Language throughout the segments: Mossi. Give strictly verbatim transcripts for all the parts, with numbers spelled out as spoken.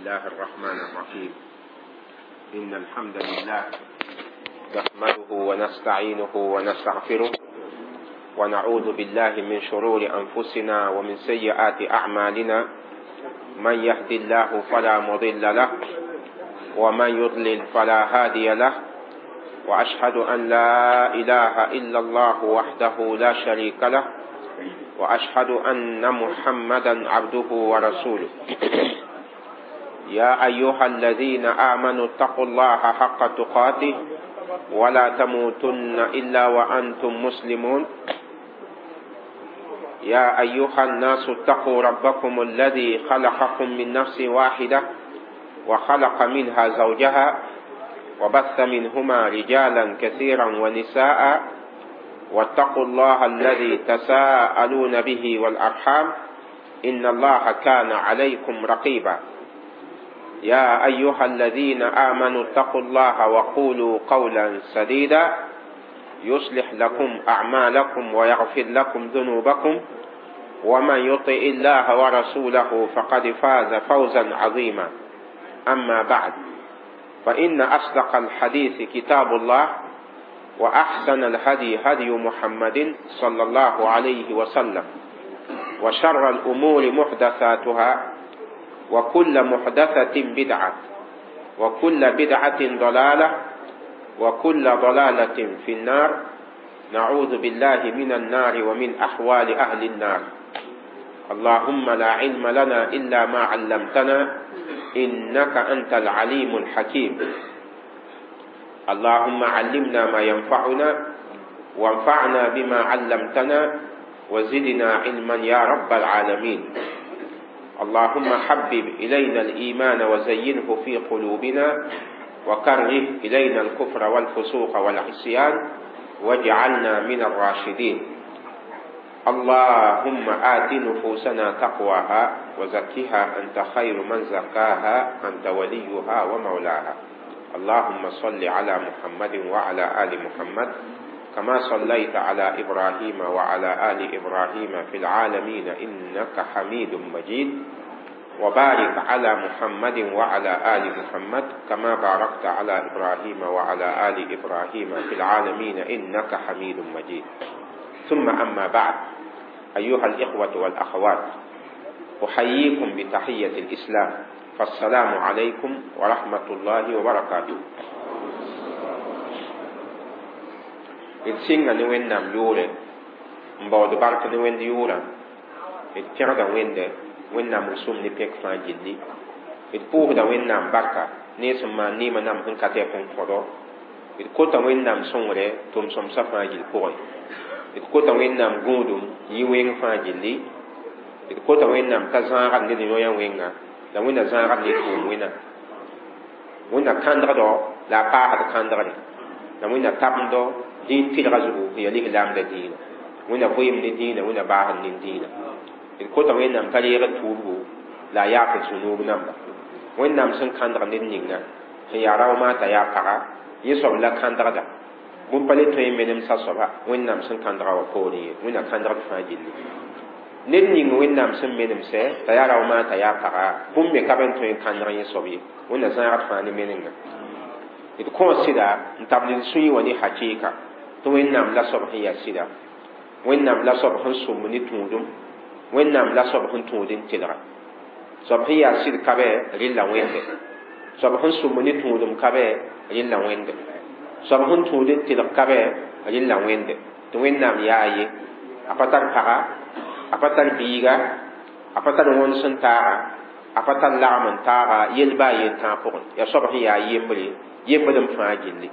الله الرحمن الرحيم. إن الحمد لله نحمده ونستعينه ونستغفره ونعوذ بالله من شرور أنفسنا ومن سيئات أعمالنا. من يهد الله فلا مضل له ومن يضلل فلا هادي له، وأشهد أن لا إله إلا الله وحده لا شريك له، وأشهد أن محمدا عبده ورسوله. يا أيها الذين آمنوا اتقوا الله حق تقاته ولا تموتن إلا وأنتم مسلمون. يا أيها الناس اتقوا ربكم الذي خلقكم من نفس واحدة وخلق منها زوجها وبث منهما رجالا كثيرا ونساء، واتقوا الله الذي تساءلون به والأرحام إن الله كان عليكم رقيبا. يا أيها الذين آمنوا اتقوا الله وقولوا قولا سديدا يصلح لكم أعمالكم ويغفر لكم ذنوبكم، ومن يطع الله ورسوله فقد فاز فوزا عظيما. أما بعد، فإن أصدق الحديث كتاب الله، وأحسن الهدي هدي محمد صلى الله عليه وسلم، وشر الأمور محدثاتها، وكل محدثة بدعة، وكل بدعة ضلالة، وكل ضلالة في النار. نعوذ بالله من النار ومن أحوال أهل النار. اللهم لا علم لنا إلا ما علمتنا إنك أنت العليم الحكيم. اللهم علمنا ما ينفعنا، وانفعنا بما علمتنا، وزدنا علما يا رب العالمين. اللهم حبب إلينا الإيمان وزينه في قلوبنا، وكره إلينا الكفر والفسوق والعصيان، واجعلنا من الراشدين. اللهم آت نفوسنا تقواها وزكها أنت خير من زكاها، أنت وليها ومولاها. اللهم صل على محمد وعلى آل محمد كما صليت على إبراهيم وعلى آل إبراهيم في العالمين إنك حميد مجيد، وبارك على محمد وعلى آل محمد كما باركت على إبراهيم وعلى آل إبراهيم في العالمين إنك حميد مجيد. ثم أما بعد، أيها الإخوة والأخوات، أحييكم بتحية الإسلام، فالسلام عليكم ورحمة الله وبركاته. D sɩnga ne Wẽnnaam yʋʋre n baood bark ne Wẽnd yʋʋrã, d pẽgda Wẽnde Wẽnnaam rʋsʋm ne pẽk fãa gilli, d pʋʋsda Wẽnnaam barka ne sẽn maan neemã nam sẽn ka tɛk n kõdo, d kota Wẽnnaam sõngre tʋm-sõmsã fãa gill pʋgẽ, d kota Wẽnnaam gũudum yɩ wẽng fãa gilli, d kota Wẽnnaam t'a zãagd ned yõ-yã wẽnga la Wẽnna zãagd ne tʋʋm wẽna, Wẽnna kãndgdo la a paasd kãndgre, la Wẽnna tabendo dĩin tɩlga zugu n yaa lislaam la dĩinã, Wẽnna vɩɩm ne dĩinã, Wẽnna baasd ne dĩinã. D kota Wẽnnaam t'a reegd tuubgo la a yaafd sũ-noog namba. Wẽnnaam sẽn kãndg ned ninga sẽn yaa rao maata yaa paga, yẽ soab la kãndgda bũmb pa le tõe n menemsa soaba Wẽnnaam sẽn kãndga wã poorẽ ye, Wẽnna kãndgd fãa gilli. Ned ning Wẽnnaam sẽn menemsɛ t'a yaa rao maata yaa paga, bũmb me ka be n tõe n kãndg yẽ soab ye, Wẽnna zãagd fãa ne menenga. D kõo sɩda n tabl d sũyẽ wã ne hakɩɩka tɩ Wẽnnaam la soab sẽn yaa sɩda, Wẽnnaam la soab sẽn sõmb ne tũudum, Wẽnnaam la soab sẽn tũud n tɩlga. Soab sẽn yaa sɩd ka bɛ rɩlla Wẽnde, soab sẽn sõmb ne tũudum ka bɛ rɩlla Wẽnde, soab sẽn tũud n tɩlg ka bɛ rɩlla Wẽnde. Tɩ Wẽnnaam yaa ye, a pa tar paga, a pa tar biiga, a pa tar wõns n taaga, a pa tar lagm n taaga yel baa yen tãag pʋgẽ. Yaa soab sẽn yaa yembre, yembd n fãa gilli.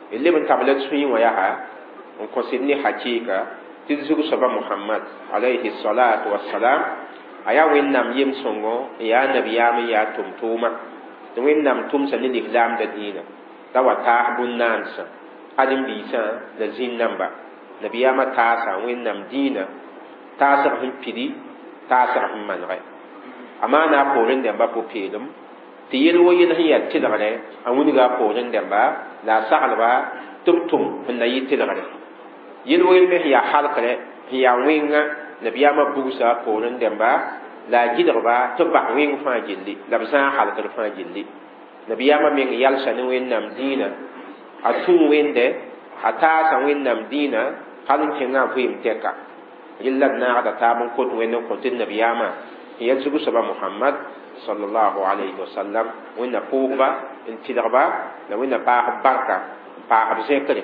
D leb n tabla d sũyẽ wã yaa n kõsd ne hakɩɩka tɩ d zug soaba Mohamad alayhi salatu wassalam, a yaa Wẽnnaam yem-sõngo n yaa nabiyaam n yaa tʋm-tʋʋma, tɩ Wẽnnaam tʋmsa ne lislaamda dĩinã t'a wa taas bũn-naansã, ãdem-biisã la zĩn-namba. Nabiyaamã taasa Wẽnnaam dĩinã taasg sẽn pidi, taasg sẽn manegɛ. A maana a poorẽ dãmbã pʋ-peelem tɩ yel wo yel sẽn yaa tɩlgrɛ a wilga a poorẽ dãmba la a saglba tɩ b tʋm sẽn na yɩ tɩlgrɛ. Yel wo yel me sẽn yaa halkrɛ sẽn yaa wẽnga nabiyaamã bugsa a poorẽ dãmba La a gɩdgba tɩ b bas wẽng fãa gilli la b zãag halkd fãa gilli. Nabiyaamã meng yalsa ne Wẽnnaam dĩinã, a tũu Wẽnde, a taasa Wẽnnaam dĩinã hal n kẽngã a vɩɩm tɛka. Rel la d naagda taab n kot Wẽnd n kõ tɩ d nabiyaamã n yaa zug soaba Mohamad sallallahu alayhi wa sallam. Wẽnna pʋʋsba n tɩlgba la Wẽnna paas b barka n paas b zẽkre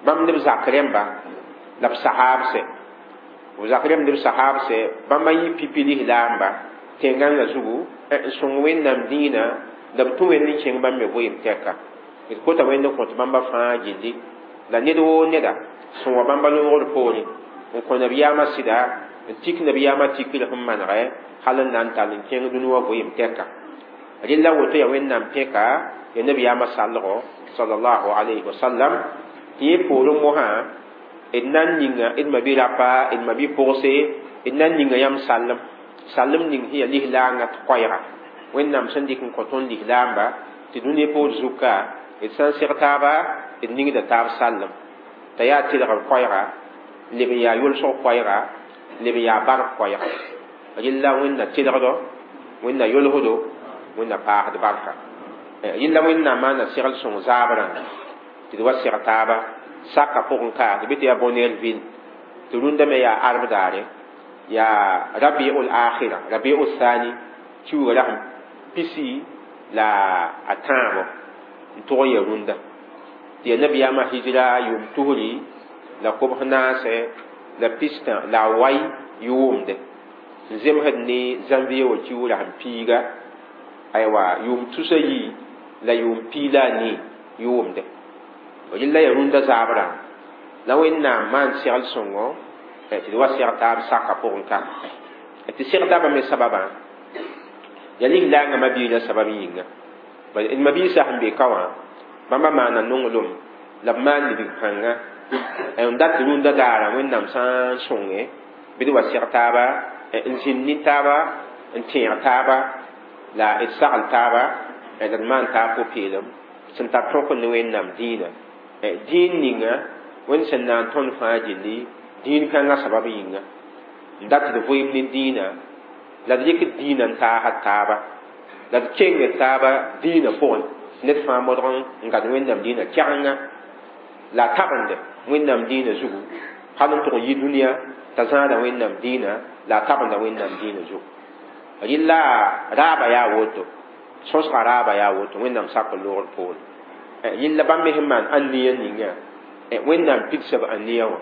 bãmb ne b zak rẽmba la b sahaabsɛ, b zak rẽmb ne b sahaabsɛ. Bãmba yɩ pipi lislaamba tẽn-gãngã zugu n sõng Wẽnnaam dĩinã la b tũ Wẽnd n kẽng bãmb me vɩɩm tɛka. D kota Wẽnd n kõt bãmba fãa gilli la ned woo neda sẽn wa bãmba loogr poorẽ n kõ nabiyaamã sɩda n tik nabiyaamã tikr sẽn manegɛ hal n na n tall n kẽng dũni wã vɩɩm tɛka. Rella woto yaa Wẽnnaam pẽka ya nabiyaamã sallgo sallallahu alayhi wa sallam. Tɩ yẽ poorẽ mosã d na n ninga d ma-bi-rapa, d ma-bi-pʋgse, d na n ninga yãmb sallem, sallem ning sẽn yaa lislaangã tɩ koɛɛga Wẽnnaam sẽn dɩk n kõ tõnd lislaamba tɩ dũni poor zuka d sã n seg taaba d ningda taab sallem t'a yaa tɩlgr koɛɛga leb n yaa yʋlsg koɛɛga leb n yaa bark koɛɛga. Rella Wẽnna tɩlgdo, Wẽnna yʋlsdo, Wẽnna paasd barka. Rella Wẽnnaam maana segl sõng zaabrã tɩ d wa seg taaba saka pʋgẽ ka tɩ bɩ tɩ yaa Bonneuilville tɩ rũndã me yaa arb daare yaa rabiul akhira rabiul thani kiuga rasem pisi la a tãabo n tʋg n ya rũndã tɩ yaa nabiyaamã hijra yʋʋm tusri la kobs naase la pistã la a wai yʋʋmde n zemsd ne janvier wã kiug rasem piiga aywa yʋʋm tusa yi la yʋʋm pii la a nii yʋʋmde. Rella yaa rũndã zaabrã la Wẽnnaam maan segl sõngo tɩ d wa seg taab saka pʋgẽ ka tɩ seg taabã me sababã yaa lislaangã ma-biilã sabab yĩnga. D ma-biisã sẽn be ka wã bãmba maana nonglem la b maan libg pãnga n dat rũndã daara Wẽnnaam sã n sõnge bɩ d wa seg taaba n zĩnd ne taaba n tẽeg taaba la d sagl taaba la d maan taab pʋ-peelem sẽn tar tõk ne Wẽnnaam dĩinã. Dĩin ninga Wẽnd sẽn na n tõnd fãa gilli dĩin kãngã sabab yĩnga n dat d vɩɩm ne dĩinã la d rɩk dĩinã n taasd taaba la d kengd taaba dĩinã pʋgẽ ned fãa modg n gad Wẽnnaam dĩinã kɛgenga la a tabende Wẽnnaam dĩinã zugu hal n tʋg n yi dũniyã t'a zãada Wẽnnaam dĩinã la a tabenda Wẽnnaam dĩinã zugu. Rɩla raaba yaa woto, sõsga raaba yaa woto Wẽnnaam sak n loogr poore. Yella bãmb me sẽn maan ãnniya ninga Wẽnnaam pidsa b ãnniya wã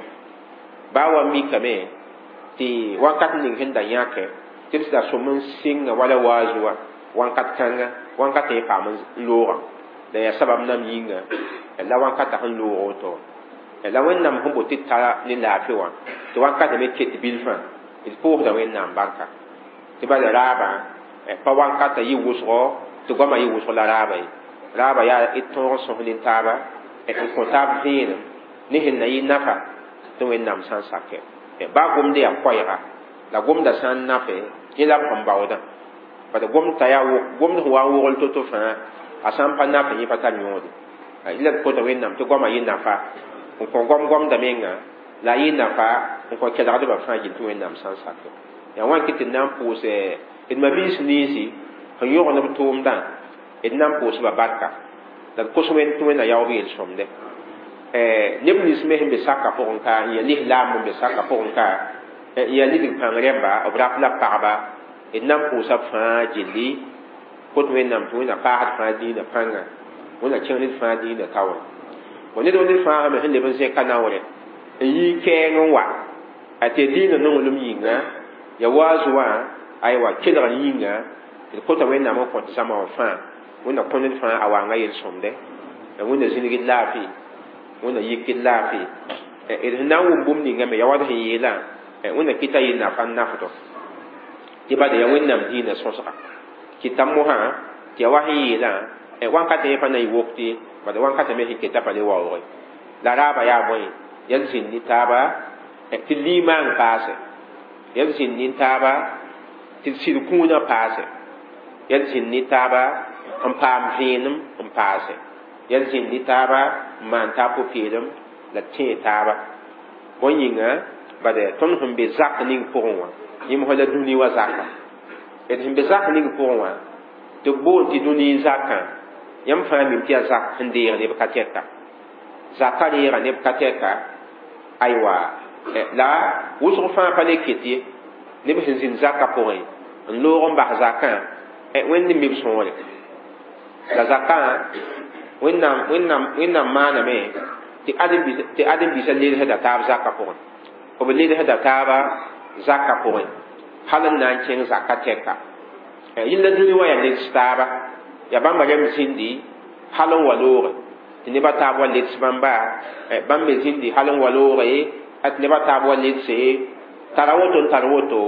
baa wa mikame tɩ wakat ning sẽn da yãke tɩ d da sõm n sɩnga wala waazu wã wãnkat kãnga wãnkat yẽ paam n loogã la yaa sabab nam yĩnga la wãnkata sẽn loog woto la Wẽnnaam sẽn boot tɩ tara ne laafɩ wã tɩ wãnkata me ket bilfã d pʋʋsda Wẽnnaam barka tɩ bala raabã pa wãnkata yɩ wʋsgo tɩ goamã yɩ wʋsg la raaba ye. Raaba yaa d tõog n sõs nin-taaba n kõ taab vẽenem ne sẽn na yɩ nafa tɩ Wẽnnaam sã n sakɛ baa gomd yaa koɛɛga la gomda sã n nafe yẽ la b sẽn baoodã bad gomd t'a yaa gomd sẽn wa n wogl to-to fãa a sã n pa nafe yẽ pa tar yõode. La d kota Wẽnnaam tɩ goamã yɩ nafa n kõ gom gomda menga la a yɩ nafa n kõ kelgdbã fãa gill tɩ Wẽnnaam sã n sakɛ. Yaa wãn kɩ tɩ d na n pʋʋsɛ d ma-biis ninsi sẽn yõgd b tʋʋmdã d na n pʋʋsba barka la d kos Wẽnd tɩ Wẽnna yaoog yel-sõmde. Neb nins me sẽn be saka pʋgẽ ka n yaa lislaam n be saka pʋgẽ ka n yaa lidg pãng rẽmba b rap la pagba d na n pʋʋsa b fãa gilli kot Wẽnnaam tɩ Wẽnna paasd fãa dĩinã pãnga Wẽnna kẽng ned fãa dĩinã taoore. Bõ ned ned fãa me sẽn leb n zẽka naoore n yɩ kɛɛng n wa a tɩ dĩinã nonglem yĩnga ya waazu wã aywa kelgr yĩnga d kota Wẽnnaam n kõt zãma wã fãa Wẽnna kõ ned fãa a waanga yel-sõmde la Wẽnna zĩnigd laafɩ Wẽnna yik d laafɩ d sẽn na n wʋm bũmb ninga me ya wa d sẽn yeelã Wẽnna kɩta yɩ nafa n nafdo tɩ bala yaa Wẽnnaam dĩinã sõsga kɩta mosã tɩ yaa wa sẽn yeelã wãnkatã yẽ pa na n yɩ wokte bad wãnkatã me sẽn keta pa le waoogẽ la raaba yaa bõe yaa d zĩnd ne taaba tɩ limaang paase yaa d zĩnd ne taaba tɩ d sɩd kũunã paase yaa d zĩnd ne taaba n paam vẽenem n paase yaa d zĩnd ne taaba n maan taab pʋ-peelem la d tẽe taaba. Bõe yĩnga bad tõnd sẽn be zak ning pʋgẽ wã yẽ mosã la dũni wã zaka d sẽn be zak ning pʋgẽ wã tɩ b boond tɩ dũni zakã yãmb fãa mim tɩ yaa zak sẽn deeg neb ka tɛka zaka reega neb ka tɛka aywa la wʋsg fãa pa le ket ye neb sẽn zĩnd zakã pʋgẽ n loog n bas zakã wẽnd n mi b sõore la zakã wẽnnaam wẽnnaam wẽnnaam maaname tɩ tɩ ãdem-biisã ledsda taab zakã pʋgẽ b ledsda taaba zakã pʋgẽ hal n na n kẽng zaka tɛka yĩlla dũni wã yaa leds taaba yaa bãmba rẽmb zĩndi hal n wa looge tɩ nebã taab wa leds bãmba bãmb me zĩndi hal n wa looge tɩ nebã taab wa ledse tara woto n tar woto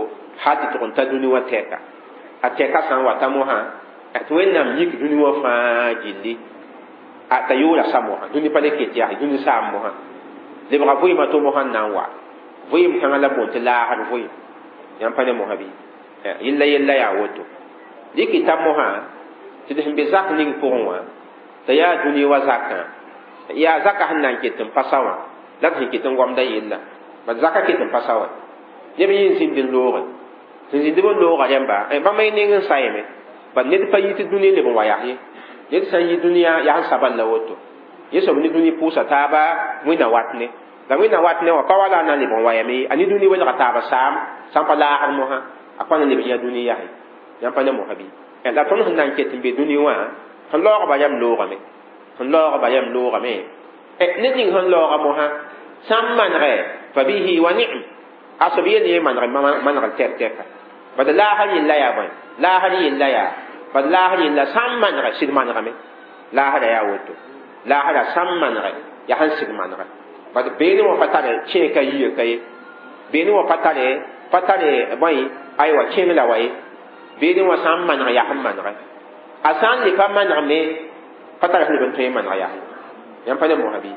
hal tɩ tʋg n ta dũni wã tɛka a tɛka sã n wata mosã tɩ wẽnnaam yik dũni wã fãa gilli a t'a yoora sa mosã dũni pa le ket yaa dũni saam mosã lebga vɩɩmã to mosã n na n wa vɩɩm kãngã la boond tɩ laagd vɩɩm yãmb pa ne mosã bɩ yella yella yaa woto dɩk t'a mosã tɩ d sẽn be zak ning pʋgẽ wã t'a yaa dũni wa zakã yaa zaka sẽn na n ket n pasa wã la d sẽn ket n goamda yella bad zaka ket n pasa wã neb yẽ n zĩnd n looge sẽn zĩnd b n looga rẽmba bãmb y neng n sayame bad ned pa yit dũni leb n wa yas ye ned sã n yi dũniyã yaa sẽn sabal la woto yẽ soab ne dũni pʋʋsa taaba wẽnna wat ne la wẽnna wat ne wã pa wala a na n leb n wa yame a ne dũni welga taaba saam sã n pa laagd mosã a pa na leb n yã dũni yase yãmb pa ne mosã bɩ la tõnd sẽn na n ket n be dũni wã sẽn laoogba yam loogame sẽn laoogba yam loogame ned ning sẽn laooga mosã sã n manegɛ fa bihi wa ni'm a soab yel yẽ maneg manegl tɛk tɛka bad laasr yella yaa bõe laasr yella yaa bad laasr yella sã n manegɛ sɩd manegame laasra yaa woto laasra sã n manegɛ yaa sẽn sɩd manegɛ bad beene wã pa tare kẽe ka yia ka ye beene wã pa tare pa tare bõe aywa kẽng la wa ye beene wã sã n maneg yaa sẽn manegɛ a sã n le pa maneg me pa tara sẽn leb n tõe n maneg yaa yãmb pa ne mosã bɩ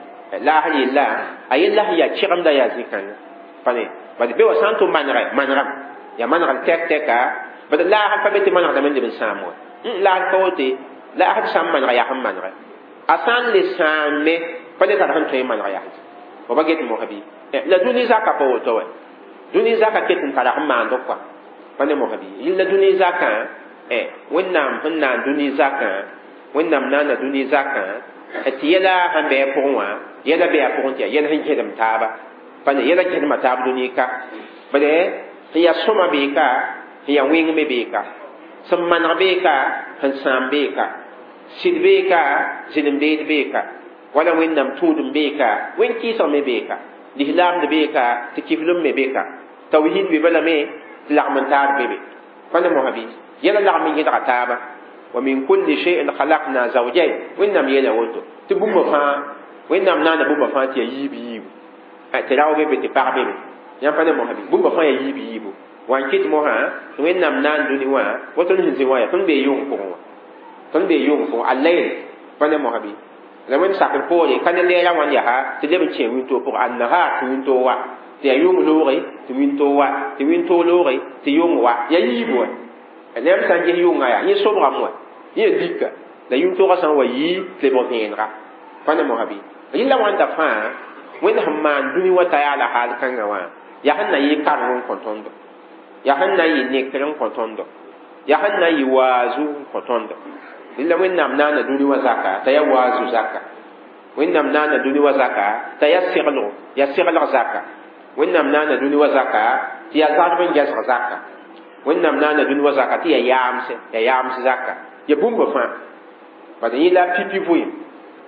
laasr yella a yella sẽn yaa kẽgemda yaa zĩ-kãnga pa ne bad be wã sã n tʋ manegɛ manegame yaa manegl tɛk tɛka bad laasr pa be tɩ manegdame n leb n sãam wã laasr pa wote laasr sã n manega yaa sẽn manegɛ a sã n le sãame pa le tar sẽn tõe n maneg yaa fo pa get mosã bɩ la dũni zaka pa woto wɛ dũni zaka ket n tara sẽn maand kɔa pa ne mosã bɩ yella dũni zakã wẽnnaam sẽn naan dũni zakã wẽnnaam naana dũni zakã tɩ yɛla sẽn bɩ a pʋgẽ wã yɛla bɩ a pʋgẽ tɩ yaa yɛl sẽn gẽdem taaba pa ne yɛla gẽdema taab dũni ka bale sẽn yaa sõma bee ka sẽn yaa wẽng me bee ka sẽn maneg bee ka sẽn sãam bee ka sɩd bee ka zɩlem beed bee ka wala wẽnnaam tũudem bee ka wẽn kɩɩsg me bee ka lislaamd bee ka tɩ kiflem me bee ka tawhid be balame tɩ lagm n taar be be pa ne mosã bɩ yɛla lagm n gẽdga taaba wa min kulli shay'in khalaqna zawjayn wẽnnaam yeela woto tɩ bũmba fãa wẽnnaam naana bũmba fãa tɩ yaa yiib yiibu tɩ rao be be tɩ pag be be yãmb pa ne mosã bɩ bũmba fãa yaa yiib yiibu wa n kɩt mosã tɩ wẽnnaam naan dũni wã wa tõnd sẽn zĩ wã yaa tõnd bee yʋng pʋgẽ wã tõnd bee yʋng pʋgẽ al-layl pa ne mosã bɩ la wẽnd sakr poore ka ne lɛɛra wãn yaa tɩ leb n kẽ wĩntoog pʋgẽ an-nahar tɩ wĩntoog wa tɩ yaa yʋng looge tɩ wĩntoog wa tɩ wĩntoog looge tɩ yʋng wa yaa yiibu wã neb sã n ges yʋngã yaa yẽ sobgame wã yẽ lika la yũntoogã sã n wa yii tɩ lebg vẽenega pa ne mosã bɩ yella wãnda fãa wẽnd sẽn maan dũni wã t'a yaa la haal kãngã wã yaa sẽn na yɩ kareng n kõ tõndo yaa sẽn na n yɩ nekr n kõ tõndo yaa sẽn na n yɩ waazu n kõ tõndo yella wẽnnaam naana dũni wã zaka t'a yaa waazu zaka wẽnnaam naana dũni wã zaka t'a yaa seglgo yaa seglg zaka wẽnnaam naana dũni wã zaka tɩ yaa zagdb n gɛsg zaka wẽnnaam naana dũni wã zaka tɩ yaa yaamse yaa yaams zaka ya bũmba fãa bad yẽ la pipi vɩɩm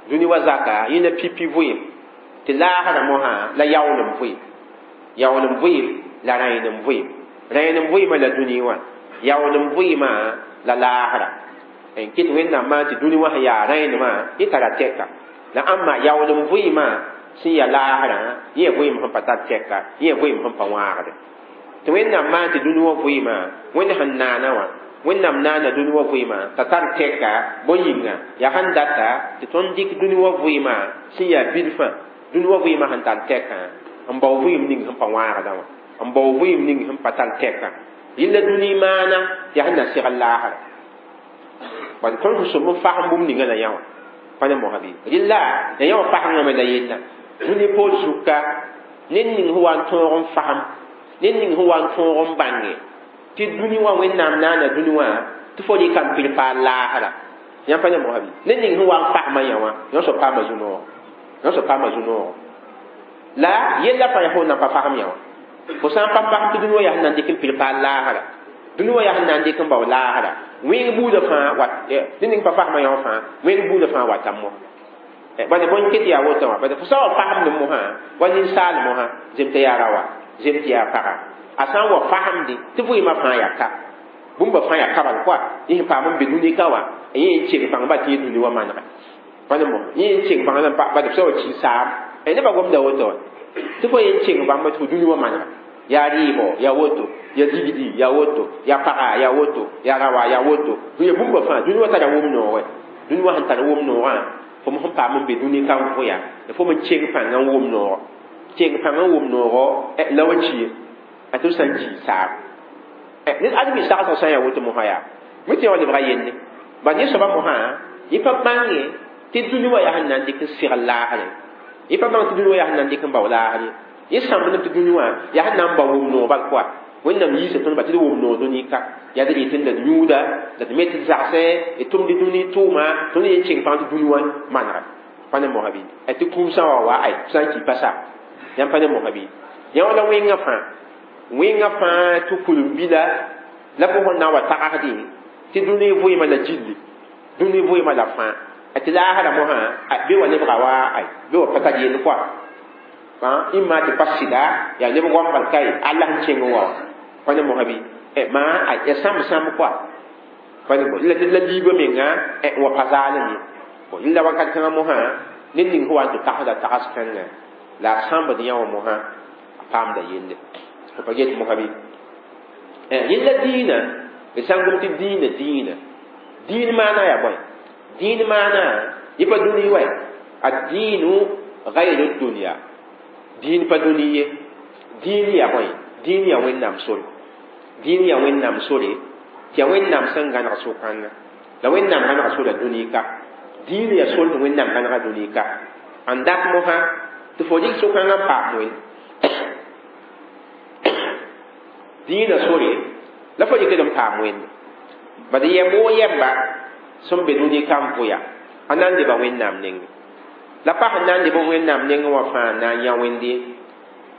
dũni wa zaka yẽ la pipi vɩɩm tɩ laasrã mosã la yaoolem vɩɩm yaoolem vɩɩm la rãenem vɩɩm rãenem vɩɩmã la dũni wã yaoolem vɩɩmã la laasra n kɩt wẽnnaam maan tɩ dũni wã sẽn yaa rãenemã yẽ tara tɛka la ãmba yaoolem vɩɩmã sẽn yaa laasrã yẽ vɩɩm sẽn pa tar tɛka yẽ vɩɩm sẽn pa wãagde tɩ wẽnnaam maan tɩ dũni wã vɩɩmã wẽnd sẽn naana wã wẽnnaam naana dũni wã vɩɩmã t'a tar tɛka bõe-yĩnga yaa sẽn data tɩ tõnd dɩk dũni wã vɩɩmã sẽn yaa bilfã dũni wã vɩɩmã sẽn tar tɛkã n bao vɩɩm ning sẽn pa wãagdã wã n bao vɩɩm ning sẽn pa tar tɛkã yella dũni maana tɩ yaa sẽn na segl laasra bad tõnd sẽn sõm n fasem bũmb ninga la yã wã pa ne mosã bɩ rɩlla la yã wã fasengame la yella dũni poor zuka ned ning sẽn wa n tõog n fasem ned ning sẽn wa n tõog n bãnge Tɩ dũni wã Wẽnnaam naana dũni wã tɩ fo rɩka n pɩr paal laasra. Yãmb pa ne mosã bɩ? Ned ning sẽn wa n fasmã yã wã, yõ soab paama zu-noog. Yõ soab paama zu-noogo. La yella fãa yaa fo nan pa fasem yã wã. Fo sã n pa fasem tɩ dũni wã yaa sẽn na n dɩk n pɩr paal laasra. Dũni wã yaa sẽn na n dɩk n bao laasra. Wẽng buudã fãa wat ned ning pa fasmã yã wã fãa, wẽng buudã fãa wata mo. Bala bõe ket yaa woto wã, bala fo sã n wa fasemdẽ mosã, wa ninsaal mosã, zem tɩ yaa raoã, zem tɩ yaa paga. A sã n wa fasemdẽ tɩ vɩɩmã fãa yaa ka. Bũmba fãa yaa ka bal koa, yẽ sẽn paam n be dũni ka wã, yẽ n keng bãngba tɩ yẽ dũni wã manega. Pa ne mosã, yẽ n keng bãng la bala b sã wa ki saam. Nebã gomda woto wã. Tɩ fo yẽ n keng bãmba tɩ fo dũni wã manega. Yaa rɩɩbɔ, yaa woto, yaa ligdi, yaa woto, yaa paga, yaa woto, yaa raoã, yaa woto. Yaa bũmba fãa, dũni wã tara wʋm noogẽ. Dũni wã sẽn tar wʋm noogã, fo sẽn paam n be dũni ka n vʋya, fo me keng pãngã n wʋm noogo. Keng pãngã n wʋm noogo la wa ki a tɩ b sã n ki saam. Ned ãdem sagsg sã n yaa woto mosã yaa mi tɩ yã wa lebga yelle. Bala yẽ soabã mosã, yẽ pa bãnge tɩ dũni wã yaa sẽn na n dɩk n segl laasre. Yẽ pa bãng tɩ dũni wã yaa sẽn na n dɩk n bao laasre. Yẽ sãmbdame tɩ dũni wã yaa sẽn na n bao wʋm noog bal koa. Wẽnnaam yiisa tõnd ba tɩ d wʋm noog dũni ka. Yaa d rɩt la d yũuda, la d me tɩ d zagsɛ, d tʋmd dũni tʋʋma, tõnd yen keng pãng tɩ dũni wã manega. Pa ne mosã bɩ? Tɩ kũum sã n wa wa ay, sã n ki pa sa. Yãmb pa ne mosã bɩ? Yã wala wẽngã fãa. Wẽngã fãa tɩ kulem-bila la fo sẽn na n wa tagsdẽ tɩ dũni vɩɩmã la gilli, dũni vɩɩmã la fãa. Tɩ laasrã mosã, bɩ wa lebga wa ay, bɩ wa pa tar yell koa. Ĩmma tɩ pa sɩda, yaa neb goam bal ka ye, Allah n kẽng wa. Pa ne mosã bɩ? Maa yaa sãmb sãmb koa. Pa ne la la liibã menga n wa pa zaalem ye. La wakat kãngã mosã, ned ning sẽn wa n tɩ tagsda tags kãnga, la a sãmbd yã wã mosã, a paamda yelle. Fo pa get mosã bɩ? Yella dĩinã, d sã n gom tɩ dĩinã dĩinã. Dĩin maana yaa bõe? Dĩin maana, yẽ pa dũni wa. Ad-dĩinu gayru dunya. Dĩin pa dũni ye. Dĩin yaa bõe? Dĩin yaa Wẽnnaam sore. Dĩin yaa Wẽnnaam sore, tɩ yaa Wẽnnaam sẽn gãneg so-kãnga. La Wẽnnaam gãnega sora dũni ka. Dĩin yaa sor tɩ Wẽnnaam gãnega dũni ka. N dat mosã, tɩ fo rɩk so-kãngã n paam wẽnd. Dĩinã sore, la fo rɩkd n paam wẽnd. Bad yɛm woo yɛmba sẽn be dũni ka n vʋya, a na n leba Wẽnnaam nengẽ. La pa sẽn na n leb Wẽnnaam nengẽ wã fãa n na n yã wẽnde.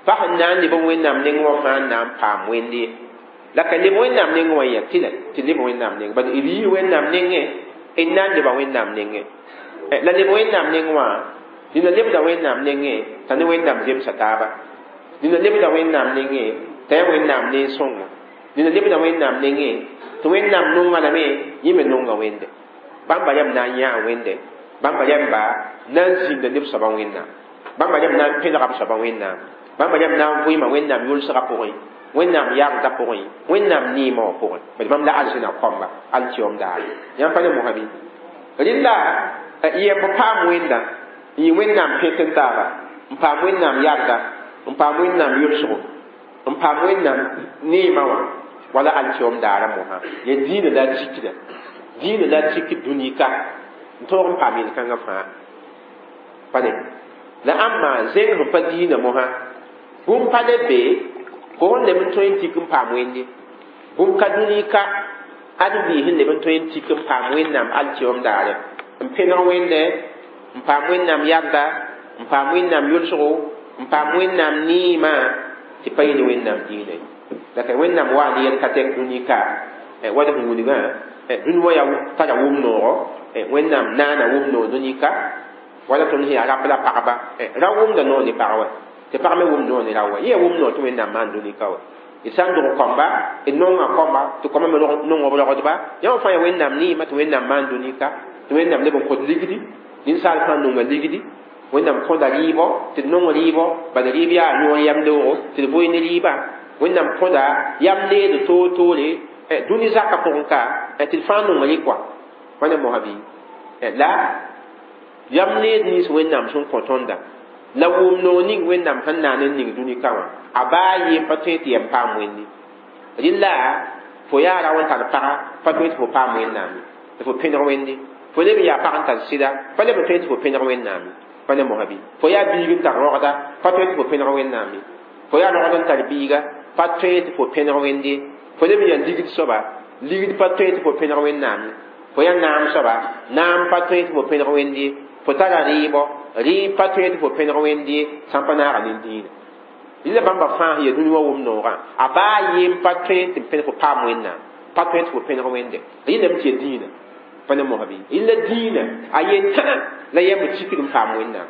Pa sẽn na n leb Wẽnnaam nengẽ wã fãa n na n paam wẽnde. La ka leb Wẽnnaam nengẽ wã yaa tɩ la tɩ leb Wẽnnaam nengẽ. Bad d yii Wẽnnaam nengẽ, d na n leba Wẽnnaam nengẽ. La leb Wẽnnaam nengẽ wã, dĩnã lebda Wẽnnaam nengẽ t'a ne Wẽnnaam zemsa taaba. Dĩnã lebda Wẽnnaam nengẽ t'a yaa Wẽnnaam nen-sõngo. Dĩnã lebda Wẽnnaam nengẽ tɩ Wẽnnaam nonga lame, yẽ me nonga Wẽnde. Bãmba yam na n yãa Wẽnde. Bãmba yamba na n zĩnda neb soabã Wẽnnaam. Bãmba yam na n pẽlga b soabã Wẽnnaam. Bãmba yam na n vɩɩma Wẽnnaam yʋlsgã pʋgẽ, Wẽnnaam yagdã pʋgẽ, Wẽnnaam neemã wã pʋgẽ. Bad bãmb la arzẽna kõmba, alkiom daare. Yãmb pa ne mosã bɩ? Rẽnda yɛmb paam Wẽnda, n yɩ Wẽnnaam pẽt n taaba, n paam Wẽnnaam yagda, n paam Wẽnnaam yʋlsgo, n paam Wẽnnaam neemã wã, wala alkiom daara mosã. Yaa dĩinã la a tikda. Dĩinã la a tik dũni ka. N tõog n paam yel-kãngã fãa. Pa ne? La ãmba zẽng sẽn pa dĩinã mosã, bũmb pa le be, fo sẽn leb n tõe n tik n paam Wẽnde. Bũmb ka dũni ka, ãdem-biis sẽn leb n tõe n tik n paam Wẽnnaam alkiom daare. N pẽneg Wẽnde, n paam Wẽnnaam yagda, n paam Wẽnnaam yʋlsgo, n paam Wẽnnaam neemã, tɩ pa yẽ ne Wẽnnaam dĩinã ye. La ka Wẽnnaam wa ne yɛl ka tɛk dũni ka, wa d sẽn wilgã, dũni wã yaa tara wʋm noogo, Wẽnnaam naana wʋm noog dũni ka, wala tõnd sẽn yaa rap la pagba, ra wʋmda noog ne pag wa, tɩ pag me wʋm noog ne ra wa. Yẽ yaa wʋm noog tɩ Wẽnnaam maan dũni ka wa. D sã n dog kõmba, d nonga kõmba, tɩ kõmba me nong b rogdba, yã wã fãa yaa Wẽnnaam neemã tɩ Wẽnnaam maan dũni ka, tɩ Wẽnnaam leb n kõt ligdi, ninsaal fãa nonga ligdi, Wẽnnaam kõda rɩɩbɔ, tɩ d nong rɩɩbɔ, bala rɩɩb yaa yõor yam leoogo, tɩ d bʋɩ ne rɩɩbã. Wẽnnaam kõda yam leed toor-toore, dũni zakã pʋgẽ ka, tɩ d fãa nonga rɩ koa. Pa ne mosã bɩ? La yam leed nins Wẽnnaam sẽn kõ tõnda, la wʋm noog ning Wẽnnaam sẽn naan n ning dũni ka wã, a baa yee pa tõe tɩ yam paam Wẽnde. Rẽnda fo yaa rao n tar paga, pa tõe tɩ fo paam Wẽnnaam ye, tɩ fo pẽneg Wẽnde. Fo leb n yaa pag n tar sɩda, pa leb n tõe tɩ fo pẽneg Wẽnnaam ye. Pa ne mosã bɩ? Fo yaa biig n tar rogda, pa tõe tɩ fo pẽneg Wẽnnaam ye. Fo yaa rogd n tar biiga, pa tõe tɩ fo pẽneg Wẽnde. Fo leb n yaa ligd soaba, ligd pa tõe tɩ fo pẽneg Wẽnnaam ye. Fo yaa naam soaba, naam pa tõe tɩ fo pẽneg Wẽnd ye. Fo tara rɩɩbɔ, rɩɩb pa tõe tɩ fo pẽneg Wẽnd ye, sã n pa naaga ne dĩinã. Rɩla bãmba fãa sẽn yaa dũni wã wʋm noogã, a baa yem pa tõe tɩ pẽneg fo paam Wẽnnaam, pa tõe tɩ fo pẽneg Wẽnde. Rɩlame tɩ yaa dĩinã. Pa ne mosã bɩ? Rɩla dĩinã a yetã la yãmb tikd n paam Wẽnnaam.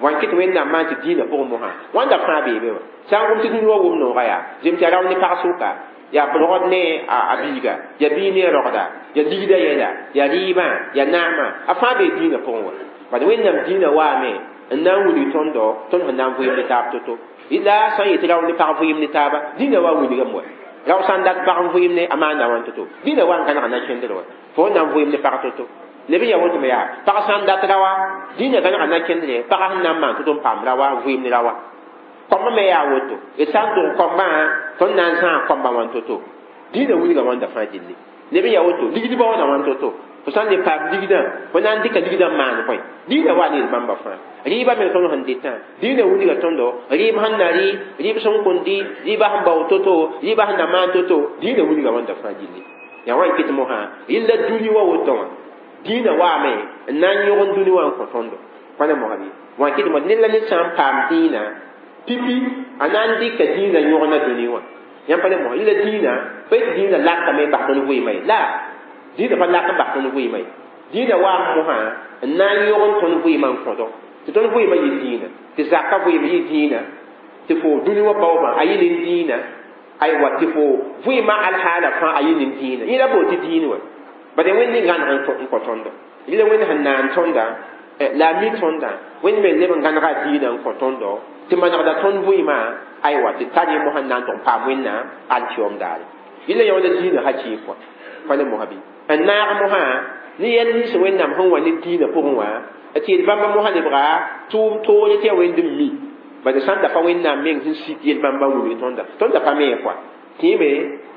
Wan kɩt Wẽnnaam maan tɩ dĩinã pʋgẽ mosã wãnda fãa bee be wã. Sã n gom tɩ dũni wã wʋm noogã yaa zem tɩ yaa rao ne pag sʋka, yaa rogd ne a biiga, yaa biig ne a rogda, yaa ligda yɛla, yaa rɩɩbã, yaa naamã, a fãa bee dĩinã pʋgẽ wã. Bad Wẽnnaam dĩinã waame n na n wilg tõndo, tõnd sẽn na n vɩɩm ne taab to-to. La sã n yetɩ rao ne pag vɩɩm ne taaba, dĩinã wa wilgame wa. Rao sã n dat pag n vɩɩm ne a maanda wãn to-to, dĩinã wa n gãnega na kẽndr wa. Fo na n vɩɩm ne pag to-to. Leb n yaa woto me yaa pag sã n dat raoa, dĩinã gãnega na kẽndre, pagã sẽn na n maan to-to n paam raoa, n vɩɩm ne raoa. Kɔmbã me yaa woto, d sã n dog kɔmbã, tõnd na n zãag kɔmbã wãn to-to. Dĩinã wilga wãnda fãa gilli. Leb n yaa woto, ligdbã wãna wãn to-to. Fo sã n le paam ligdã, fo na n dɩka ligdã n maan bõe? Dĩinã wa ne bãmba fãa. Rɩɩbã me tõnd sẽn dɩtã, dĩinã wilga tõndo, rɩɩb sẽn na rɩ, rɩɩb sẽn kõn dɩ, rɩɩbã sẽn bao to-to, rɩɩbã sẽn na maan to-to, dĩinã wilga wãnda fãa gilli. Yaa wã n kɩt mosã, rɩla dũni wa woto wã. Dĩinã waame n na n yõgen dũni wã n kõ tõndo. Pa ne mosã bɩ? Wã n kɩt mo ned la ned sã n paam dĩinã, pipi a na n dɩka dĩinã yõgna dũni wã. Yãmb pa ne mosã, rɩla dĩinã, pa yetɩ dĩinã lakame n bas tõnd vɩɩmã ye. La dĩinã pa lak n bas tõnd vɩɩmã ye. Dĩinã waam mosã n na n yõgen tõnd vɩɩmã n kõdo. Tɩ tõnd vɩɩmã yɩ dĩinã, tɩ zakã vɩɩm yɩ dĩinã, tɩ fo dũni wã baoobã a yɩ nin dĩinã, aywa tɩ fo vɩɩmã alhaala fãa a yɩ nin dĩinã. Yẽ la bool tɩ dĩin wã. Bad Wẽnd gãneg n kõ tõndo. Rɩla Wẽnd sẽn naan tõnda, la a mi tõndã, Wẽnd me leb n gãnega dĩinã n kõ tõndo, tɩ manegda tõnd vɩɩmã, aywa tɩ tar yẽ mosã n na n tʋg n paam Wẽnnaam alkiyoom daare. Rɩla yõoda dĩinã hakɩɩk wã. Pa ne mosã bɩ? N naag mosã ne yɛl nins Wẽnnaam sẽn wa ne dĩinã pʋgẽ wã, tɩ yel bãmba mosã lebga tʋʋm toore tɩ yaa Wẽnd n mi. Bad sã n da pa Wẽnnaam meng sẽn sik yel bãmba n wilg tõnda, tõnd da pa me kɔa. Tɩ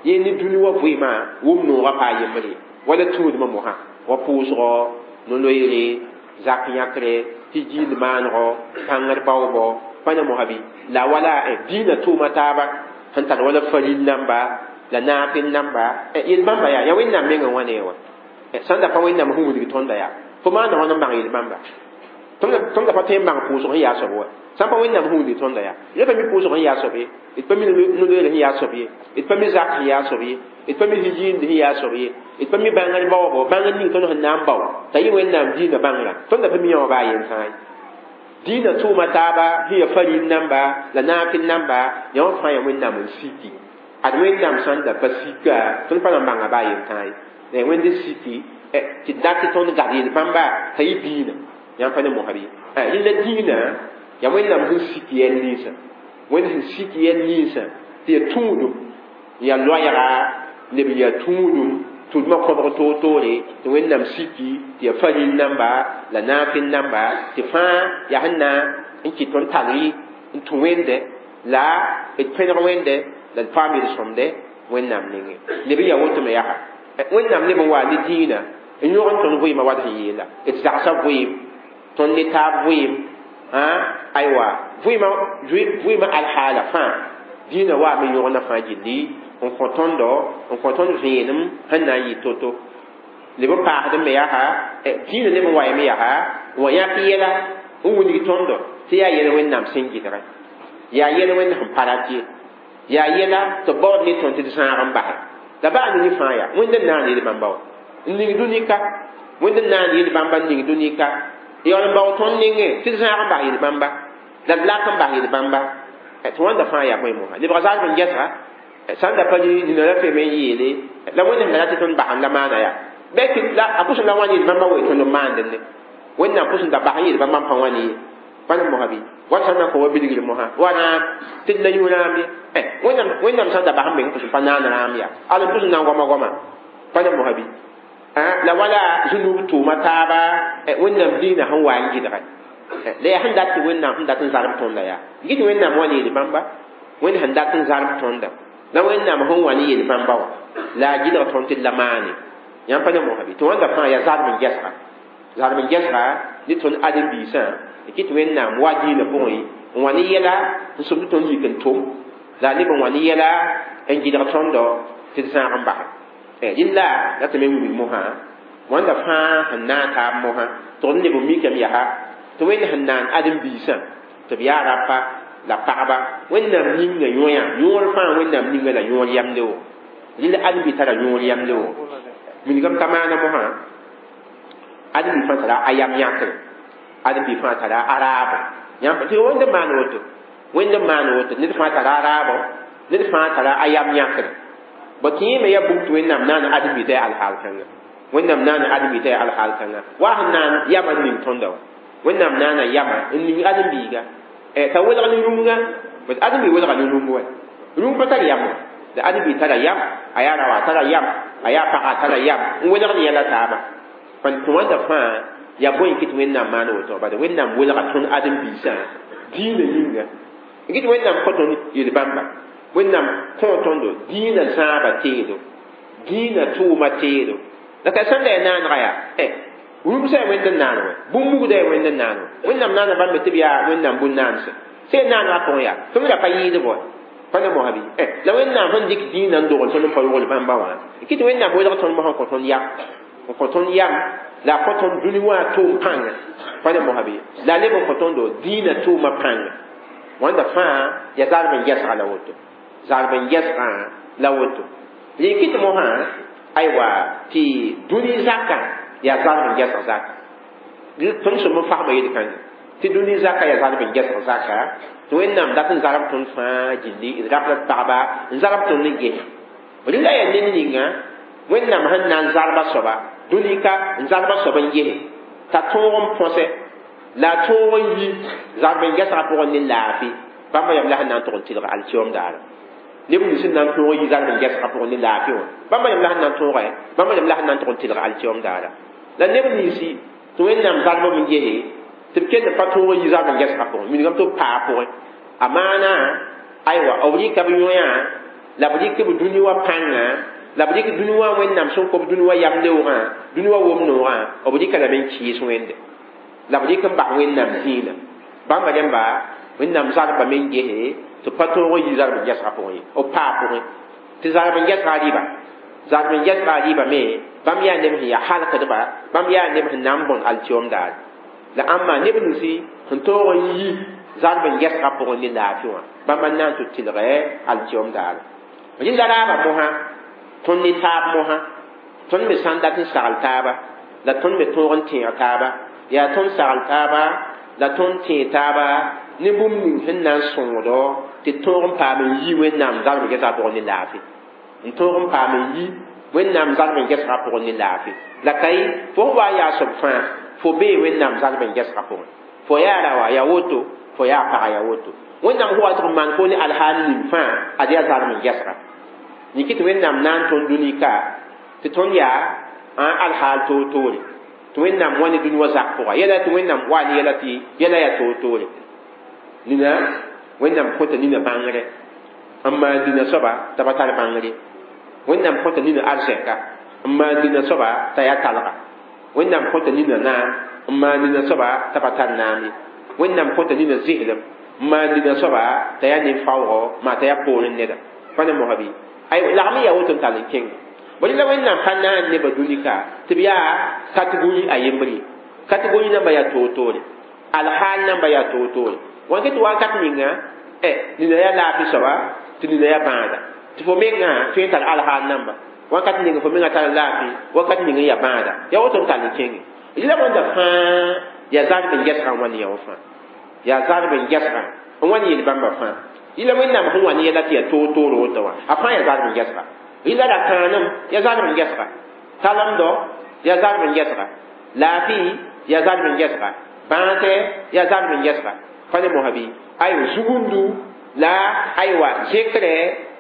yẽ ne dũni wã vɩɩmã wʋm noogã paa yembre wala tũudmã mosã, wa pʋʋsgɔ, no-loeere, zak yãkre, tɩ giind maanego, bãngr baoobɔ, pa ne mosã bɩ? La wala dĩinã tʋʋma taaba sẽn tar wala faril namba la naafɩl namba, yel bãmba yaa yaa Wẽnnaam meng n wa ne wã. Sã n da pa Wẽnnaam sẽn wilg tõnda yaa, fo maanda wãn n bãng yel bãmba? Tõnd da pa tõe n bãng pʋʋsg sẽn yaa soab wa. Sã n pa Wẽnnaam sẽn wilg tõnda yaa, d pa mi pʋʋsg sẽn yaa soab ye, d pa mi no-loeer sẽn yaa soab ye, d pa mi zak sẽn yaa soab ye, d pa mi hijiind sẽn yaa soab ye, d pa mi bãngr baoobɔ, bãngr ning tõnd sẽn na n bao t'a yɩ Wẽnnaam dĩinã bãngrã, tõnd da pa mi yã wã baa yen fãa ye. Dĩinã tʋʋma taaba sẽn yaa faril namba la naafɩl namba, yã wã fãa yaa Wẽnnaam n siki. Ad Wẽnnaam sã n da pa sika, tõnd pa na n bãnga baa yen tãa ye. La Wẽnd n siki tɩ dat tɩ tõnd gad yel bãmba t'a yɩ dĩinã. Yãmb pa ne mosã bɩ? Rẽla dĩinã yaa Wẽnnaam sẽn sik yɛl ninsã. Wẽnd sẽn sik yɛl ninsã tɩ yaa tũudum, yaa loɛɛga leb yaa tũudum, tũudmã kõbg toor-toore tɩ Wẽnnaam siki tɩ yaa faril namba la naafɩl namba, tɩ fãa yaa sẽn na n kɩt tõnd tar n tũ Wẽnde la d pẽneg Wẽnde la d paam yel-sõmde Wẽnnaam nengẽ. Leb n yaa woto me yaa Wẽnnaam leb n waa ne dĩinã n yõg n tõnd vɩɩmã wat sẽn yeela. D zagsã vɩɩm, tõnd ne taab vɩɩm, aywa vɩɩmã vɩɩmã alhaala fãa dĩinã waame yõgna fãa gilli n kõ tõndo, n kõ tõnd vẽenem sẽn na n yɩ to-to. Leb n paasd me yaa dĩinã leb n wa yame yaa n wa yãk yɛla n wilg tõndo tɩ yaa yɛl Wẽnnaam sẽn gɩdgẽ, yaa yɛl Wẽnd sẽn pa rat ye, yaa yɛla tɩ baood ne tõnd tɩ d zãag n basɛ. La baa ne fãa yaa Wẽnd n naan yel bãmba wã n ning dũni ka, Wẽnd n naan yel bãmba n ning dũni ka, yaool n bao tõnd nengẽ tɩ d zãag n bas yel bãmba la d lak n bas yel bãmba. Tɩ wãnda fãa yaa bõe mosã lebga zalb n gɛsga sã n da pa nina la feme n yeele la Wẽnd sẽn da rat tɩ tõnd bas n la maana yaa bɩ la a pʋsẽ la wãn yel bãmba wa tõnd n maandẽ ne. Wẽnnaam pʋsẽ da bas n yel bãmba n pa wãn ye. Pa ne mosã bɩ? Wa sã n na n kõ wa bilgr mosã wa rãam tɩ d la yũ rãam ye. Wẽnnaam sã n da bas n meng pʋsẽ pa naan rãam yaa al n pʋsẽ na n goama goama. Pa ne mosã bɩ? La wala zũnub tʋʋma taaba Wẽnnaam dĩinã sẽn wa n gɩdgɛ. La yaa sẽn dat tɩ Wẽnnaam sẽn dat n zarb tõnda yaa gɩt Wẽnnaam wa ne yel bãmba, Wẽnd sẽn dat n zarb tõnda la Wẽnnaam sẽn wa ne yel bãmba wã la a gɩdg tõnd tɩ d la maane. Yãmb pa ne mosã bɩ? Tɩ wãnda fãa yaa zarb n gɛsga, zarb n gɛsga ne tõnd ãdem-biisã n kɩt Wẽnnaam wa dĩinã pʋgẽ n wa ne yɛla n somd tõnd yik n tʋm, la a leb n wa ne yɛla n gɩdg tõndo Tɩ d zãag n base rɩlla la tɩ me wilg mosã wãnda fãa sẽn naag taab mosã tɩg neb n mikame yaa tɩ Wẽnd sẽn naan ãdem-biisã tɩ b yaa rapa la pagba Wẽnnaam ninga yõa yõor fãa Wẽnnaam ninga la yõor yam leoogo rɩla ãdem-bi tara yõor yam leoogo wilgame ka maana mosã ãdem-bi fãa tara a yam yãkre ãdem-bi fãa tara a raabo yãmb tɩ Wẽnd n maan woto Wẽnd n maan woto ned fãa tara a raabo ned fãa tara a yam yãkre ba kẽeme yaa bũmb tɩ Wẽnnaam naan ãdem-bi t'a yaa alhaal kãnga Wẽnnaam naan ãdem-bi t'a yaa alhaal kãnga wa sẽn naan yama n ning tõnda wã Wẽnnaam naana yama n ning ãdem-biiga t'a welg ne rũmga bas ãdem-bi welga ne rũmb wa rũmb pa tar yam wa la ãdem-bi tara yam a yaa raoa tara yam a yaa paga tara yam n welg ne yɛla taaba pa tɩ wãnda fãa yaa bõe n kɩt Wẽnnaam maan woto bala Wẽnnaam welga tõnd ãdem-biisã dĩinã yĩnga n kɩt Wẽnnaam kõ tõnd yel-bãmba Wẽnnaam kõ tõndo dĩinã zãaba teedo dĩinã tʋʋma teedo la ka sẽn da yaa naanega yaa rũmsã yaa Wẽnd n naan wɛ bũmb mugda yaa Wẽnd n naan wɛ Wẽnnaam naana bãmb tɩ b yaa Wẽnnaam bũn-naanse sẽn naanegã pʋgẽ yaa tõnd ra pa yɩɩd bɔ pa ne mosã bɩ la Wẽnnaam sẽn dɩk dĩinã n dogl tõnd n pa rogl bãmba wã kɩ tɩ Wẽnnaam welg tõnd mosã n kõ tõnd yam n kõ tõnd yam la a kõ tõnd dũni wã tʋʋm pãnga pa ne mosã bɩ la a leb n kõ tõndo dĩinã tʋʋmã pãnga wãnda fãa yaa zarb n gɛsga la woto zarb n gɛsgã la woto rẽ kɩ tɩ mosã aywa tɩ dũni zakã yaa zarb n gɛsg zaka tõnd sẽm n fasma yel-kãnga tɩ dũni zaka yaa zarb n gɛsg zaka tɩ Wẽnnaam dat n zarb tõnd fãa gilli d rap la d pagba n zarb tõnd n ges rɩla yaa ned ninga Wẽnnaam sẽn na n zarba soaba dũni ka n zarba soab n gese t'a tõog n põse la a tõog n yi zarb n gɛsgã pʋgẽ ne laafɩ bãmba yam la sẽn na n tʋg n tɩlg alkiom daara neb nins sẽn na n tõog n yi zarb n gɛsgã pʋgẽ ne laafɩ wã bãmba yam la sẽn na n tõoge bãmba yam la sẽn na n tʋg n tɩlg alkiom daara la neb ninsi tɩ Wẽnnaam zarb n gese tɩ b kell pa tõog n yi zarb n gɛsgã pʋgẽ wilgame tɩ b paa pʋgẽ a maana aywa b rɩka b yõa la b rɩk b dũni wã pãnga la b rɩk dũni wã Wẽnnaam sẽn kob dũni wã yam leoogã dũni wã wom noogã b rɩka lame n kɩɩs Wẽnde la b rɩk n bas Wẽnnaam zĩinã bãmba rẽmba Wẽnnaam zarbame n gese tɩ pa tõog n yi zarb n gɛsgã pʋgẽ ye b paa pʋgẽ tɩ zarb n gɛsgã rɩba zarb n gɛsgã rɩba me bãmb yaa neb sẽn yaa halkdba bãmb yaa neb sẽn na n bõn alkiom daar la ãmba neb ninsi sẽn tõog n yi zarb n gɛsgã pʋgẽ ne laafɩ wã bãmba n na n tɩ tɩlgɛ alkiom daar rɩla raaba mosã tõnd ne taab mosã tõnd me sã n dat n sagl taaba la tõnd me tõog n tẽeg taaba yaa tõnd sagl taaba la tõnd tẽeg taaba ne bũmb ning sẽn na n sõngdo tɩ tõog n paam n yi Wẽnnaam zarb n gɛsgã pʋgẽ ne laafɩ n tõog n paam n yi Wẽnnaam zarb n gɛsgã pʋgẽ ne laafɩ la ka ye fo sẽn wa n yaa soab fãa fo bee Wẽnnaam zarb n gɛsgã pʋgẽ fo yaa raoa yaa woto fo yaa paga yaa woto Wẽnnaam sẽn wa tɩg n maan fo ne alhaal ning fãa ad yaa zarb n gɛsga yĩk tɩ Wẽnnaam na n tõnd dũni ka tɩ tõnd yaa alhaal toor-toore tɩ Wẽnnaam wa ne dũni wã zak pʋga yɛla tɩ Wẽnnaam wa ne yɛla tɩ yɛla yaa toor-toore nina Wẽnnaam kõta nina bãngre n maan nina soaba t'a pa tar bãngre Wẽnnaam kõta nina arzɛka n maan nina soaba t'a yaa talga Wẽnnaam kõta nina naam n maan nina soaba t'a pa tar naam ye Wẽnnaam kõta nina zɩslem n maan nina soaba t'a yaa nin-faoogɔ maa t'a yaa poorẽ neda pa ne mosã bɩ ay lagm n yaa woto n tall n kẽnga bõe la Wẽnnaam pa naan nebã dũni ka tɩ b yaa kategori a yembre kategori namba yaa toor-toore alhaal namba yaa toor-toore wãn tɩ wakat ninga nina yaa laafɩ soaba tɩ nina yaa bãada tɩ fo mengã tõe n tar alhaal namba wakat ning fo mengã tar laafɩ wakat ning n yaa bãada yaa woto n tall n kẽnge la wãnda fãa yaa zarb n gɛsgã n wa ne yã wã fãa yaa zarb n gɛsgã n wa ne yel-bãmba fãa yɩla Wẽnnaam sẽn wa ne yɛla tɩ yaa toor-toor woto wã a fãa yaa zarb n gɛsga yɩla ra-kãanem yaa zarb n gɛsga talemdɔ yaa zarb n gɛsga laafɩ yaa zarb n gɛsga bãasɛ yaa zarb n gɛsga pa ne mosã bɩ aywa zugundu la aywa zẽkrɛ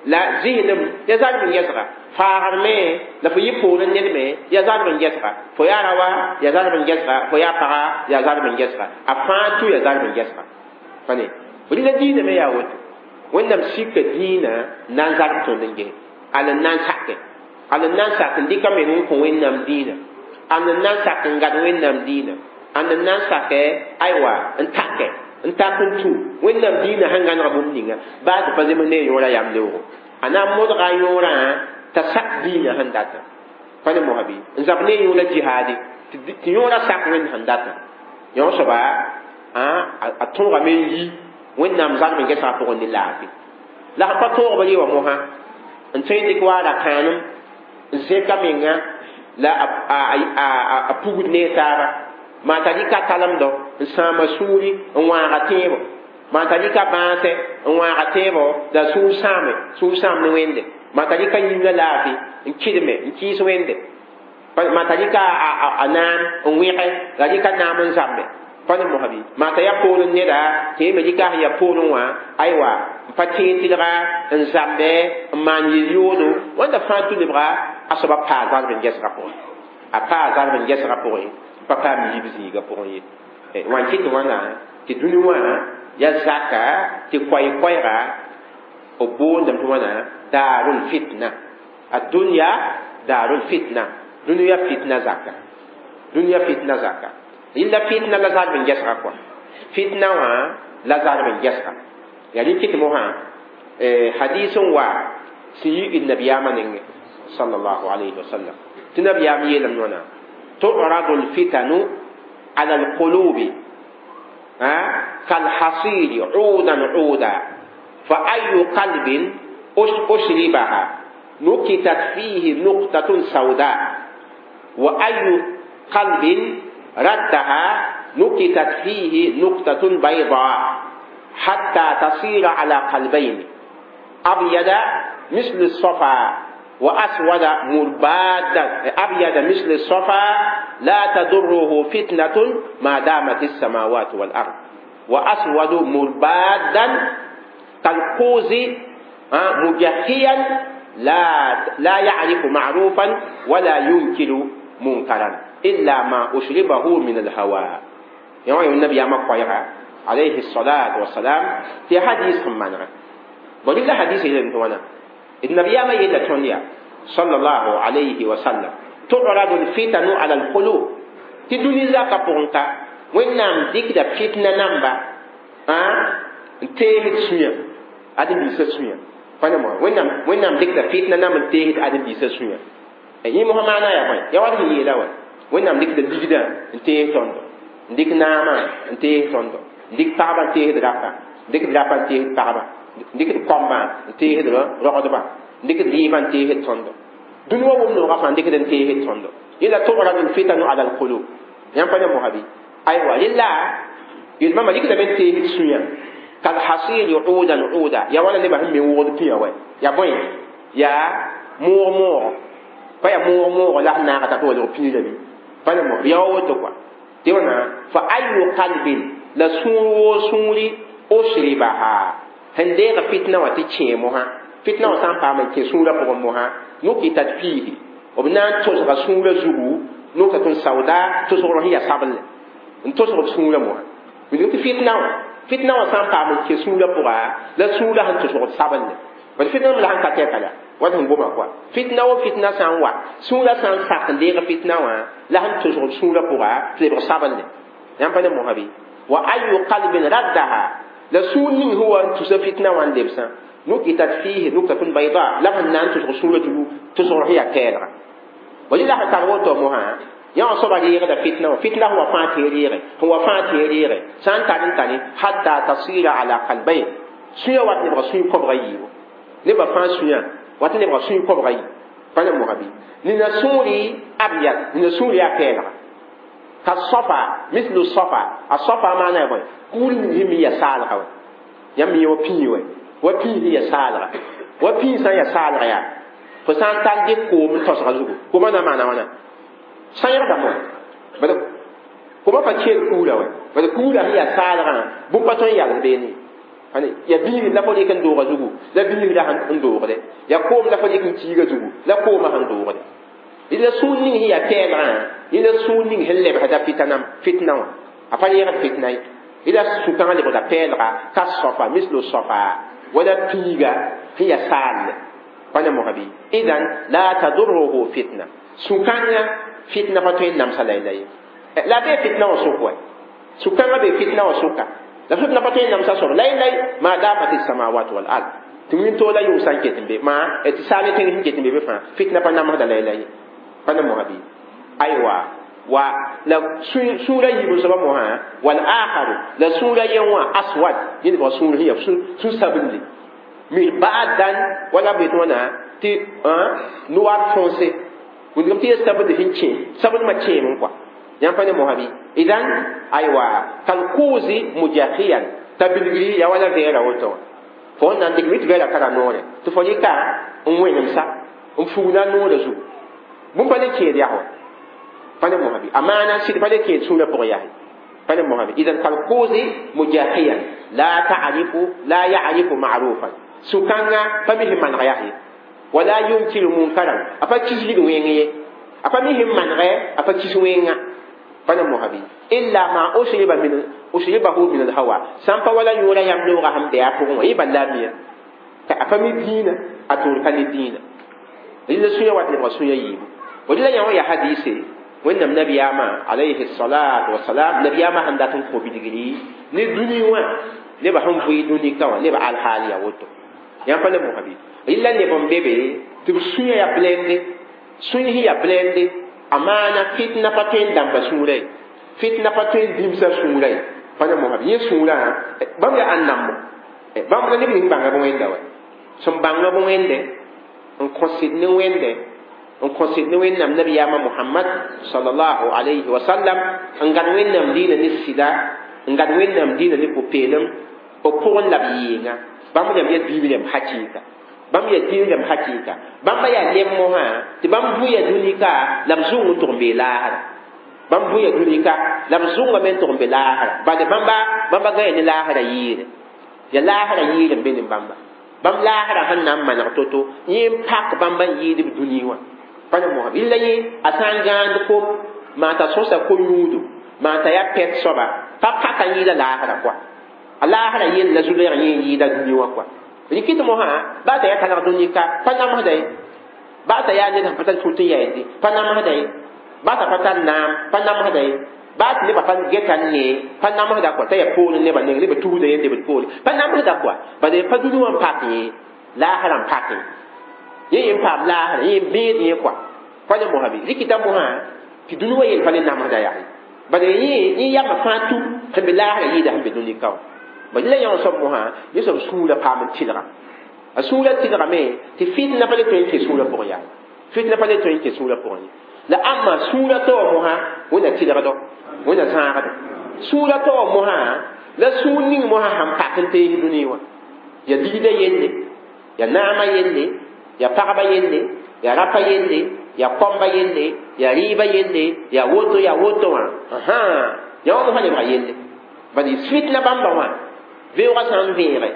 la zɩslem yaa zarb n gɛsga faagr me la fo yɩ poorẽ ned me yaa zarb n gɛsga fo yaa raoa yaa zarb n gɛsga fo yaa paga yaa zarb n gɛsga a fãa tʋ yaa zarb n gɛsga pa ne rɩla dĩinã me yaa woto Wẽnnaam sika dĩinã na n zarb tõnd n ges al n na n sake al n na n sak n dɩka meng n kõ Wẽnnaam dĩinã al n na n sak n gad Wẽnnaam dĩinã al n na n sake aywa n take n tak n tũ Wẽnnaam dĩinã sẽn gãneg bũmb ninga baa tɩ pa zems ne a yõora yam leoogo a na n modga a yõorã t'a sak diinã sẽn datã pa ne mosã bɩ n zab ne yõora jihaade tɩ yõora sak wẽnd sẽn datã yõ soaba a tõogame n yi wẽnnaam zalm n gesga pʋgẽ ne laafɩ la sẽn pa tõog b re wã mosã n tõe n dɩk wa ra-kãanem n zẽka menga la a pugd ne taaba maa t'a rɩka talemdɔ n sãama sũuri n wãaga tẽebo maa t'a rɩka bãasɛ n wãaga tẽebo la sũur sãame sũur sãam ne wẽnde maa t'a rɩka yĩnga laafɩ n kɩdme n kɩɩs wẽnde maa t'a rɩka a naam n wẽge la rɩka naam n zãmbe pa ne mosã bɩ maa t'a yaa poorẽ neda tɩ yẽ me rɩka sẽn yaa poorẽ wã aywa n pa tẽeg tɩlga n zãmbe n maan yel-yoodo wẽnda fãa tʋ lebga a soaba paa zalb n gesga pʋgẽ a paa zalb n gesga pʋgẽ n pa paam yib zĩiga pʋgẽ ye wã n kɩt wãna tɩ dũni wã ya zaka tɩ koɛɛ-koɛɛga b boondame tɩ wãna daarul fitna الدنيا دار الفتنة دنيا فتنة زكا دنيا فتنة زكا إلا فتنة لا زال من جسر كوا فتنة وا لا زال من جسر يعني كت موها حديث وا سي النبي آمن صلى الله عليه وسلم تنبي آمن يلم نونا تعرض الفتن على القلوب ها كالحصير عودا عودا فأي قلب أشربها نكتت فيه نقطة سوداء وأي قلب ردها نكتت فيه نقطة بيضاء حتى تصير على قلبين أبيض مثل الصفا وأسود مربادا أبيض مثل الصفا لا تضره فتنة ما دامت السماوات والأرض وأسود مربادا كالقوز مجهيا لا لا يعرف معروفا ولا ينكر منكرا إلا ما أشربه من الهوى. يعني النبي ما قيرا عليه الصلاة والسلام في حديث من بل حديث إلى النبي ما يلا صلى الله عليه وسلم تعرض الفتن على القلوب تدوني زكا بونتا وين ديك دا فتنة نمبا ها تيه سويا أدم بيسا سويا فانا وين نام وين نام ديك دا فتنة نام تيه أدم بيسا سويا أي مهم أنا يا بني يا واد هي لا وين نام ديك دا ديك تيه توندو ديك ناما تيه توندو ديك بابا تيه درافا ديك درافا تيه بابا ديك كومبا تيه درا رودبا ديك ديبان تيه توندو دنيا ومن غفان ديك دن تيه توندو إلا تعرض الفتن على القلوب ينفع مهبي أيوة لله يلما ما ديك دبن تيه سويا كالحصير عودا عودا يا ولا نبى هم يوغد فيها وين يا بوين يا مور مور فيا مور مور لا ناقة تقول فيه لبي فانا مو يا وتقوى تيونا فأي قلب لسور سوري أشربها هنديغ فتنة وتشيمها فتنة وسام بامن كسورة بقومها نكتت فيه وبنان تزغ سورة زهو نكتة سوداء تزغ هي سابل تزغ سورة موها من فتنة فتنة وسام بامن كسورة بقى لا سورة هن تزغ سابل بس فتنة ملهن كتير وادهم بوما كوا فتنة وفتنة سان وا سورة سان ساق ديغ فتنة وا لهن تزغ سورة بقى تلبس سابل ينفع موهبي وأي قلب ردها لسون هو تزغ فتنة وان لبسا نكتت فيه نكتة بيضاء لما نان تزغ سورة تزغ هي كيرا ولله تروتو موها يا صبا ليغ فتنة فتنة هو فاتيريغ هو فاتيريغ سان تاني تاني حتى تصير على قلبين سويا وات نبغى سوي كبغي نبغى فان سويا وات نبغى سوي كبغي فانا موهبي ننسوري أبيض ننسوري كيرا كالصفا مثل الصفا الصفا معناه بوي كل هم يسالها يمي وبيوي وبي هي سالها وبي سان يسالها يا فسان تان دي كوم توسغا زوغو كوما نا معنى وانا سان يردا مو بل كوما فا تشيل كولا وي بل كولا هي سالها بو باتون يال بيني يعني يا بي لا فدي كان دوغا زوغو لا بي لا هان دوغا دي يا كوم لا فدي كان تيغا زوغو لا كوما هان دوغا دي إلا سونين هي كيرا إلا سونين هل بهذا فتنة فتنة أفعل يرى فتنة إلا سكان اللي بدا بيرا كالصفا مثل الصفا ولا بيغا هي سال فأنا مهبي إذن لا تضره فتنة سكان فتنة فتوين نمسا ليلي لا بي فتنة وسوكوي سكان بي فتنة وسوكا لا فتنة فتوين نمسا سوك ليلي ما دامت السماوات والأرض Tɩ wĩntoog la yʋng sã n ket n be maa tɩ saal tẽng sẽn ket n be be fãa fitna pa namsda la ye pa ne mosã bɩ aywa wa la sũurã yiib soaba mosã wal akharu la sũurã yen wã aswad yẽ lebg sũur sẽn yaa sũ-sabinli mirbadan wala b yetɩ wãna tɩ noir foncé wĩndgame tɩ yaa sabd sẽn kẽ sabdmã kẽem n kɔa yãmb pa ne mosã bɩ idan aywa kalkuzi mujahiyan t'a bilgri yaa wala vɛɛra woto wã fo n na n dɩk mi tɩ vɛɛra tara noore tɩ fo rɩka n wẽnemsa n fugda noorã zugu bũmb pa le kẽed yaa wa pa ne mosã bɩ a maana sɩd pa le kẽed sũurã pʋgẽ yaa pa ne mosã bɩ idan kalkuzi mujahiyan la ta'rifu la ya'rifu ma'rufan sũ-kãngã pa mi sẽn maneg yaa ye wala yunkiru munkaran a pa kisgd wẽng ye a pa mi sẽn manegɛ a pa kis wẽnga pa ne mosã bɩ illa ma usriba min usribahu min alhawa sãn pa wala yõora yam loogã sẽn bɩ a pʋgẽ wã yẽ bal la a mia t'a a pa mi dĩinã a toor ka ne dĩinã rɩla sũyã wat lebga sũyã yiibu rɩla yã wã yaa hadiise wẽnnaam nabiyaamã alayhi salatu wasalam nabiyaamã sẽn dat n kõ bilgri ne dũni wã nebã sẽn vʋɩ dũni ka wã nebã alhaal yaa woto yãmb pa ne mosã bɩ rɩla neb n be be tɩ b sũyã yaa blende sũy sẽn yaa blende a maana fitna pa tõe n dãmba sũurã ye fitna pa tõe n dĩmsa sũurã ye pa ne mosã bɩ yẽ sũurã bãmb yaa ãn-nambo bãmb la neb ning bãnga b wẽnda wa sẽn bãnga b wẽnde n kõ sɩd ne wẽnde n kõ sɩd ne wẽnnaam nabiyaamã mohamad salallahu alayhi wa sallam n gãd wẽnnaam diinã ne sɩda n gãd wẽnnaam diinã ne pʋ-peelem b pʋgẽ la b yɩɩnga bãmb rãmb yaa diib rãmb hakɩɩka bãmb yaa diib rãmb hakɩɩka bãmba yaa lem mosã tɩ bãmb bʋya dũni-ka la b zʋng n tʋg n bee laasra bãmb bʋya dũni-ka la b zʋngame n tʋg n be laasra bale bãmba bãmba gãya ne laasra yɩɩre ya laasra yɩɩr n be ne bãmba bãmb laasra sẽn na n maneg to-to yẽ n pak bãmba n yɩɩd b dũni wã pa ne mosã rɩla yẽ a sã n gãand kom maa t'a sõsa ko-yũudo maa t'a yaa pɛt soaba pa paka n yɩɩda laasra kɔa a laasra yell la zu-lɛɛg yẽ n yɩɩda dũni wã kɔa rɩkɩt mosã baa t'a yaa talg dũni ka pa namsda ye baa t'a yaa ned sẽn pa tar fut n yaendi pa namsda ye baa t'a pa tar naam pa namsda ye baa tɩ nebã pa geta n nee pa namsda kɔa t'a yaa poorẽ nebã neng nebã tusda ye n lebd poore pa namsda kɔa bala pa dũni wã n pak yẽ laasrã n pak yẽ yẽ n paam laasrã yẽ n bẽed yẽ kɔa pa ne mosã bɩ rɩkɩta mosã tɩ dũni wã yell pa le namsda yaa ye bala yẽ yẽ yamã fãa tu sẽn be laasrã yɩɩda sẽn be dũni ka wã bala la yã wã soab mosã yẽ soab sũurã paam n tɩlga a sũurã tɩlgame tɩ fitna pa le tõe n kẽ sũurã pʋgẽ yaa fitna pa le tõe n kẽ sũurã pʋgẽ ye la ãmba sũurã taoor mosã wẽnna tɩlgdo wẽnna zãagdo sũurã taoor mosã la sũur ning mosã sãn pak n tees dũni wã ya ligda yelle ya naamã yelle ya pagba yelle ya rapa yelle ya kõmba yelle ya rɩɩba yelle ya woto ya woto wã ya wã mosã lebga yelle bala fitna bãmba wã beoogã sã n vẽege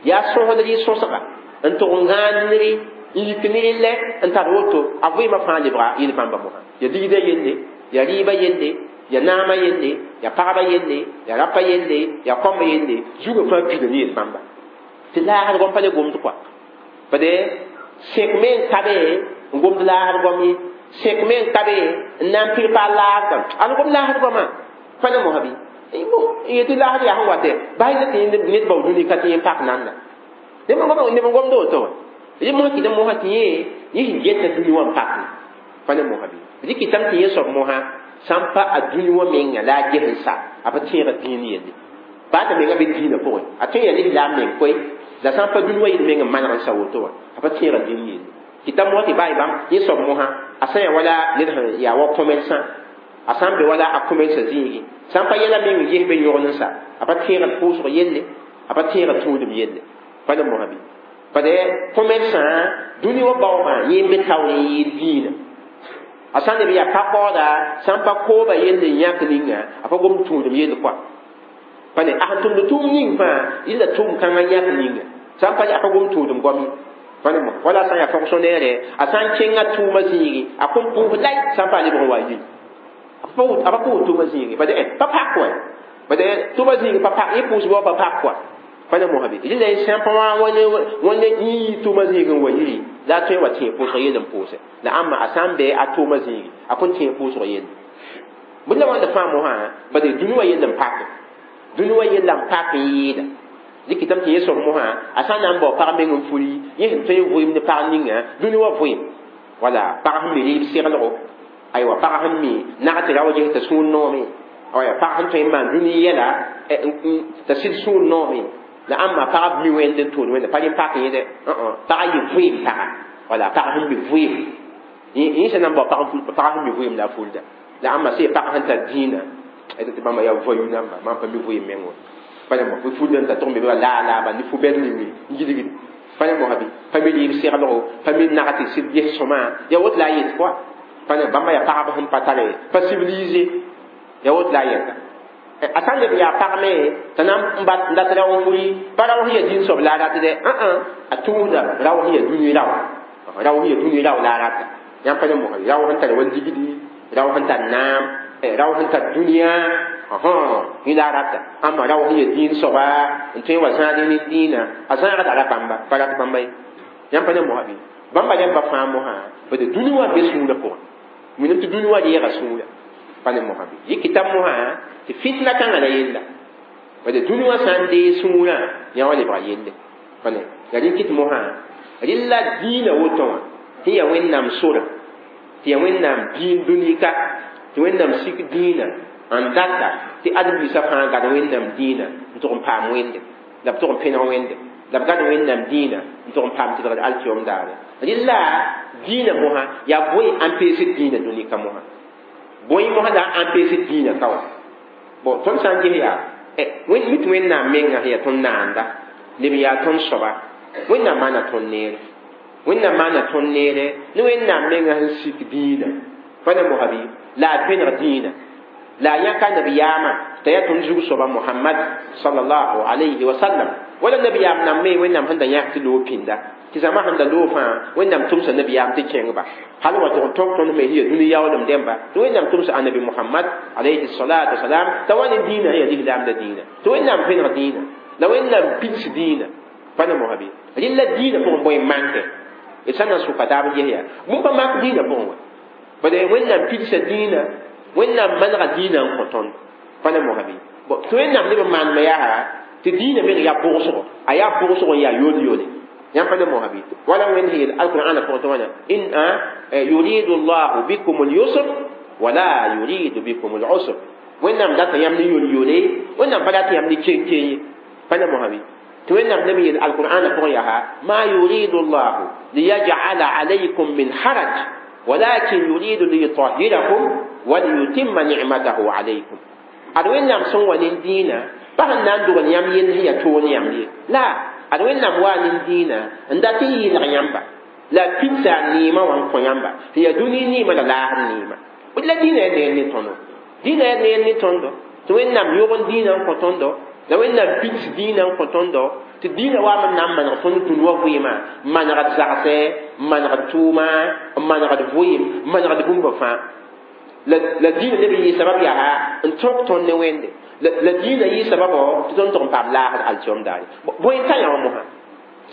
yaa sõsdr y sõsga n tʋg n gãand ned n yik ned lɛ n tar woto a vɩɩmã fãa lebga yel bãmba mosã ya ligda yelle ya rɩɩba yelle ya naamã yelle ya pagba yelle ya rapa yelle ya kõmba yelle zugã fãa pida ne yel bãmba tɩ laasd goam pa le gomd kɔa bade sẽk me n ka be n gomd laasd goam ye sẽk me n ka be n na n pir paal laasgã ad gom laasd goamã pa ne mosã bɩ yetɩ laasd yaa sẽn watɛ bas tɩ ned bao dũni ka tɩ yẽ pak nanda neb n gomd woto wã rẽ mosã kɩt mosã tɩ yẽ yẽ sẽn geta dũni wã n pak pa ne mosã bɩ rɩkɩtame tɩ yẽ soab mosã sã n pa a dũni wã menga la a ges n sa a pa tẽega dĩin yelle baa t'a menga be dĩinã pʋgẽ a tõe n yaa lislaam meng koe la sã n pa dũni wã yel meng n maneg n sa woto wã a pa tẽega dĩin yelle kɩta mosã tɩ baa bãmb yẽ soab mosã a sã n yaa wala ned sẽn yaa wa commerçant a sã n be wala a commerce zĩigi sã n pa yɛla meng n ges be yõgd n sa a pa tẽegd pʋʋsg yelle a pa tẽegd tũudem yelle pa ne mosã bɩ bade commerçant dũni wã baoogã yẽ n be taoor n yɩɩd dĩinã a sã n leb yaa pa-kaooda sã n pa kooba yelle n yãk ninga a pa gomd tũudem yell kɔa pa ne a sẽn tʋmd tʋʋm ning fãa yella tʋʋm kãngã yãk ninga sã n pa a pa gomd tũudem goam ye pa ne mosã wala a sã n yaa fonctionnaire a sã n kẽnga tʋʋmã zĩigi a kõn pʋʋs lay sã n pa a lebg n wa yi a pa pʋʋs tʋʋmã zĩigi bade pa pak wa bade tʋʋmã zĩigi pa pak yẽ pʋʋsbã wa pa pak kɔa pa ne mosã bɩ rɩla sã n pa wã wãne yĩ tʋʋmã zĩig n wa yiri la a tõe n wa tẽeg pʋʋsg yell n pʋʋse la ãmba a sã n bɩ a tʋʋmã zĩigi a kõn tẽeg pʋʋsg yelle bõe la wãnda fãa mosã bade dũni wã yell n pake dũni wã yella n pak n yɩɩda Dɩkɩtame tɩ yẽ soab mosã a sã n na n bao pag meng n furi yẽ sẽn tõe n vʋɩɩm ne pag ninga dũni wã vʋɩɩm wala pag sẽn mi rɩɩb seglgo aywa pag sẽn mi nag tɩ rao ges t'a sũur noome aya pag sẽn tõe n maan dũni yɛla t'a sɩd sũur noome la ãmba pag mi wẽnd n tʋʋd wẽnda pa rẽ pak yẽ dɛ pag yɩ vʋɩɩm paga wala pag sẽn mi vʋɩɩm yẽ sẽn na n bao pag n ful pag sẽn mi vʋɩɩm la a fulda la ãmba sẽn pag sẽn tar dĩinã tɩ bãmba yaa voyou namba mam pa mi vʋɩɩm meng wa pa mo fulda n ta tʋg me ba laa laa ba ne fu-bɛd ning n gilgd pa ne mosã bɩ pa mi rɩɩb seglgo pa mi nag tɩ sɩd ges sõma ya woto la a yet kɔa pa ne bãmba yaa pagb sẽn pa tare pa civilisé ya woto la a yɛta a sã n leb yaa pag me t'a na n dat rao n furi pa rao sẽn ya dĩn soab la a rat dɛ a tʋʋsda rao sẽn ya dũni rao rao sẽn ya dũni rao la a rata yãmb pa ne mosã rao sẽn tar wa ligdi rao sẽn tar naam rao sẽn tar dũniyã yẽ la a rata ãmba rao sẽn ya dĩin soaba n tõe n wa zãad ne dĩinã a zãagda ra bãmba pa rat bãmba ye yãmb pa ne mosã bɩ bãmba rẽmba fãa mosã bd dũni wã be sũurã pʋgẽ minam tɩ dũni wã reega sũurã pa ne mosã bɩ yɩ kɩtame mosã tɩ fitna kãngã la yella bd dũni wã sã n dee sũurã yã wã lebga yelle pa ne la rẽ kɩt mosã rɩla dĩinã woto wã tɩ yaa wẽnnaam sora tɩ yaa wẽnnaam dĩin dũni ka tɩ wẽnnaam sik dĩinã n data tɩ ãdem-biisã fãa gad wẽnnaam dĩinã n tʋg n paam wẽnde la b tʋg n pẽneg wẽnde la b gad wẽnnaam dĩinã n tʋg n paam tɩlgd alkiyom daare rɩla dĩinã mosã yaa bõe n peesd dĩinã dũni ka mosã bõe mosã la n peesd dĩinã ka wã bon tõnd sã n ges yaa mi tɩ wẽnnaam menga sẽn yaa tõnd naanda leb n yaa tõnd soaba wẽnnaam maana tõnd neere wẽnnaam maana tõnd neere ne wẽnnaam menga sẽn sik dĩinã pa ne mosã bɩ la a pẽneg dĩinã la a yãka nabiyaamã t'a yaa tõnd zug soaba Mohamad sallallahu alayhi wa sallam wala nabiyaam nam me wẽnnaam sẽn da yãk tɩ loog pĩnda tɩ zãma sẽn da loog fãa wẽnnaam tʋmsa nabiyaam tɩ kẽngba hal wa tʋg n tõk tõnd me sẽn yaa dũni yaoolem dẽmba tɩ wẽnnaam tʋmsa annabi Mohamad alayhi salatu wasalam t'a wa ne dĩinã sẽn yaa lislaam la dĩinã tɩ wẽnnaam pẽneg dĩinã la wẽnnaam pids dĩinã pa ne mosã bɩ rɩla dĩinã pʋgẽ bõe n manke d sã n na n sʋka taab n ges yaa bũmb pa mak dĩinã pʋgẽ wa bad wẽnnaam pidsa dĩinã wẽnnaam manega dĩinã n kõ tõnd pa ne mosã bɩ tɩ wẽnnaam leb n maanema yaa tɩ dĩinã meng yaa pʋgsgo a yaa pʋgsgo n yaa yol-yole yãmb pa ne mosã bɩ wala wẽnd sẽn yeel alqur'ana pʋgẽ tɩ wãna in yuridu llahu bikum lyusr wala yuridu bikum lusr wẽnnaam data yãmb ne yol-yole wẽnnaam pa dat yãmb ne ken-ken ye pa ne mosã bɩ tɩ wẽnnaam leb n yeel alqur'ana pʋgẽ yaa ma yuridu llahu liyaj'ala alaykum min haraj ولكن يريد ليطهركم وليتم نعمته عليكم ad wẽnnaam sẽn wa ne dĩinã pa sẽn na n dogl yãmb yell sẽn yaa toog ne yãmb ye la ad wẽnnaam waa ne dĩinã n dat n yɩlg yãmba la pidsa a neemã wã n kõ yãmba sẽn yaa dũni neemã la laasd neemã la dĩinã yaa neer ne tõndo dĩinã yaa neer ne tõndo tɩ wẽnnaam yõg n dĩinã n kõ tõndo la wẽnnaam pids dĩinã n kõ tõndo tɩ dĩinã waam n na n maneg tõnd dũni wã vɩɩmã n manegd zagsɛ n manegd tʋʋma n manegd vʋɩɩm n manegd bũmba fãa la la dĩinã leb n yɩ sabab yaa n tõk tõnd ne wẽnde la dĩinã yɩ sababɔ tɩ tõnd tʋg n paam laasd alkiom daare bõe n ta yã wã mosã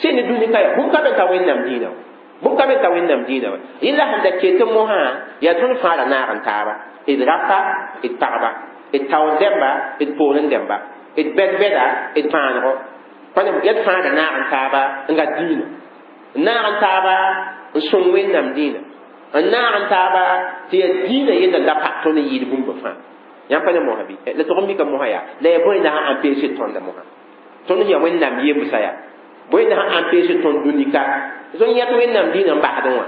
sẽn ne dũni ka yaa bũmb ka be n ta wẽnnaam dĩinã wã bũmb ka be n ta wẽnnaam dĩinã wã yẽla sẽn da ket mosã yaa tõnd fãa ra naag n taaba d rapa d pagba d taoor dẽmba d poorẽ dẽmba d bɛd-bɛda d pãanego pa ne yaa d fãa ra naag n taaba n gat dĩinã n naag n taaba n sõng wẽnnaam dĩinã n naag n taaba tɩ yaa dĩinã yella la pa tõnd n yɩɩd bũmba fãa yãmb pa ne mosã bɩ la tʋg n mika mosã yaa la yaa bõe na sã n peesd tõnda mosã tõnd sẽn yaa wẽnnaam yembsã yaa bõe na sã n peesd tõnd dũni ka tɩ tõnd yãt wẽnnaam dĩinã n basdẽ wã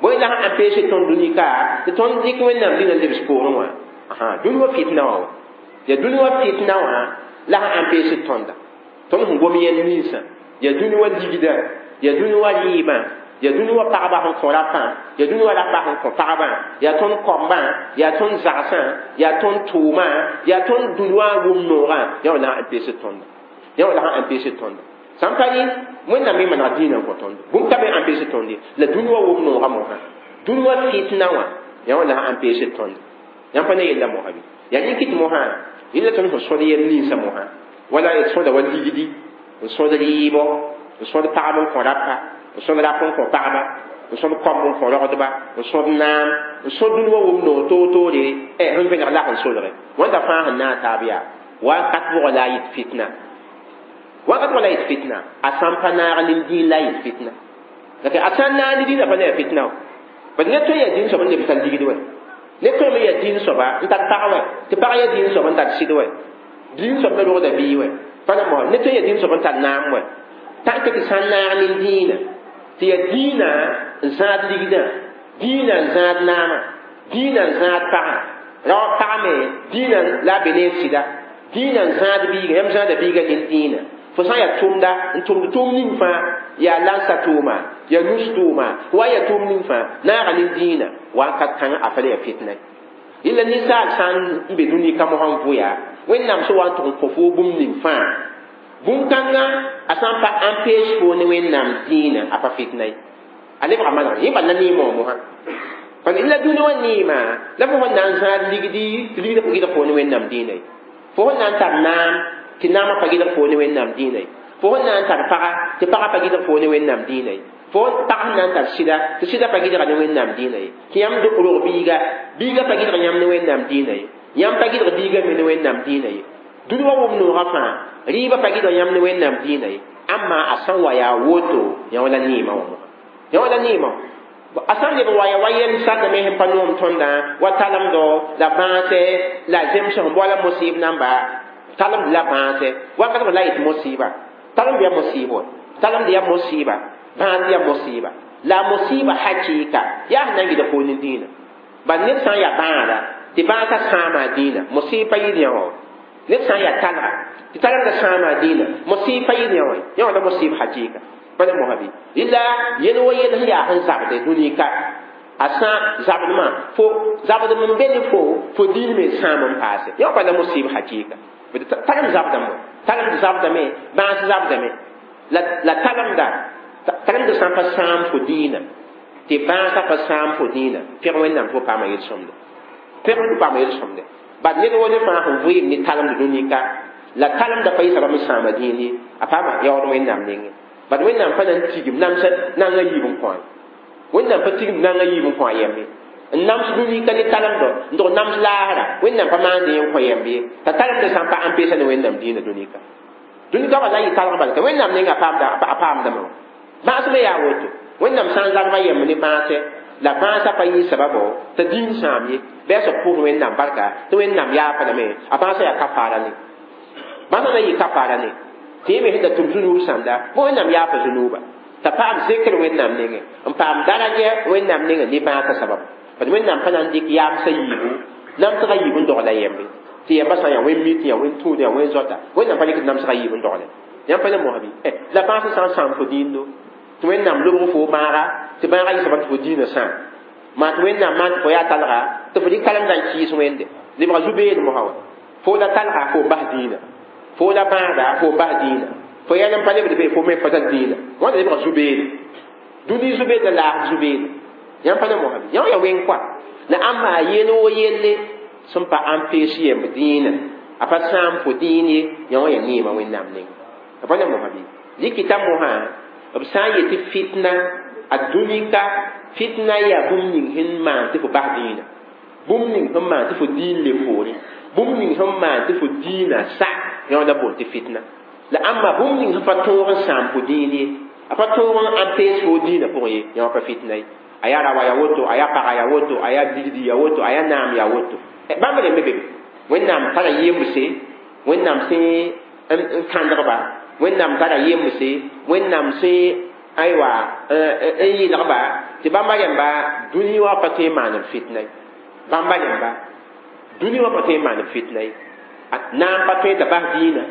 bõe na sã n peesd tõnd dũni ka tɩ tõnd dɩk wẽnnaam dĩinã lebs poorẽ wã dũni wã fitna wã wa yaa dũni wã fitna wã la sã n peesd tõnda tõnd sẽn gom yɛl ninsã yaa dũni wã ligda yaa dũni wã rɩɩbã yaa dũni wã pagba sẽn kõ rapã yaa dũni wã rapa sẽn kõ pagbã yaa tõnd kombã yaa tõnd zagsã yaa tõnd tʋʋmã yaa tõnd dũni wã wʋm noogã yã wã la sã n peesd tõnda yã wã la sã n peesd tõnda sã n pa yɩ wẽnnaam me manega dĩinã n kõ tõndo bũmb ka be n peesd tõnd ye la dũni wã wʋm noogã mosã dũni wã fitna wã yã wã la sã n peesd tõnda yãmb pa ne yella mosã bɩ yaa rẽ kɩt mosã yella tõnd sẽn sõd yɛl ninsã mosã wala d sõda wa ligdi n sõd rɩɩbɔ n sõd pagb n kõ rapa n sõd rap n kõ pagba n sõd koamb n kõ rogdba n sõd naam n sõd dũni wã wʋm noog toor-toore sẽn vẽneg lak n solge wãnda fãa sẽn naag taab yaa wakat pʋgã la a yit fitna Wakat wala yit fitna a sãn pa naag nin-dĩin la yit fitna la a sãn naag ne dĩinã pa ne ya fitna bad ned tõe n yaa dĩin soab n leb tar ligd wɛ ned tõe me yaa dĩin soaba n tar pag wɛ tɩ pag yaa dĩin soab n tar sɩd wɛ dĩin soab me rogda bii wɛ pa na mosã ned tõe n yaa dĩin soab n tar naam wɛ tãnk tɩ sãn naag nin-dĩinã tɩ yaa dĩinã n zãad ligdã dĩinã n zãad naamã dĩinã n zãad pagã rao pag me dĩinã la a be ne sɩda dĩinã n zãad biiga yãmb zãada biiga nin-dĩinã fo sã n yaa tʋmda n tʋmd tʋʋm ning fãa yaa lansa tʋʋma yaa nus tʋʋma wa yaa tʋʋm ning fãa naaga nin-dĩinã wakat kãngã a pa le yaa fitna yella ninsaal sã n be dũni ka mosã n vʋya wẽnnaam sẽn wa n tʋg n kõ fo bũmb ning fãa bũmb-kãngã a sã n pa empêche fo ne wẽnnaam dĩinã a pa fitna ye a lebga manegre yẽ bal la neemã wã mosã parce la dũni wã neema la fo sẽn na n zãad ligdi tɩ ligd pa gɩdg fo ne wẽnnaam dĩinã ye fo sẽn na n tar naam tɩ naamã pa gɩdg fo ne wẽnnaam dĩinã ye fo sẽn na n tar paga tɩ pagã pa gɩdg fo ne wẽnnaam dĩinã ye fo pag sẽn na n tar sɩda tɩ sɩda pa gɩdga ne wẽnnaam dĩinã ye tɩ yãmb rog biiga biiga pa gɩdg yãmb ne wẽnnaam dĩinã ye yãmb pa gɩdg biiga me ne wẽnnaam dĩinã ye dũni wã wʋm noogã fãa rɩɩbã pa gɩdg yãmb ne wẽnnaam dĩinã ye ãmma a sã n wa yaa woto yã wã la neemã wã mosã yã wã la neemã a sã n leb n wa ya wa yɛl sãdame sẽn pa noom tõndã wa talemdo la bãasɛ la zems sẽn boala mosɩɩb namba talemd la bãasɛ wakat la yet mosɩɩba talemd yaa mosɩɩb wa talemd yaa mosɩɩba bãas yaa mosɩɩba la mosɩɩba hakɩɩka yaa sẽn na n gɩdg fo ne dĩinã bal ned sã n yaa bãada tɩ bãasã sãama dĩinã mosɩɩb pa yɩɩd yã wã ned sã n yaa talga tɩ talemdã sãama dĩinã mosɩɩb pa yɩɩd yã wã yã wã la mosɩɩb hakɩɩka pa ne mosã bɩ rɩla yel wa yel sẽn yaa sẽn zabde dũni ka a sã zabdmã fo zabdm n be ne fo fo dĩin me sãam n paase yã wã pa la mosɩɩb hakɩɩka talem zabdame talemd zabdame bãas zabdame la la talemda talemd sã n pa sãam fo dĩinã tɩ bãasã pa sãam fo dĩinã pẽg wẽnnaam tɩ fo paama yel-sõmde pẽg fo paama yel-sõmde bad ned wa ne fãa sẽn vɩɩm ne talemd dũni ka la talemda pa yɩ soabame sãama dĩin ye a paama yaood wẽnnaam nengẽ bad wẽnnaam pa na n tigim namsa nanga yiib n kõ wẽnnaam pa tigim nanga yiib n kõ a yɛmbe n nams dũni ka ne talemdɔ n dog nams laasra wẽnnaam pa maand yẽ n kõ yɛmb ye t'a talemdã sã n pa ãmpeesa ne wẽnnaam dĩinã dũni ka dũni ka wala yɩ talg bala wẽnnaam nenga a paamdame wã bãas me yaa woto wẽnnaam sã n zabga yɛmb ne bãasɛ la bãasã pa yɩ sababo t'a dĩin sãam ye bɩ a soab pʋʋs wẽnnaam barka tɩ wẽnnaam yaafã lame a bãasã yaa kafaara ne bãasã na yɩ kafaara ne tɩ yẽ me sẽn da tʋm zũnuub sãnda bõ wẽnnaam yaafa zũnuuba t'a paam zekr wẽnnaam nengẽ n paam daraja wẽnnaam nengẽ ne bãasã sabab bad wẽnnaam pa na n dɩk yaamsã yiibu namsgã yiib n dogla yɛmbe tɩ yɛmbã sã n yaa wẽn mi tɩ yaa wẽn tũud yaa wẽn zoata wẽnnaam pa rɩkd namsgã yiib n dogle yãmb pa ne mosã bɩ la bãasã sã n sãam fo dĩindo tɩ wẽnnaam lobg fo bãaga tɩ bãaga yɩ soaba tɩ fo dĩinã sãam maa tɩ wẽnnaam maan tɩ fo yaa talga tɩ fo dɩk talemdã n kɩɩs wẽnde lebga zu-beed mosã wa fo la talga fo n bas dĩinã fo la bãada fo n bas dĩinã fo yɛl n pa lebd be fo me pa tar dĩinã wãnda lebga zu-beede dũni zu-beed la laasd zu-beede yãmb pa ne mosã bɩ yã wã yaa wẽng koa la ãmba yel wo yelle sẽn pa ãmpees yemb dĩinã a pa sãam fo dĩin ye yã wã yaa neemã wẽnnaam nengẽ a pa ne mosã bɩ dɩkɩta mosã b sã n yetɩ fitna a dũni ka fitna yaa bũmb ning sẽn maan tɩ fo bas dĩinã bũmb ning sẽn maan tɩ fo dĩin le poore bũmb ning sẽn maan tɩ fo dĩinã sa yã wã la boond tɩ fitna la ãmba bũmb ning sẽn pa tõog n sãam fo dĩin ye a pa tõog n ãmpees fo dĩinã pʋgẽ ye yã wã pa fitna ye a yaa rawa ya woto a yaa paga ya woto a yaa ligdi ya woto a yaa naam ya woto bãmb rẽmbe be wẽnnaam tara yembse wẽnnaam sẽn n kãndgba wẽnnaam tara yembse wẽnnaam sẽn aywa n yɩlgba tɩ bãmba rẽmba dũni wã pa tõe n maan b fitna ye bãmba rẽmba dũni wã pa tõe n maan b fitna ye naam pa tõe t'a bas dĩinã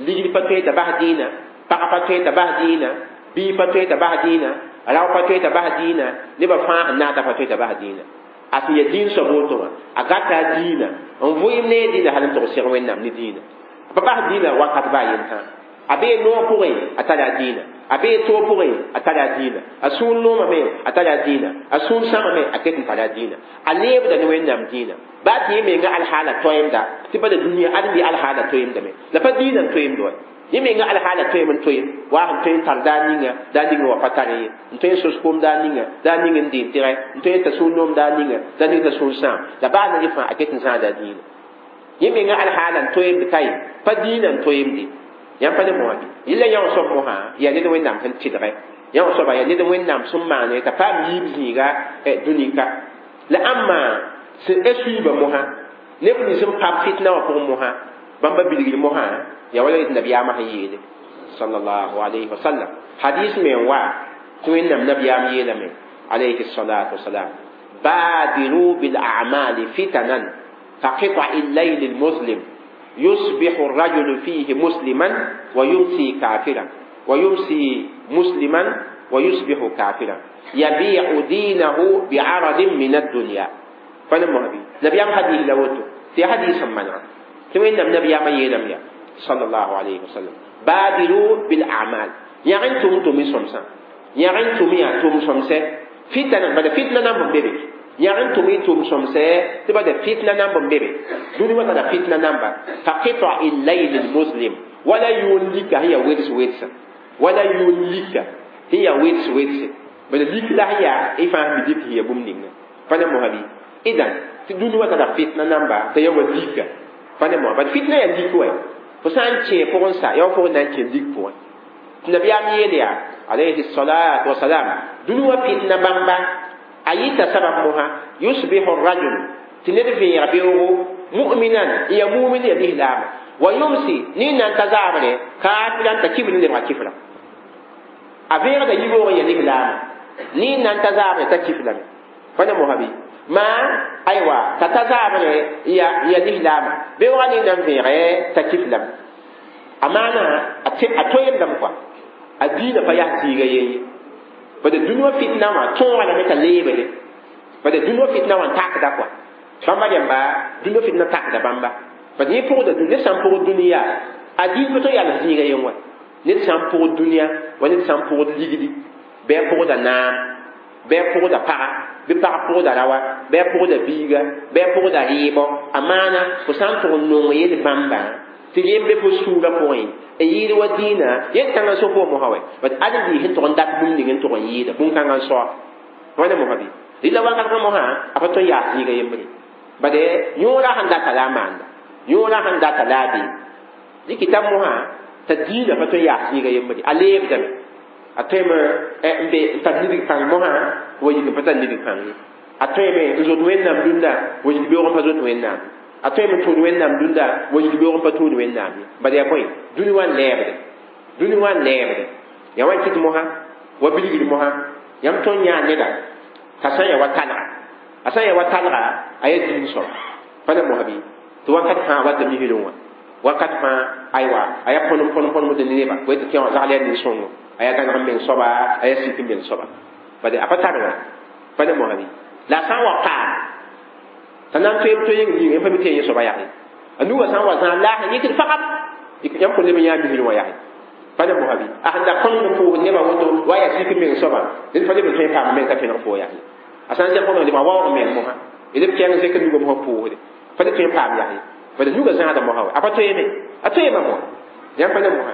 ligd pa tõe t'a bas dĩinã pag pa tõe t'a bas dĩinã bii pa tõe t'a bas dĩinã rao pa tõe t'a bas dĩinã nebã fãa sẽn naata pa tõe t'a bas dĩinã a sẽn yaa dĩin soab woto wã a gata a dĩinã n vʋɩɩm ne a dĩinã hal n tog seg wẽnnaam ne dĩinã a pa bas dĩinã wakat baa yentã a bee noog pʋgẽ a tara a dĩinã a bee toog pʋgẽ a tara a dĩinã a sũur noomame a tara a dĩinã a sũur sãmame a ket n tara a dĩinã a leebda ne wẽnnaam dĩinã baa tɩ yẽ menga alhaala toeemda tɩ pa la dũniyã ãdem yã alhaala toeemdame la pa dĩinã n toeemd wa yẽ menga alhaala toeem n toeem waa sẽn tõe n tar daar ninga daar ninga wa pa tare ye n tõe n sos koom daar ninga daar ning n deen tɩgɛ n tõe n ta sũur noom daar ninga daar ning ta sũur sãam la baa na yẽ fãa a ket n zãada a dĩinã yẽ menga alhaala n toeemd kaye pa dĩinã n toeemde Yãmb pa ne mosã bɩ yella yã wã soab mosã yaa ned Wẽnnaam sẽn tɩlge yã wã soaba yaa ned Wẽnnaam sẽn maane t'a paam yiib zĩiga dũnika la ãmba sẽn suiibã mosã neb nins sẽn paam fitna wã pʋgẽ mosã bãmba bilgr mosã yaa wala yet nabiyaamã sẽn yeele sallallahu alayhi wa sallam hadis me n wa tɩ Wẽnnaam nabiyaam yeelame alayhi salatu wasalam badiru bil a'mali fitanan ka qita'i al-layl al-muslim يصبح الرجل فيه مسلما ويمسي كافرا ويمسي مسلما ويصبح كافرا يبيع دينه بعرض من الدنيا فنمو هبي نبي أم حديث لوتو في حديث منع تمين النبي أم يلم يا صلى الله عليه وسلم بادروا بالأعمال يعني توم تومي سمسا يعني تومي توم سمسا فتنة بعد فتنة نام بيبي يعني تومي توم سمسا تبدا فتنة نام بيبي دوني ما تدا فتنة نام فقطع الليل المظلم ولا يوليك هي ويتس ويتس ولا يوليك هي ويتس ويتس بل ليك لا هي إفهم بديك هي بومنين فأنا مهبي إذا دوني ما تدا فتنة نام تيا وليك فأنا مهبي فتنة يليك وين فسان تشي بورنسا يا فور نان تشي ليك بورن النبي أميليا عليه الصلاة والسلام دنوا فتنة بامبا أيتا سبب مها يصبح الرجل تنرفي ربيه مؤمنا يا مؤمن يا الإسلام ويمسي نين أن تزعمني كافرا تكبر لما كفرا أفير ده يبغى يا الإسلام نين أن تزعمني تكفر فأنا مهبي ما أيوة تتزعمني يا يا الإسلام بيوغا نين أن فير تكفر أمانة أتويم دمكوا الدين فيا زيغا bada dũniyã fitna wã tõoga lame t'a leebde bada dũniyã fitna wã n takda kɔa bãmba rẽmba dũniyã fitna takda bãmba bad yẽ pʋgda dũni ned sã n pʋgd dũniyã a dĩin pa tõe yals zĩiga yen wa ned sã n pʋgd dũniyã wa ned sã n pʋgd ligdi bɩ a pʋgda naam bɩ a pʋgda paga bɩ pag pʋgda rawa bɩ a pʋgda biiga bɩ a pʋgda rɩɩbɔ a maana fo sã n tʋg n nong yel bãmba tɩ yẽ be fo sũurã pʋgẽ n yɩɩd wa dĩinã yel kãngã so fo mosã wɛ bat ad n sẽn tʋg n dat bũmb ning n tʋg n yɩɩda bũn-kãngã n soa wãna mosã bɩ rɩla wakat kã mosã a pa tõe n yaas zĩiga yembre bade yõorã sẽn data la a maanda yõorã sẽn data la a bee dɩkɩta mosã t'a dĩinã pa tõe n yaas zĩiga yembre a leebdame a tõeme n be n tar nidg pãng mosã wa yik n pa tar nidg pãng ye a tõeme n zot Wẽnnaam dũnna wa yik beoog n pa zot Wẽnnaam a tõeme n tũud Wẽnnaam dũnda wa yik beoog n pa tũud Wẽnnaam ye bad yaa bõe dũni wã n lɛɛbde dũni wã n lɛɛbde yaa wa n kɩt mosã wa bilgd mosã yãmb tõnd yãa neda t'a sã n yaa wa talga a sã n yaa wa talga a yaa dĩin soaba pa na mosã bɩ tɩ wakat fãa wata misrẽ wã wakat fãa aywa a yaa põnem põnem põnemd ne neba wa tɩ kẽ wã zagl yaa nin-sõngo a yaa gãneg n meng soaba a yaa sik n meng soaba bad a pa tar wã pa na mosã bɩ la a sã n wa paam t'a na n toeem to yeng yĩnga pa mi tɩ yẽ soaba yaa a nuga sã n wa zãag laas n yikd fagam yãmb kõn leb n yãa misrẽ wã yaa pa na mosã bɩ a sẽn da põnemd n pʋʋsd nebã woto wa yaa sik n meng soaba ned pa leb n tõe n paam meng t'a tõeneg foo yaa a sã n zẽg fo lebga waoog meng mosã leb kɛɛng zẽk nuga mosã pʋʋsde pa le tõe n paam yaa bad nuga zãada mosã wa a pa toeeme a toeema mosã yãmb pa na mosã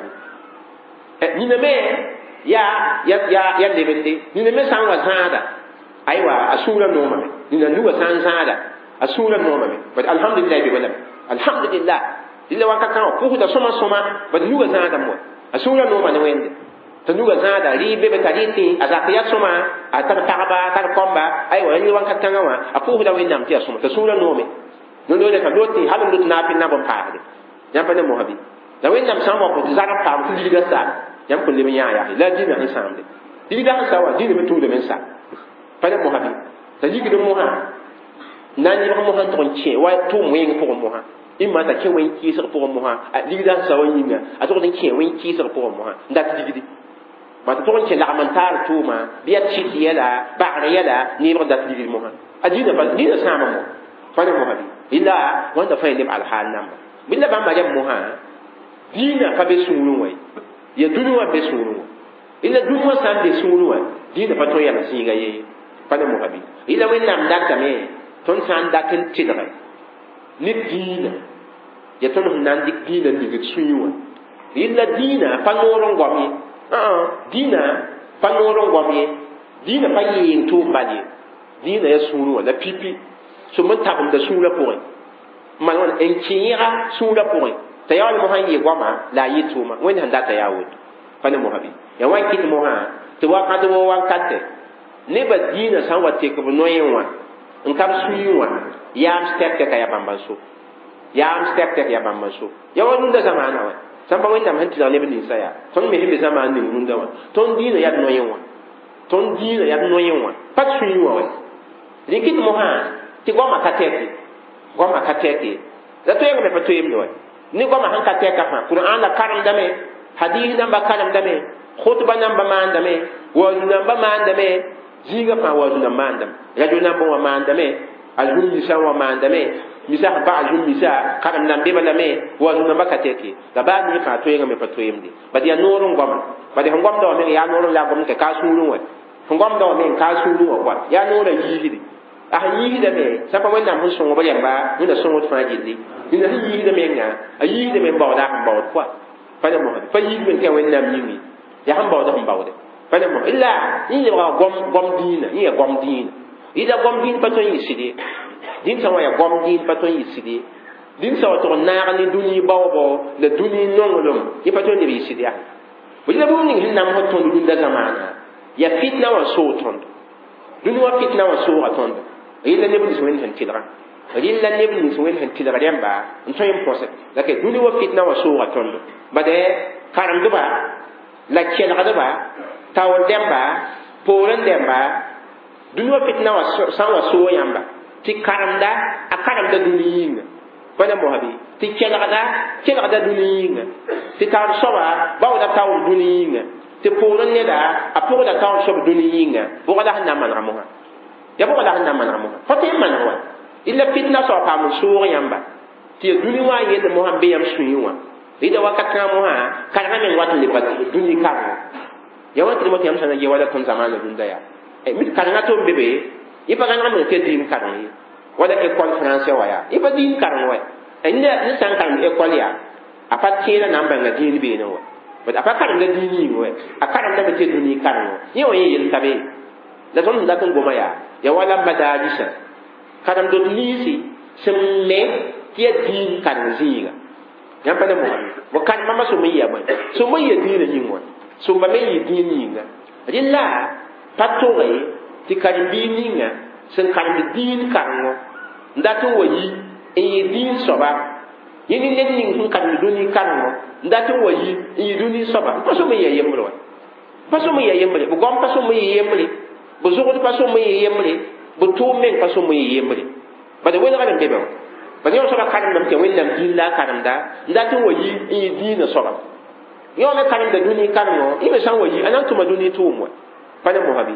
bɩ nina me yaa yaa yaa lebende nina me sã n wa zãada aywa a sũurã noomame nina nuga sã n zãada a sũurã noomame bad alhamdulillah be balame alhamdulillah rɩla wakat kãngã pʋsda sõma sõma bad nuga zãada moa a sũurã nooma ne Wẽnde t'a nuga zãada rɩɩb be be t'a rɩ tẽ a zak yaa sõma a tar pagba a tar kɔmba aywa rɩ wakat kãngã wã a pʋʋsda Wẽnnaam tɩ yaa sõma t'a sũurã noome no-loore t'a loot tẽ hal n lot naab n na b n paasde yãmb pa ne mosã bɩ la Wẽnnaam sã n wa kõ tɩ zag n paam tɩ ligda sa yãmb kõn leb n yãa yaa la dĩnã sẽn sãamde ligda sẽn sa wã dĩnã me tũudame n sa pa ne mosã bɩ t'a yikd mosã na n yẽbg mosã n tʋg n kẽ wa tʋʋm wẽng pʋgẽ mosã imma t'a kẽ wẽn kɩɩsg pʋgẽ mosã ligda sẽn sa wã yĩnga a tʋgd n kẽ wẽn kɩɩsg pʋgẽ mosã n dat ligdi ma tɩ tʋg n kẽ lagm n taar tʋʋma bɩ yaa tɩt yɛla bagr yɛla neebg dat ligd mosã a dĩnã pa dĩnã sãama mo pa ne mosã bɩ illa wãnda fãa neb alhaal namba bɩ la bãmba rẽmb mosã dĩinã pa be sũurẽ wã ye ya dũni wã be sũurẽ wã illa dũni wã sã n be sũurẽ wã dĩinã pa tõe n yals zĩiga ye pa ne mosã bɩ illa Wẽnnaam datame tõnd sã n dat n tɩlge ne dĩinã ya tõnd sẽn na n dɩk dĩinã n ning d sũyẽ wã illa dĩinã pa noor n goam ye dĩinã pa noor n goam ye dĩinã pa yeeng tʋʋm bal ye dĩinã yaa sũurẽ wã la pipi so n tabemda sũurã pʋgẽ n maan wãna n kẽega sũurã pʋgẽ T'a yaa wala mosã n yɩ goama la a yɩ tʋʋma wẽnd sẽn data yaa woto pa ne mosã bɩ ya wa n kɩt mosã tɩ wakat wo wankate nebã dĩinã sã n wa tek b noyẽ wã n ka b sũyẽ wã yaam tɛk tɛka yaa bãmba n so yaam tɛk tɛk yaa bãmba n so ya wa rũndã zamaana wã sãn pa wẽnnaam sẽn tɩlg neb ninsã yaa tõnd me sẽn be zamaan ning rũndã wã tõnd dĩinã yaa d noyẽ wã tõnd dĩinã yaa d noyẽ wã pa d sũyẽ wã wa rẽ kɩt mosã tɩ goamã ka tɛk ye goamã ka tɛk ye la toeengame pa toeemde wa ne goamã sẽn ka tɛka fãa Kur'an la karemdame hadis namba karemdame khutba namba maandame waazu namba maandame zĩigã fãa waazu nan maandame radio namba wã maandame a zũm misã wã maandame misa sẽn pa a zũm misa karem nan be balame waazu namba ka tɛk ye la baa ning fãa toeengame pa toeemde bad yaa noor n goama bad sẽn gomda wã meng yaa noor n la gom tɩ ka sũurẽ wã sẽn gomda wã meng ka sũurẽ wã koa yaa noorã yiisde a sẽn yiisdame sã pa wẽnnaam sẽn sõng b rẽmba wẽnna sõngd fãa gilli nina sẽn yiisda menga a yiisdame n baooda a sẽn baood koa pa ne mosã pa yiisd tɩ yaa wẽnnaam yĩngi yaa sẽn baooda sẽn baoode pa ne mosã illa yẽ lebga gom gom dĩinã yẽ yaa gom dĩinã yɩla gom dĩin pa tõe n yɩ sɩd ye dĩn sã wã yaa gom dĩin pa tõe n yɩ sɩd ye dĩn sã wa tʋg n naag ne dũni baoobo la dũni nonglem yẽ pa tõe n leb yɩ sɩd yaa bõe la bũmb ning sẽn namsd tõnd rũndã zamaana yaa fitna wã soog tõndo dũni wã fitna wã sooga tõndo rɩla neb nins wẽnd sẽn tɩlgã rɩla neb nins wẽnd sẽn tɩlg rẽmba n tõe n põse la ke dũni wã fitna wã sooga tõndo bad karemdba la kelgdba taoor dẽmba poorẽ dẽmba dũni wã fitna wã sã n wa soog yãmba tɩ karemda a karemda dũni yĩnga pa ne mosã bɩ tɩ kelgda kelgda dũni yĩnga tɩ taoor soaba baooda taoor dũni yĩnga tɩ poorẽ neda a pʋgda taoor soab dũni yĩnga bʋga la sẽn na n manega mosã ya bʋga la sẽn na n manega mosã fa tõe n maneg wa illa fitna soab paam n soog yãmba tɩ ya dũni wã yell mosã n be yãmb sũyẽ wã rɩda wakat kãngã mosã karengã meng wat n lebga dũni karengo ya wa tɩ tɩ yãmb sã na ge wala tõnd zamaana rũndã yaa mit karengã tɩ b be be yẽ pa rãngame tɩ ya dĩin kareng ye wala école français wã yaa yẽ pa dĩin kareng wa ne sã n karemd école yaa a pa tẽeda na n bãnga dĩin beene wa a pa karemda dĩin yĩng wa a karemdame tɩ ya dũni karengo yẽ wã yẽ yel ka be la tõnd sẽn dat n goma yaa ya wala madaarisa karem-dot niisi sẽn me tɩ ya dĩin kareng zĩiga yãmb pa ne mosã bo karemãmba sʋm n yɩa bõe sʋm n yɩa dĩinã yĩng wã sʋmba me n yɩ dĩin yĩnga rɩla pa toge tɩ karen-biig ninga sẽn karemd dĩin karengo n dat n wa yi n yɩ dĩin soaba yẽ ne ned ning sẽn karemd dũni karengo n dat n wa yi n yɩ dũni soaba pa sõm n yɩ yembre wa pa sõm n yɩ yembre b goam pa sõm n yɩ yembre b zʋgd pa sõm n yɩ yembre b tʋʋm meng pa sõm n yɩ yembre bad welgr n be be wã bad yõ soaba karemdame tɩ wẽnnaam dĩin la a karemda n dat n wa yi n yɩ dĩinã soaba yõ me karemda dũni karengo yẽ me sã n wa yi a na n tʋma dũni tʋʋm wa pa ne mosã bɩ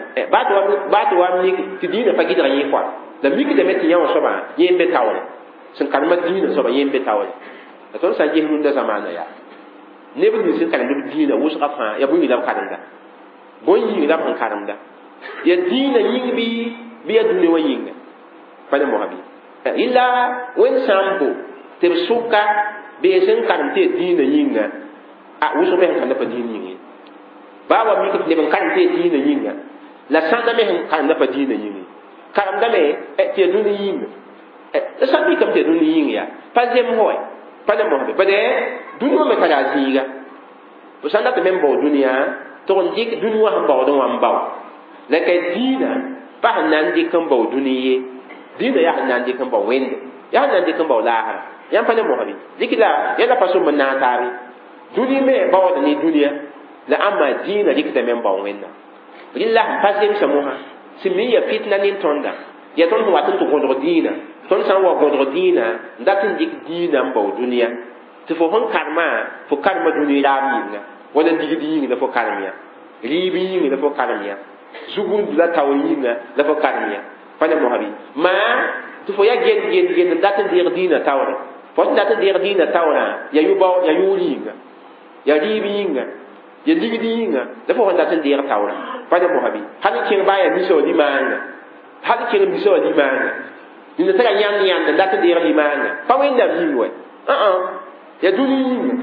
baa tɩ wa mik tɩ dĩinã pa gɩdg yẽ koa la mikdame tɩ yã wã soaba yẽ n be taoore sẽn karema dĩinã soaba yẽ n be taoore la tõnd sã n ges rũndã zamaana yaa neb nins sẽn karemd b dĩinã wʋsga fãa yaa bõe la b karemda bõe yĩng la b sẽn karemda ya dĩinã yĩng bɩ bɩ yaa dũni wã yĩnga pa ne mosã bɩ illa wẽnd sã n bo tɩ b sʋka bee sẽn karem tɩ ya dĩinã yĩnga a wʋsg me sẽn karemda pa dĩin yĩng ye baa wa mik tɩ neb n karem tɩ ya dĩinã yĩnga la sãnda me sẽn karemda pa dĩinã yĩng ye karemdame tɩ ya dũni yĩnga la sã n mikame tɩ ya dũni yĩng yaa pa zemsg wɛ pa ne mosã be bad dũni wã me tara a zĩiga b sã n dat me n bao dũniyã tɩg n dɩk dũni wã sẽn baoodẽ wã n bao la ka dĩinã pa sẽn na n dɩk n bao dũni ye dĩinã yaa sẽn na n dɩk n bao wẽnde yaa sẽn na n dɩk n bao laasra yãmb pa ne mosã bɩ dɩk la yãla pa sõm n naag taabe dũni me baooda ne dũniyã la ãmba dĩinã rɩkdame n bao wẽnnaam rɩla sẽn pa zemsa mosã sẽn mi ya fitna nin tõnda ya tõnd sẽn wat n tɩ gõdg dĩinã tõnd sã n wa gõdg dĩinã n dat n dɩk dĩinã n bao dũniyã tɩ fo sẽn karema fo karema dũni raab yĩnga wala ligd yĩng la fo karem yã rɩɩb yĩng la fo karem yã zugund la taoor yĩnga la fo karem yã pa ne mosã bɩ maa tɩ fo ya gend gend gend n dat n deeg dĩinã taoorẽ fo sẽn dat n deeg dĩinã taoorã ya yʋ-bao ya yʋʋr yĩnga ya rɩɩb yĩnga ya ligd yĩnga la fo sẽn dat n deeg taoorã pa ne mosã bɩ hal n kẽng baa yaa misa wã limaanga hal n kẽng misa wã limaanga nina tara yãnd yãnd n dat n deeg limaanga pa wẽnnaam yĩng wɛ ya dũni yĩnga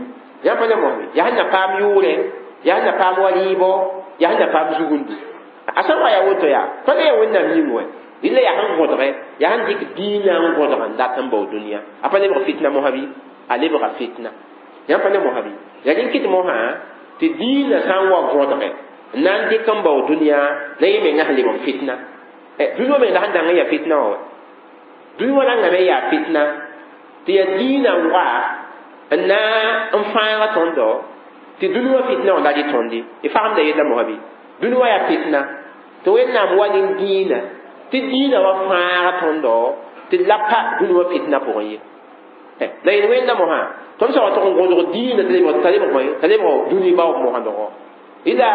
yãmb pa ne mosã bɩ yaa sẽn na paam yʋʋrɛ yaa sẽn na paam wa rɩɩbɔ yaa sẽn na paam zugundu a sã n wa yaa woto yaa pa le yaa wẽnnaam yĩng wɛ rɩla yaa sẽn gõdgɛ yaa sẽn dɩk dĩinã n gõdg n dat n bao dũniyã a pa lebg fitna mosã bɩ a lebga fitna Yãmb pa ne mosã bɩ yaa rẽn kɩt mosã tɩ dĩinã sã n wa võdge n na n dɩk n bao dũniyã la yẽ menga sẽn leb n fitna. Dũni wã meng la sẽn dãng n yaa fitna wã wa dũni wã rãngame n yaa fitna tɩ yaa dĩinã wa n na n fãaga tõndo tɩ dũni wã fitna wã la rɩ tõndi. Y fagemda yella mosã bɩ dũni wã yaa fitna tɩ Wẽnnaam wa ne dĩinã tɩ dĩinã wa fãaga tõndo tɩ la pa dũni wã fitna pʋgẽ ye. La yel wẽnda mosã tõnd sã wa tʋg n gõdg dĩinã tɩ t'a lebg bõe t'a lebg dũni baoog mosã dogo ila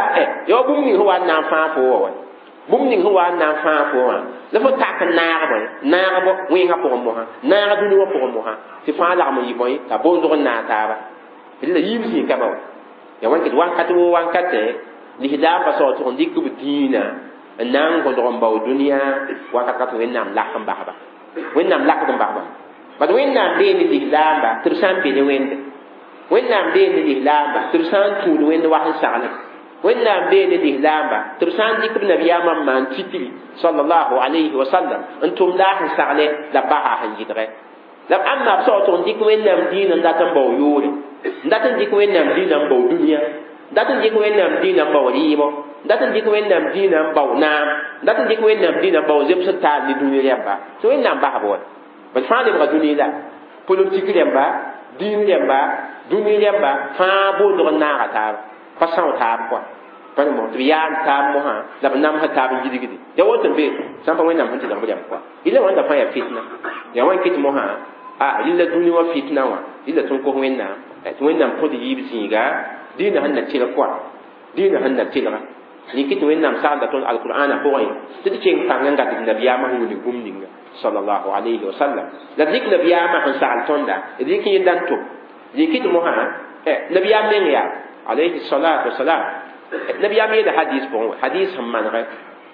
ya bũmb ning sẽn wa n na n fãag fo wa wa bũmb ning sẽn wa n na n fãag fo wã la fo tak n naag bõe naag wẽngã pʋgẽ mosã naag dũni wã pʋgẽ mosã tɩ fãa lagm n yɩ bõe t'a boondg n naag taaba la yiib zĩig ka ba wa ya wãn kɩt wãnkat wo wãnkatẽ lislaambã sã wa tʋg n dɩk b dĩinã n na n gõdg n bao dũniyã wakat kat Wẽnnaam lak n basba Wẽnnaam lakd n basba bad Wẽnnaam bee ne lislaamba tɩ b sã n be ne Wẽnde Wẽnnaam bee ne lislaamba tɩ b sã n tũud Wẽnd wa sẽn saglem Wẽnnaam bee ne lislaamba tɩ b sã n dɩk b nabiyaamã n maan titri sallallahu alayhi wa sallam n tʋm la a sẽn sagle la b basa sẽn yɩdgɛ la ãmba b sã wa tʋg n dɩk Wẽnnaam dĩinã n dat n bao yoore n dat n dɩk Wẽnnaam dĩinã n bao dũniyã n dat n dɩk Wẽnnaam dĩinã n bao rɩɩbɔ n dat n dɩk Wẽnnaam dĩinã n bao naam n dat n dɩk Wẽnnaam dĩinã n bao zems n taal ne dũni rẽmba tɩ Wẽnnaam basb wa bad fãa lebga dũni la politik rẽmba dĩin rẽmba dũni rẽmba fãa boondg n naaga taaba pa são taab kɔa pa ne tɩ b yaa n taab mosã la b namsã taab n yidgdi ya woto n be sã n pa Wẽnnaam sẽn tɩlg b rẽmb kɔa yɩla wãnda fãa yaa fitna ya wãn kɩt mosã a rɩla dũni wã fitna wã rɩla tõnd kos Wẽnnaam tɩ Wẽnnaam kõt yiib zĩiga dĩinã sẽn na tɩlg kɔa dĩinã sẽn na tɩlga rɩkɩ tɩ Wẽnnaam saglda tõnd alqur'ana pʋgẽ tɩ d keng pãng n gat d nabiyaamã sẽn wilg bũmb ninga sallallahu alayhi wa sallam la d rɩk nabiyaamã sẽn sagl tõnda d rɩk yẽnda n tʋm rɩkɩ tɩ mosã nabiyaam meng yaa alayhi salatu wasalam nabiyaam yeela hadis pʋgẽ wa hadis sẽn manegɛ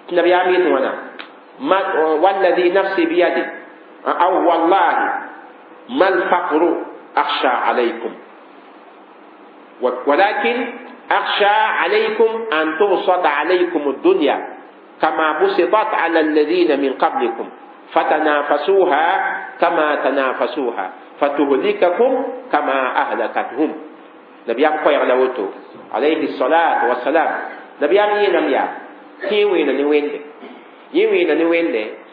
tɩ nabiyaam yet wãna والذي نفسي بيده أو والله ما الفقر أخشى عليكم ولكن أخشى عليكم أن تبسط عليكم الدنيا كما بسطت على الذين من قبلكم فتنافسوها كما تنافسوها فتهلككم كما أهلكتهم. نبي أم قوي على وتو عليه الصلاة والسلام نبي أم ينام يا كي وين نوين يوين نوين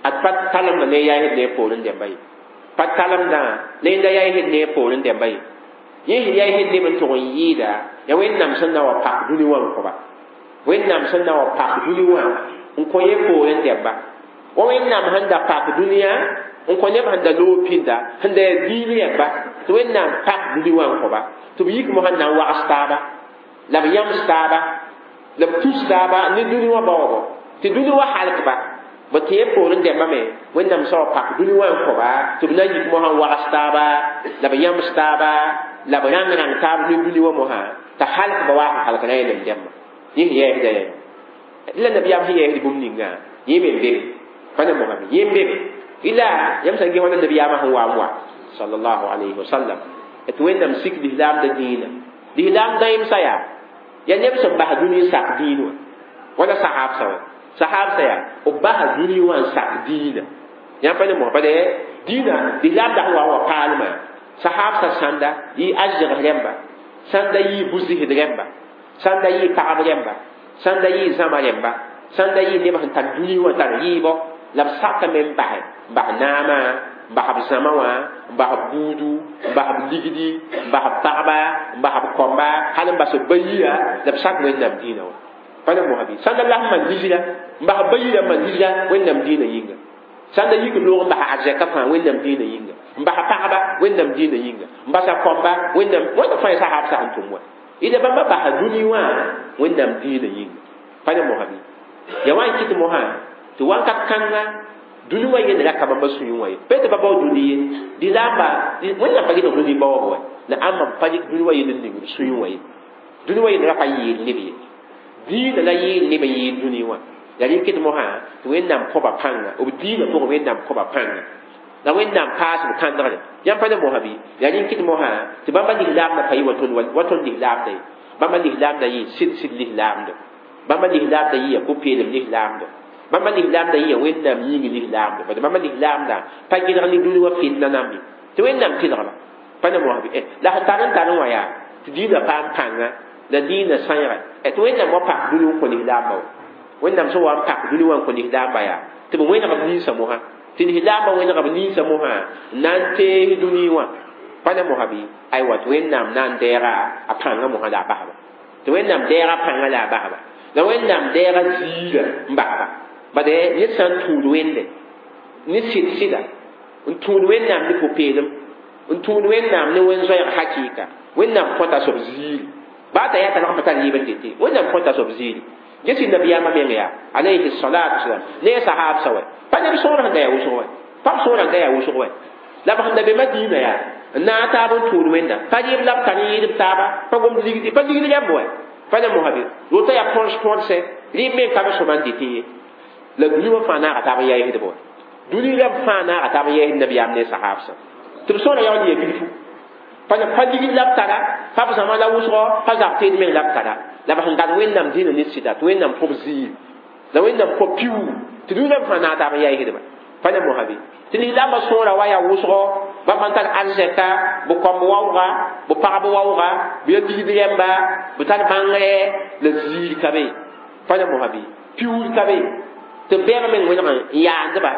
أتبت تلم نيا هدني بولن دبي patsalam da ne da yayi ne porin da bai yin yayi ne ban to yi da ya Wẽnnaam sẽn na wa pak dũni wã n kõba Wẽnnaam sẽn na wa pak dũni wã n kõ ye poorẽ dɛmba wa Wẽnnaam sẽn da pak dũniyã n kõ neb sẽn da loog pĩnda sẽn da yaa diin rẽmba tɩ Wẽnnaam pak dũni wã n kõba tɩ b yik mosã n na n wags taaba la b yãms taaba la b tus taaba ne dũni wã baoogo tɩ dũni wã halkba b tɩ poorẽ dɛmba me Wẽnnaam sã wa pak dũni wã n kõba tɩ b na n yik mosã n wags taaba la b yãms taaba la b rãng rãng taab ne dũni wã mosã t'a halkba waa sẽn halk na yẽlem dɛmba yẽ sẽn yɛɛsda yã la nabiyaam sẽn yɛɛsd bũmb ninga yẽ me n bebe pa ne mosã yẽ n bebe ila yãmb sã n ges wãna nabiyaamã sẽn wa n wa sallallahu alayhi wa sallam tɩ Wẽnnaam sik lislaamda dĩinã lislaam dãemsã yaa yaa neb sẽn bas dũni n sak dĩin wã wala sahabsã wã sahabsã yaa b basa dũni wã n sak dĩinã yãmb pa ne mosã bala dĩinã lislaamda sẽn wa n wa paalmã sahabsã sãnda yɩ azɛgs rẽmba sãnda yɩ bu-zɩsd rẽmba sãnda yɩ pagb rẽmba sãnda yɩ zãma rẽmba sãnda yɩ neb sẽn tar dũni wã tar yɩɩbɔ la b sakame n basɛ n bas naamã n bas b zãma wã n bas b buudu n bas b ligdi n bas b pagba n bas b kɔmba hal n bas b ba-yia la b sak Wẽnnaam dĩinã wã pa ne mosã bɩ sãnda la sẽn maan lisra n bas b ba-yirã n maan lisra Wẽnnaam dĩinã yĩnga sãnda yik loog n bas arzɛka fãa Wẽnnaam dĩinã yĩnga n bas pagba Wẽnnaam dĩinã yĩnga n basa kɔmba Wẽnnaam wẽnda fãa sahabsã sẽn tʋm wã ila bãmba basa dũni wã Wẽnnaam dĩinã yĩnga pa ne mosã bɩ ya wa n kɩt mosã tɩ wãnkat kãnga dũni wã yẽnd ra ka bãmba sũyẽ wã ye pa tɩ ba bao dũni ye lislaamba Wẽnnaam pa gɩdg dũni baoob wa la ãmba pa dɩk dũni wã yell n ning b sũyẽ wã ye dũni wã yell ra pa yeel neb ye dĩinã la yeel neb n yeel dũni wã la rẽ kɩt mosã tɩ Wẽnnaam kõba pãnga b dĩinã pʋgẽ Wẽnnaam kõba pãnga la Wẽnnaam paas b kãndgre yãmb pa ne mosã bɩ yaa rẽ kɩt mosã tɩ bãmba lislaamdã pa yɩ wa tõnd wa tõnd lislaamda ye bãmba lislaamdã yɩ sɩd sɩd lislaamda bãmba lislaamdã yɩ ya pʋ-peelem lislaamda bãmba lislaamdã yɩ ya Wẽnnaam yĩng lislaamda bad bãmba lislaamdã pa gɩdg ne dũni wã fitna nambe tɩ Wẽnnaam tɩlgba Pa ne mosã bɩ la sẽn tar n tar n wã yaa tɩ diinã paam pãnga la diinã sãeega tɩ Wẽnnaam wa pak dũni n kõ lislaambã wa Wẽnnaam sẽn wa n pak dũni wã n kõ lislaambã yaa tɩ b wẽneg b ninsã mosã tɩ lislaambã wẽneg b ninsã mosã n na n tees dũni wã pa ne mosã bɩ aywa tɩ Wẽnnaam na n deega a pãngã mosã la a basba tɩ Wẽnnaam deega pãngã la a basba la Wẽnnaam deega ziirã n basba bad ned sã n tũud Wẽnde ne sɩd sɩda n tũud Wẽnnaam ne pʋ-peelem n tũud Wẽnnaam ne wẽn-zoɛɛg hakɩɩka Wẽnnaam kõta soab ziiri baa t'a yaa t'a lg n pa tar yɩɩb n dɩtɩ Wẽnnaam kõta soab ziiri ges nabiyaamã meng yaa alayhi salatu wasalam ne a sahaabsã wɛ pa neb sõor sẽn da yaa wʋsg wɛ pa b sõor sẽn da yaa wʋsg wɛ la b sẽn da be Madiina yaa n na n taab n tũud Wẽnda pa rɩɩb la b tar n yɩɩd b taaba pa gomd ligdi pa ligd rɛmb wɛ pa ne mosã bɩ woto yaa põrs põrsɛ rɩɩb meng ka b sõma n dɩtɩ ye la dũni wã fãa naaga taab n yaɩsdb wɛ dũni rɛmb fãa naaga taab n yaɩsd nabiyaam ne sahaabsã tɩ b sõora yaool yɛ bilfu pa pa ligd la b tara pa b zãma la wʋsgɔ pa zab teed meng la b tara la b sẽn gad Wẽnnaam dĩinã ne sɩda tɩ Wẽnnaam kõb ziir la Wẽnnaam kõb piuug tɩ dũni rãmb fãa naag taab n yaɩsdba pa ne mosã bɩ tɩ lislaambã sõora wa yaa wʋsgɔ bãmb n tar arzɛka b kõmb waooga b pagb waooga b ya ligd rɛmba b tar bãngrɛ la ziir ka be pa ne mosã bɩ piuud ka be tɩ bɛɛb meng wẽneg n yaandba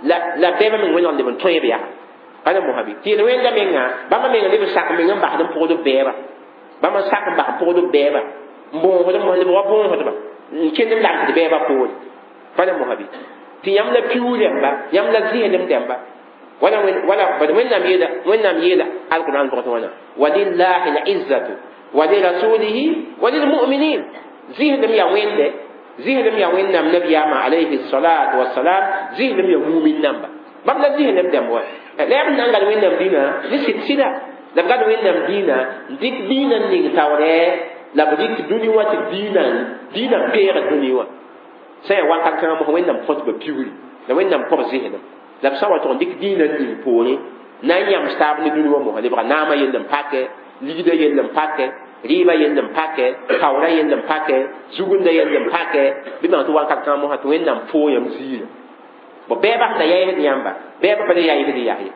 la la bɛɛb meng wẽneg n leb n tõe b yaa pa ne mosã bɩ tɩ yel wẽnda menga bãmba meng leb n sak meng n basd n pʋgd b bɛɛba bãmba n sak n bas n pʋgd b bɛɛba n bõosd mos lebg wa bõosdba n kẽnd n lamsd bɛɛba poore pa ne mosã bɩ tɩ yãmb la piuug rẽmba yãmb la zẽelem dẽmba wala wala bad Wẽnnaam yeela Wẽnnaam yeela alquran pʋgẽ tɩ wãna walillahi lizzatu wa lirasulihi wa lilmuminin zĩsdem yaa Wẽnde zĩsdem yaa Wẽnnaam nabiyaamã alayhi salatu wasalam zĩsdem yaa mumin namba bãmb la zĩsdem dẽmb wa la yaa b na n gad Wẽnnaam dĩnã ne sɩd sɩda la b gad Wẽnnaam dĩnã n dɩk dĩinã n ning taoorɛ la b dɩk dũni wã tɩ dĩinã dĩinã peegd dũni wã sã yaa wakat kãngã mosã Wẽnnaam kõt ba piugri la Wẽnnaam kõb zĩsdem la b sã wa tʋg n dɩk dĩinã n ning poorẽ na n yãms taab ne dũni wã mosã lebga naamã yell n pakɛ ligdã yell n pakɛ rɩɩbã yell n pakɛ taoorã yell n pakɛ zugundã yell n pakɛ bɩ bãng tɩ wakat kãngã mosã tɩ Wẽnnaam foo yãmb ziirã bo bɛɛbã sẽn da yaɩsd yãmba bɛɛbã pa le yaɩsd yas ye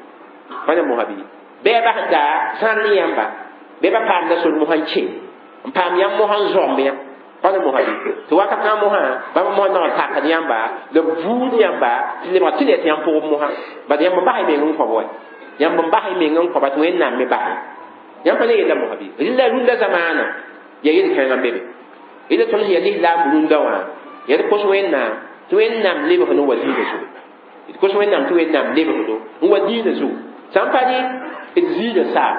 pa ne mosã bɩ bɛɛbã sẽn da zãr ne yãmba bɛɛbã paamda sor mosã n kẽ n paam yãmb mosã n zoamb yã pa ne mosã bɩ tɩ wakat kãngã mosã bãmb mosã nag n takd yãmba la b buud yãmba tɩ lebga tɩ le tɩ yãmb pʋgb mosã bad yãmb n bas y meng n kõb wɛ yãmb n bas y meng n kõba tɩ Wẽnnaam me bas yãmb pa ne yella mosã bɩ rɩla rũndã zamaana yaa yel-kãengã n be be yella tõnd sẽn yaa lislaam rũndã wã yaa d kos Wẽnnaam tɩ Wẽnnaam lebg n wa diinã zugu d kos Wẽnnaam tɩ Wẽnnaam lebgdo n wa diinã zugu sã n pa rɩ d ziirã saam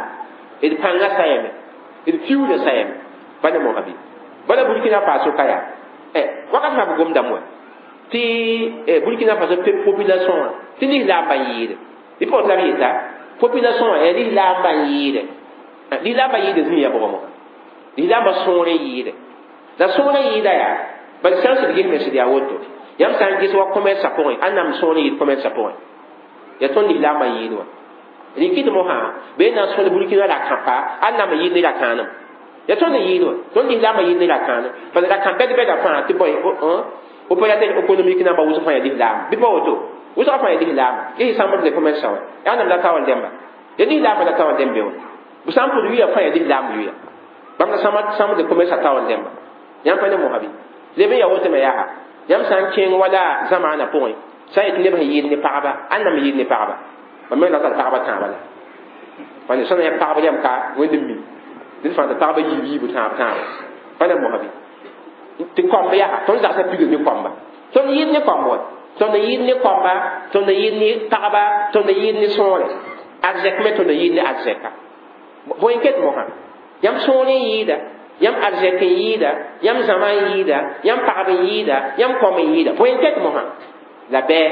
d pãngã sayame d fiuudã sayame pa ne mosã bɩ bala Burkina Faso ka yaa wakat fãa b gomdame wã tɩ Burkina Faso population wã tɩ lislaambã n yɩɩde bɩ pʋgẽ la b yeta population wã yaa lislaambã n yɩɩde lislaambã yɩɩda zĩ ya bʋgã mosã lislaambã sõor n yɩɩde la sõor n yɩɩda yaa bala sã n sɩd ges me sɩd yaa woto yãmb sã n ges wa commerce pʋgẽ ãnnaam sõor n yɩɩd commerce pʋgẽ yaa tõnd lislaambã n yɩɩd wã rɩkɩd mosã bee na n sõd Burkina rakãpa ãnnaam n yɩɩd ne rakãanem yaa tõnd n yɩɩd wã tõnd lislaambã yɩɩd ne rakãanem bala rakã bɛd-bɛda fãa tɩ bõe opérateur économique namba wʋsg fãa yaa lislaam bɩ pa woto wʋsga fãa yaa lislaama ges chambre de commerce wã yaa ãnnaam la taoor dẽmba yaa lislaambã la taoor dẽmb be wã b sã n pʋd yuya fãa yaa lislaam yuya bãmb la chambre de commerce a taoor dẽmba yãmb pa ne mosã bɩ leb n yaa woto me yaa yãmb sã n kẽng wala zamaanã pʋgẽ sã n yetɩ neb sẽn yɩɩd ne pagba ãnnaam n yɩɩd ne pagba ba me la tar pagba tãabã la pa ne sã na yaa pagb rɛm ka Wẽnd n mi ned fãa tɩ pagba yiib yiibu tãab tãaba pa ne mosã bɩ tɩ kõmb yaa tõnd zagsã pigd ne kõmba tõnd yɩɩd ne kõmb wa tõnd yɩɩd ne kõmba tõnd yɩɩd ne pagba tõnd yɩɩd ne sõore arzɛk me tõnd yɩɩd ne arzɛka bõe n ket mosã yãmb sõor n yɩɩda yãmb arzɛk n yɩɩda yãmb zãma n yɩɩda yãmb pagb n yɩɩda yãmb kõm n yɩɩda bõe n ket mosã la bɛɛ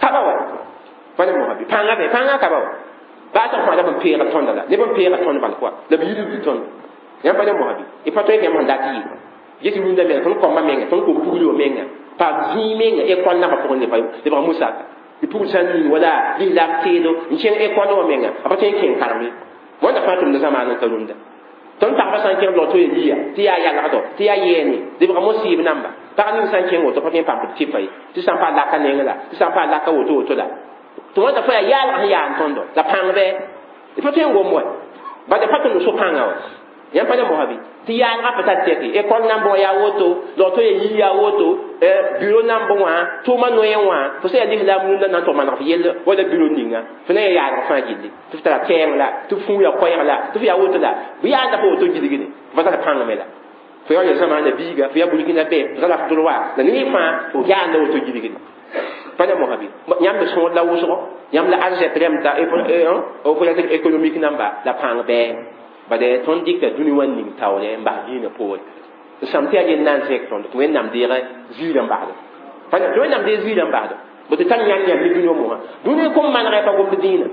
kaba wa pa ne mosã bɩ pãngã be pãngã kaba wa baa tɩ fãa la b n peega tõnda la neb n peega tõnd bal kɔa la b yidb tõnd yãmb pa ne mosã bɩ y pa tõe tɩ yãmb sẽn dat yɩ ges rũndã menga tõnd kõmba menga tõnd kom pugl wã menga paam zĩig menga école nambã pʋgẽ lebga musaka tɩ pugl sã n ning wala lislaam teedo n kẽng école wã menga a pa tõe n kẽng karem ye wãnda fãa tʋmda zamaan n ka rũndã tõnd pagba sã n kẽng log tɩ liya tɩ yaa yalgdo tɩ yaa yɛɛne lebga mosɩɩb namba pag ning sã n kẽng woto pa tõe n paam b tɩpa ye tɩ sã n paa laka neng la tɩ sã n paa laka woto woto la tɩ wãnda fãa yaa yaalg sẽn yaa n tõndo la pãng bɩ Pa tõe n gom wa bad pa tõnd so pãnga wa yãmb pa ne mosã bɩ tɩ yaalgã pa tar tɛke école nambẽ wã yaa woto log-to ya yii yaa woto bureau nambẽ wã tʋʋmã noyẽ wã fo sã yaa lislaam rũndã na n tog maneg f yell wala bureau ninga fo na ya yaalg fãa gilli tɩ f tara kɛɛng la tɩ f fũu ya koɛɛg la tɩ f yaa woto la bɩ yaanda pa woto gilgde fo tara pãng me la fo yaa ya zamaana biiga fo yaa burkina bɛ fo tara f droit la ne fãa fo yaanda woto gilgde pa ne mosã bɩ yãmb me sõor la wʋsgo yãmb la arzɛk rẽmta opérateur économique namba la pãng bɛɛ bade tõnd dɩka dũni wã ning taoore n bas dĩinã poore d sãm tɩ yaa yell na n zẽk tõnd tɩ Wẽnnaam deeg ziirã n basdo tɩ Wẽnnaam deeg ziirã n basdo bo tɩ tar yãnd yãmb ne dũni wã mosã dũni kom manegɛ pa gomd dĩinã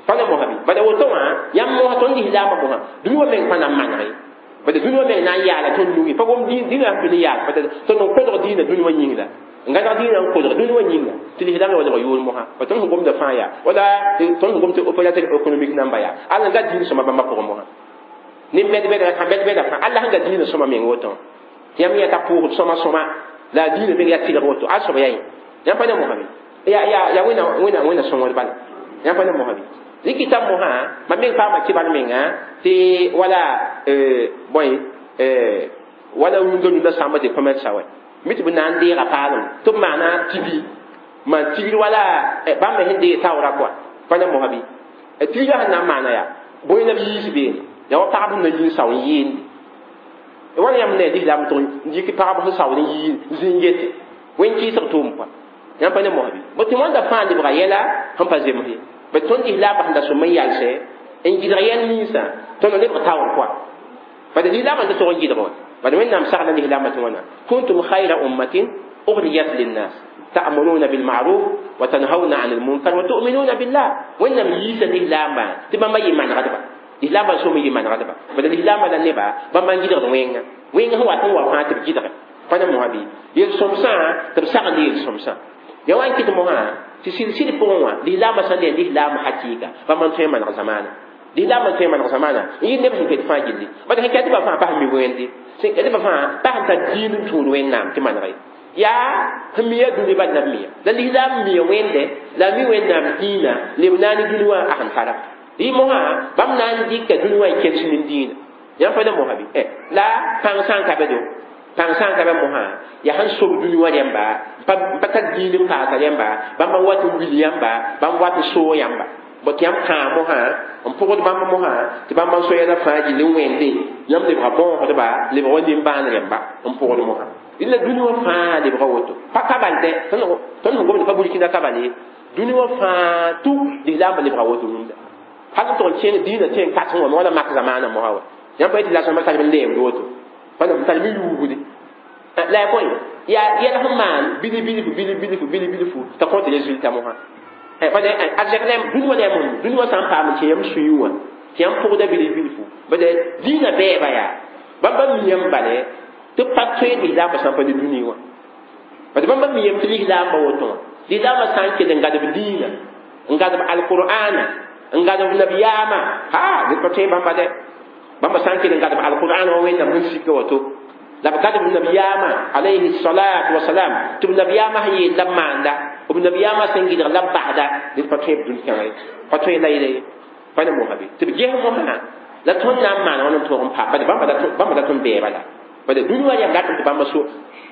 pa ne mosã bɩ bala woto wã yãmb mosã tõnd lislaamã mosã dũni wã meng pa na n maneg ye bala dũni wã meng na n yaala tõnd nugi pa gom dĩinã sẽn tʋ ne yaal tõnd n kodg dĩinã dũni wã yĩng la n gãneg dĩinã n kodg dũni wã yĩnga tɩ lislaam la wa lebg yʋʋr mosã pa tõnd sẽn gomda fãa yaa wala tõnd sẽn gom tɩ opérateur économique namba yaa all n ga dĩin sõma bãmba pʋgẽ mosã ne bɛd bɛda sã bɛd bɛda fãa alla sẽn ga dĩinã sõma meng woto tɩ yãmb yã ta pʋʋsd sõma sõma la a dĩinã meng yaa tɩlg woto al soab yaa yẽ yãmb pa ne mosã bɩ ya ya ya wẽna wẽna wẽna sõngd bala yãmb pa ne mosã bɩ rɩkɩta mosã mam meng paama kɩbar menga tɩ wala bõe wala rũndã rũndã sãmba tɩ commerce wɛ mi tɩ b na n deega paalem tɩ b maana tibi maan tigr wala bãmb me sẽn deeg taoora kɔa pa ne mosã bɩ tigrã sẽn na n maana yaa bõe la b yiis beene ya wa pagb sẽn na yi n sao n yɩɩndi wãna yãmb ne lislaam tʋg n yik pagb sẽn saood n yii zĩ n yete wẽn kɩɩsg tʋʋm kɔa yãmb pa ne mosã bɩ bo tɩ wãnda fãa lebga yɛla sẽn pa zems ye bad tõnd lislaambã sẽn da sõm n yalsɛ n gɩdg yɛl ninsã tõnd lebg taoor kɔa bad lislaambã n ta tog n gɩdg wã bad Wẽnnaam sagla lislaambã tɩ wãna kuntum khayra ummatin ukhrijat linnas ta'muruna bil ma'ruf wa tanhauna 'anil munkar wa tu'minuna billah Wẽnnaam yiisa lislaambã tɩ bãmba yɩ manegdba lislaambã sõm yɩ manegdba bad lislaambã la neba bãmba n gɩdgd wẽnga wẽnga sẽn wat n wa fãa tɩ b gɩdge pa ne mosã bɩ yel-sõmsã tɩ b sagl yel-sõmsã ya wa n kɩt mosã tɩ sɩd-sɩd pʋgẽ wã lislaambã sã n yaa lislaam hakɩɩka bãmb n tõe n maneg zamaana lislaambã n tõe n maneg zamaana n yɩ neb sẽn ket fãa gilli bad sẽn ket tɩ ba fãa pa sẽn mi wẽnde sẽn ket tɩ ba fãa pa sẽn tar dĩin n tũud Wẽnnaam tɩ maneg ye yaa sẽn mi yaa dũni bal la b miya la lislaam miya wẽnde la a mi Wẽnnaam dĩinã leb naane dũni wã a sẽn tara rɩ mosã bãmb na n dɩka dũni wã n kels nin dĩinã yãmb pa ne mosã bɩ la pãng sã n ka be do pãng sã n ka be mosã yaa sẽn sob dũni wã rẽmba n pa tar dĩin n paasa rẽmba bãmb n wat n wil yãmba bãmb wat n soog yãmba bõ tɩ yãmb kãa mosã n pʋgd bãmb mosã tɩ bãmb n so yɛla fãa gill n wẽnde yãmb lebga bõosdba lebg wa nimbãan rẽmba n pʋgd mosã la dũni wã fãa lebga woto pa ka bal dɛ tõnd sẽn gomd pa burkina ka bal ye dũni wã fãa tʋ lislaambã lebga woto rũndã hal n tʋg n kẽng dĩinã tẽ n kasẽ wã wala mak zamaanã mosã wa yãmb pa yetɩ la sõma tar n leemd woto pa tar mi yuugde la ya bõe yaa yɛl sẽn maan bili bilfu bili bilfu bili bilfu t'a kõt résultat mosã bad arzɛk la dũni wã la yaa dũni wã sã n paam tɩ yãmb sũyẽ wã tɩ yãmb pʋgda bili bilfu bad dĩinã bɛɛba yaa bãmba miyame bale tɩ pa tõe lislaambã sã n pa ne dũni wã bad bãmba miyame tɩ lislaambã woto wã lislaambã sã n kell n gadb dĩinã n gadb alqur'ana n gadb nabiyaamã ha ned pa tõe bãmba dɛ bãmba sã n kell n gadb alqur'an wã Wẽnnaam sẽn sika woto la b gadb nabiyaamã alayhi salatu wasalam tɩ b nabiyaamã sẽn yeel la b maanda b nabiyaamã sẽn gɩdg la b basda ned pa tõe b dũn-kãngã ye pa tõe la yele ye pa ne mosã bɩ tɩ b ges mosã la tõnd na n maana wãn n tõog n paam bad bãmba dat n bɛɛba la bad dũni wã yam dat tɩ bãmba so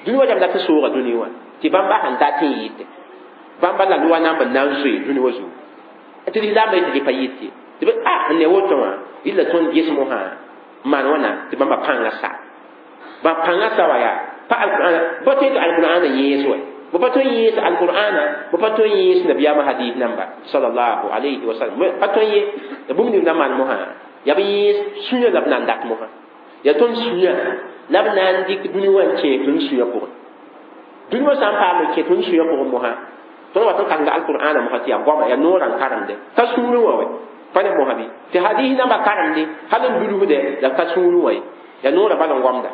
dũni wã yam dat n sooga dũni wã tɩ bãmba sẽn dat n yɩɩte bãmba la loa na n na n zoe dũni wã zugu tɩ lislaambã yetɩ pa yɩte tɩ b a n ne woto wã yɩla tõnd ges mosã n maan wãna tɩ bãmba pãngã sa bãmb pãngã sa wa yaa pa alqur'ana ba tõe tɩ alqur'ana yẽes wa b pa tõe n yẽes alqur'ana b pa tõe n yẽes nabiyaamã hadis namba sallallahu alayhi wa sallam pa tõe n ye la bũmb ning na maan mosã yaa b yẽes sũyã la b na n dat mosã yaa tõnd sũyã la b na n dɩk dũni wã n kẽes tõnd sũyã pʋgẽ dũni wã sã n paam n kẽ tõnd sũyã pʋgẽ mosã tõnd wat n karemda alqur'ana mosã tɩ yaa goama yaa noorã n karemde ka sũurẽ wã wɛ pa ne mosã bɩ tɩ hadis nambã karemde hal n dulsde la ka sũurẽ wã ye yaa noorã bal n goamda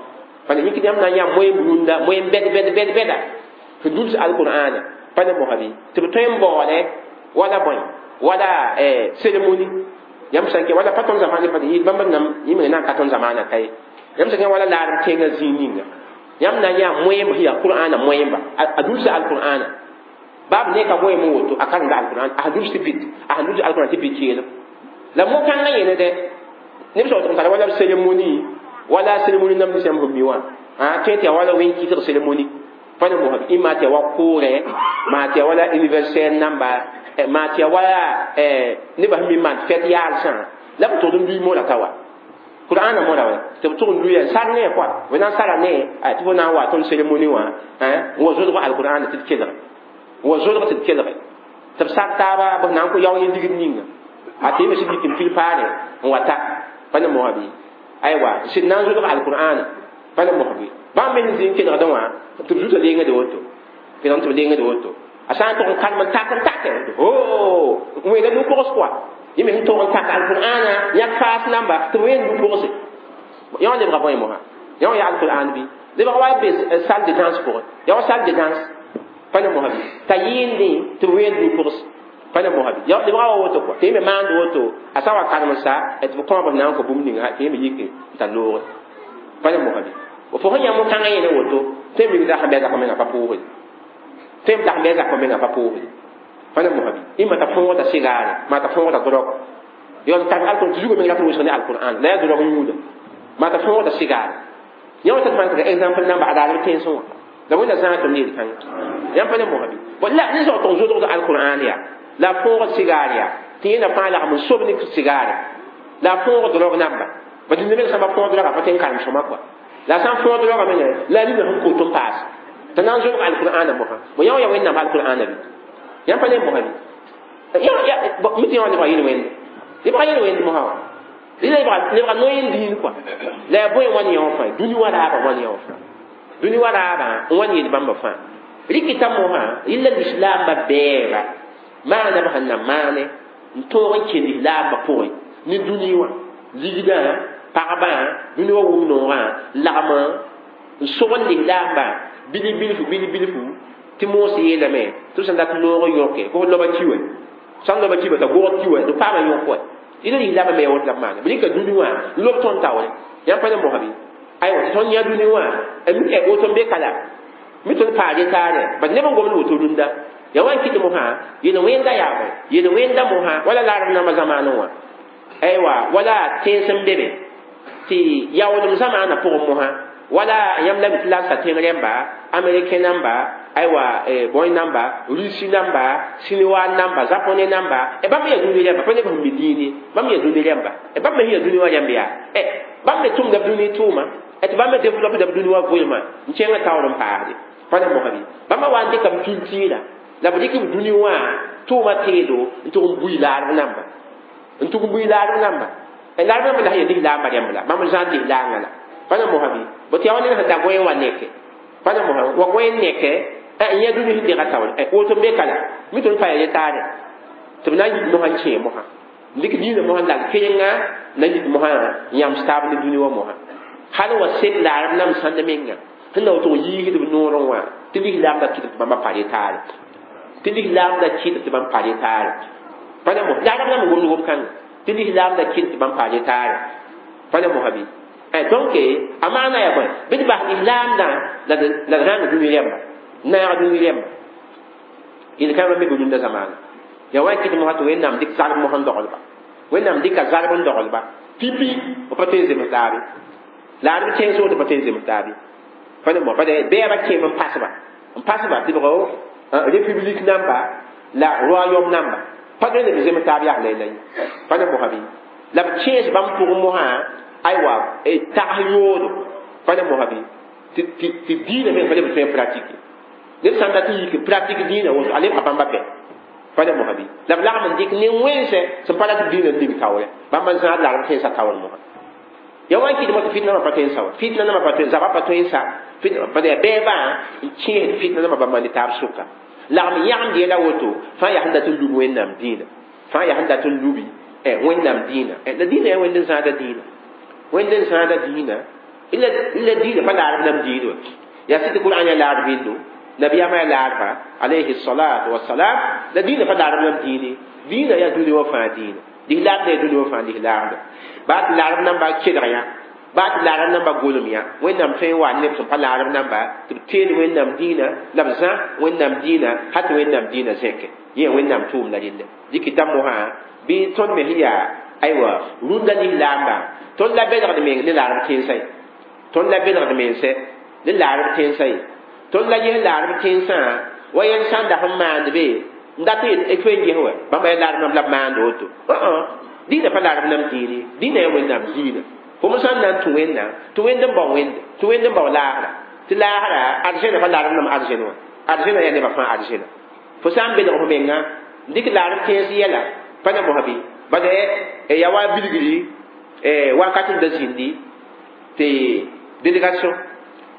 pa ne yĩk yãmb na n yaa moeem rũndã moeem bɛd bɛd bɛd bɛda sẽn duls alqur'ana pa ne mosã bɩ tɩ b tõe n baoole wala bõe wala cérémonie yãmb sã n kẽ wala pa tõnd zamaanã pa yɩ bãmb nam yĩmg na n ka tõnd zamaanã ka ye yãmb sã kẽ wala laarem tẽngã zĩig ninga yãmb na n yaa moeemb sẽn yaa qur'ana moeemba a dulsa alqur'ana baab ne ka goeem n woto a karemda alqur'an a sẽn duls tɩ bit a sẽn duls alqur'an tɩ bit keelem La mo-kãngã yẽne dɛ neb sã tʋg n tara wala b cérémonie wala cérémonie nam nins yãmb sẽn mi wã tõe tɩ yaa wala wẽn-kɩsg cérémonie pa ne mosã ɩma tɩ ya wa koorɛ maa tɩ ya wala anniversaire namba maa tɩ ya wala nebã sẽn mi maan fɛt yaalsã la b tʋgd n lui mola ka wa Qur'ana mola wa tɩ b tʋg n luya sar ne quoi b na n sara ne tɩ fo na n wa tõnd cérémonie wã n wa zodg alqur'ana tɩ d kelge n wa zodg tɩ d kelge tɩ b sak taaba b na n kõ yao yẽ ligd ninga a tɩ yẽ me sɩd yik n pil paare n wa ta pa ne mosã bɩ aywa sɩd na n zodg alqur'ana pa ne mosã bɩ bãmb me sẽn zĩ n kelgdẽ wã tɩ b zuta lengde woto kelg tɩ b lengde woto a sã n tʋg n kalem n tak n take ho wẽnda nu-pʋgs quoi yẽ me sẽn tʋg n tak alqur'ana yãk faas namba tɩ b wẽnd nu-pʋgse yã wã lebga bõe mosã yã wã yaa alqur'an bɩ lebga wa be salle de danse pʋgẽ ya wa salle de danse pa ne mosã bɩ t'a yɩɩndẽ tɩ b wẽnd nu-pʋgs pa ne mosã bɩ lebga wa woto quoi tɩ yẽ me maand woto a sã n wa kalem sa tɩ b kõab na n kõ bũmb ninga tɩ yẽ me yik n tar loogre pa ne mosã bɩ fo sẽn yã mo-kãngã yẽne woto tõe n mik dak n bɩ a zakã mengã pa pʋʋsde tõe n dak n bɩ a zakã mengã pa pʋʋsde pa ne mosã bɩ ĩma t'a fõogda sigaare maa t'a fõogda drog yon tar alqur'an tɩ zugã meng rat n wʋsg ne alqur'an la yaa drog yũuda maa t'a fõogda sigaare yã wã tɩ d exemple namba a daadb tẽnsẽ wã la wẽnda zãag tɩ m yel kãngã yãmb pa ne mosã bɩ la ne zao tɩ n zodgd alqur'an yaa la fõog sigaar yaa tɩ yẽna fãa lagm n sob ne sigaare la fõog drog namba ba dĩnda meng sãmba fõog droga pa tõe n karem sõma quoi la sã n fõog droga menga la nina sẽn kot n paas t'a na n zodg alqur'ana mosã bo yã wã yaa wẽnnaam alqur'ana bɩ yãmb pa ne mosã bɩ mi tɩ yã wã lebga yel-wẽnd lebga yel-wẽnd mosã wã lebga no-yẽn diin quoi la yaa bõe n wa ne yã wã fãa dũni wa raabã wa ne yã wã fãa dũni wa raabã n wa ne yel bãmba fãa rɩkɩta mosã yella lislaambã bɛɛba maana b sẽn na maane n tõog n kell lislaambã pʋgẽ ne dũni wã ligdã pagbã dũni wã wʋm noogã lagm n sogl lislaambã bil bilfu bil bilfu tɩ moos yeelame tɩ b sẽn dat noog n yõke fo loba ki wɛ sãn loba ki t'a gog ki wɛ tɩ paama yõk wɛ ila lislaambã me ya woto la b maana b rɩka dũni wã n lob tõnd taoore yãmb pa ne mosã bɩ aywa tɩ tõnd yã dũni wã woto n be kala mi tõnd paage taare bad neb n gomd woto rũndã ya wa n kɩt mosã yel wẽnda yaa bõe yel wẽnda mosã wala larb nambã zamaanẽ wã aywa wala tẽns n be be tɩ yaoolem zamaanã pʋgẽ mosã wala yãmb la mi tɩ la sa tẽng rẽmba américain namba aywa bõe namba rusi namba chinois namba japonais namba bãmb me yaa dũni rẽmba pa neb sẽn mi diine bãmb yaa dũni rẽmba bãmb me sẽn yaa dũni wã rẽmb yaa bãmb me tʋmda b dũni tʋʋma tɩ bãmb me développe b dũni wã vɩɩmã n kẽngã taoor n paasde pa ne mosã bɩ bãmba wa n dɩka b culture la b dɩk b dũni wã tʋʋma teedo n tʋg n bui laarb namba n tʋg n bui laarb namba laarb namba la sẽn yaa lislaambã rẽmb la bãmb zãad lislaangã la pa ne mosã bɩ bo tɩ yaa wa ned sẽn da goẽ wã neke pa ne mosã wa goẽ neke n yã dũni sẽn dega taoore woto n be ka la mi tõnd pa ya yetaare tɩ b na n yik mosã n kẽe mosã n dɩk diinã mosã n lal kẽnga na n yik mosã n yãms taab ne dũni wã mosã hal wa sed laarb nam sãnd menga sẽn na woto n yiisd b noorẽ wã tɩ lislaam da kɩt tɩ bãmba pa retaare tɩ lislaam da kɩt tɩ bãmb pa retaare pa ne mos laarb nam n gomd gom-kãnga tɩ lislaam da kɩt tɩ bãmb pa retaare pa ne mosã bɩ donc a maana yaa bõe bɩ d bas lislaamdã la d rãng dũni rẽmba naag dũni rẽmba yel-kãngã me be rũndã zamaana yaa wa n kɩt mosã tɩ wẽnnaam dɩk zarb mosã n doglba wẽnnaam dɩka zarb n doglba pipi b pa tõe n zems taabe laarb tẽns woto pa tõe n zems taabe pa ne mo pa bɛɛba kẽem n pasba n pasba tɩ bgo république namba la royaume namba pa tõe n b zems taab yaa la la pa ne mosã bɩ la b kẽes bãmb pʋgẽ mosã aywa tags yoodo pa ne mosã bɩ tɩ diinã meng pa leb tõe n pratique ned sãn dat n yik pratique diinã woto a lebga bãmba bɛ pa ne mosã bɩ la b lagm n dɩk ne wẽnse sẽn pa rat diinã n ning taoore bãmb n zãad larb tẽnsã taoor mosã ya wa n kɩt mo tɩ fitna nambã pa tõe n sa wa fitna nambã pa tõe zaba pa tõe n sa pa yaa bɛɛbã n kẽesd fitna nambã bãmba ne taab sʋka lagm yãgemd yɛla woto fãa yaa sẽn dat n lub wẽnnaam dĩinã fãa yaa sẽn dat n lubi wẽnnaam dĩinã la dĩinã yaa wẽnd n zãada dĩinã wẽnd n zãada dĩinã la dĩinã pa laarb nam dĩin wa yaa sɩ tɩ qur'an yaa laarb bindo nabiyama yaa laarba alayhi salatu wassalam la dĩinã pa laarb nam dĩine dĩinã yaa dũni wã fãa dĩinã lislaamda yaa dũni wã fãa lislaamda baa tɩ laarb namba kelg yã baa tɩ laarb namba golem yã wẽnnaam tõe n wa neb sẽn pa laarb namba tɩ b teel wẽnnaam dĩinã la b zã wẽnnaam dĩinã hal tɩ wẽnnaam dĩinã zẽke yẽ wẽnnaam tʋʋmda relle dɩkɩta mosã bɩ tõnd me sẽn yaa Aywa rũndã lislaamba tõnd la belgd meng ne laarb tẽnsã ye tõnd la belgd mense ne laarb tẽnsã ye tõnd la ges laarb tẽnsã wa yẽl sã n dak n maand be n dat n tõe n ges wa bãmba yaa laarb nam la b maand woto dĩinã pa laarb nam dĩin ye dĩinã yaa wẽnnaam dĩinã fo sã n na n tũ wẽnnaam tɩ wẽnd n bao wẽnde tɩ wẽnd n bao laasra tɩ laasra arzẽna pa laarb nam arzẽn wã arzẽna yaa nebã fãa arzẽna fo sã n belg fo menga n dɩk laarb tẽns yɛla pa na mosã bɩ bala ya wa bilgri wakat n da zĩndi tɩ délégation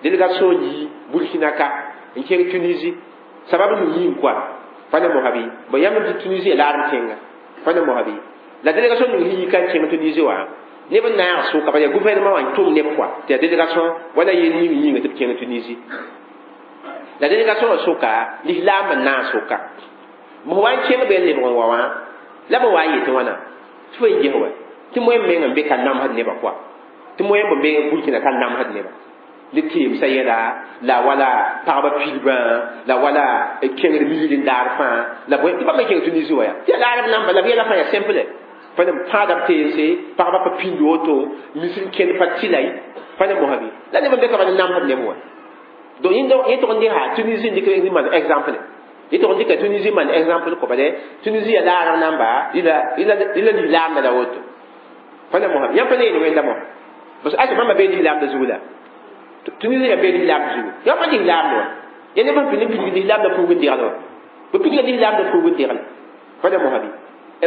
délégation yi Burkina ka n kẽng Tunisie sabab ning yĩng koa pa na mosã bɩ bõ yãmb tɩ Tunisie yaa laarb tẽnga pa na mosã bɩ la délégation ning sẽn yi ka n kẽng Tunisie wã neb n naag sʋka bala gouvernement wã n tʋm neb koa tɩ yaa délégation wala yel ning yĩnga tɩ b kẽng Tunisie la délégation wã sʋka lislaam n naag sʋka b wa n kẽng be n lebg n wa wã la b wa n yetɩ wãna tɩ fo n ges wa tɩ moẽm meng n be ka namsd nebã koa tɩ moẽm n be Burkina ka namsd nebã ne teemsã yɛla la wala pagba pilbã la wala kẽngd misd n daar fãa la bõe tɩ bãmb n kẽng Tunisie wa yaa tɩ yaa laarb namba la b yɛla fãa yaa simple pa ne pãada b teense pagba pa pĩnd woto mis n kẽnd pa tɩla pa ne mosã bɩ la neb n be ka bala namsd neb wã donc yẽ tʋg n dɩka Tunisie n dɩk maan exemple yẽ tʋg n dɩka Tunisie maan exemple kõ bale Tunisie yaa laarb namba la lislaamda la woto pa ne mosã yãmb pa ne yel wẽnda mosã parce que asa bãmba bee lislaamda zugu la Tunisie yaa bee lislaam zugu yãmb pa lislaamda wã ya neb n pid n pidg lislaamda fuug n degl wã b pidga lislaamda fuug n degl pa ne mosã bɩ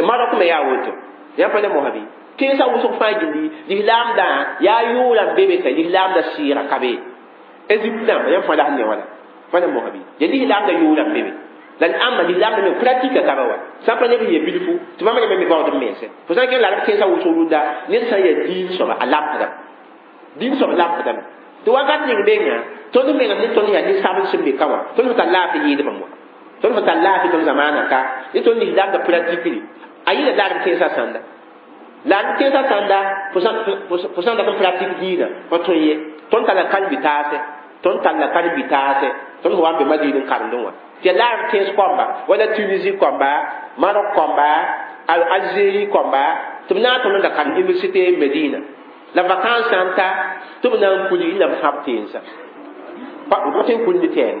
Maroc me yaa woto yãmb pa ne mosã bɩ tẽnsã wʋsg fãa gilli lislaamdã yaa yʋʋra n be be ka lislaamda sɩɩga ka be Égypte dãmba yãmb fãa la sẽn ne wala pa ne mosã bɩ ya lislaamda yʋʋra n be be la ãmba lislaamda me pratique ka ba wa sã n pa neb sẽn ya bilfu tɩ bãmb yãmb me baood n mense fo sã n kẽng la b tẽnsã wʋsg rũndã ned sã n yaa diin soaba a lamsdame diin soab lamsdame tɩ wakat ning menga tõnd meng ne tõnd yaa ninsabl sẽn be ka wã tõnd sẽn tar laafɩ yɩɩdbã wã tõnd sẽn tar laafɩ tõnd zamaana ka ne tõnd lislaamda pratique a yɩla laarb tẽnsã sãnda laarb tẽnsã sãnda fo sã n dat n pratique diinã pa tõe ye tõnd tara karen-bi-taase tõnd talla karen-bi-taase tõnd sẽn wa n be Madina n karemdẽ wã tɩ yaa laarb tẽns kõmba wala Tunisie kõmba Maroc kõmba Algérie kõmba tɩ b na n tõnd n da karem université Medina la vacance sã n ta tɩ b na n kuli la b fãb tẽnsã b pa tõe n kul ne tɛɛng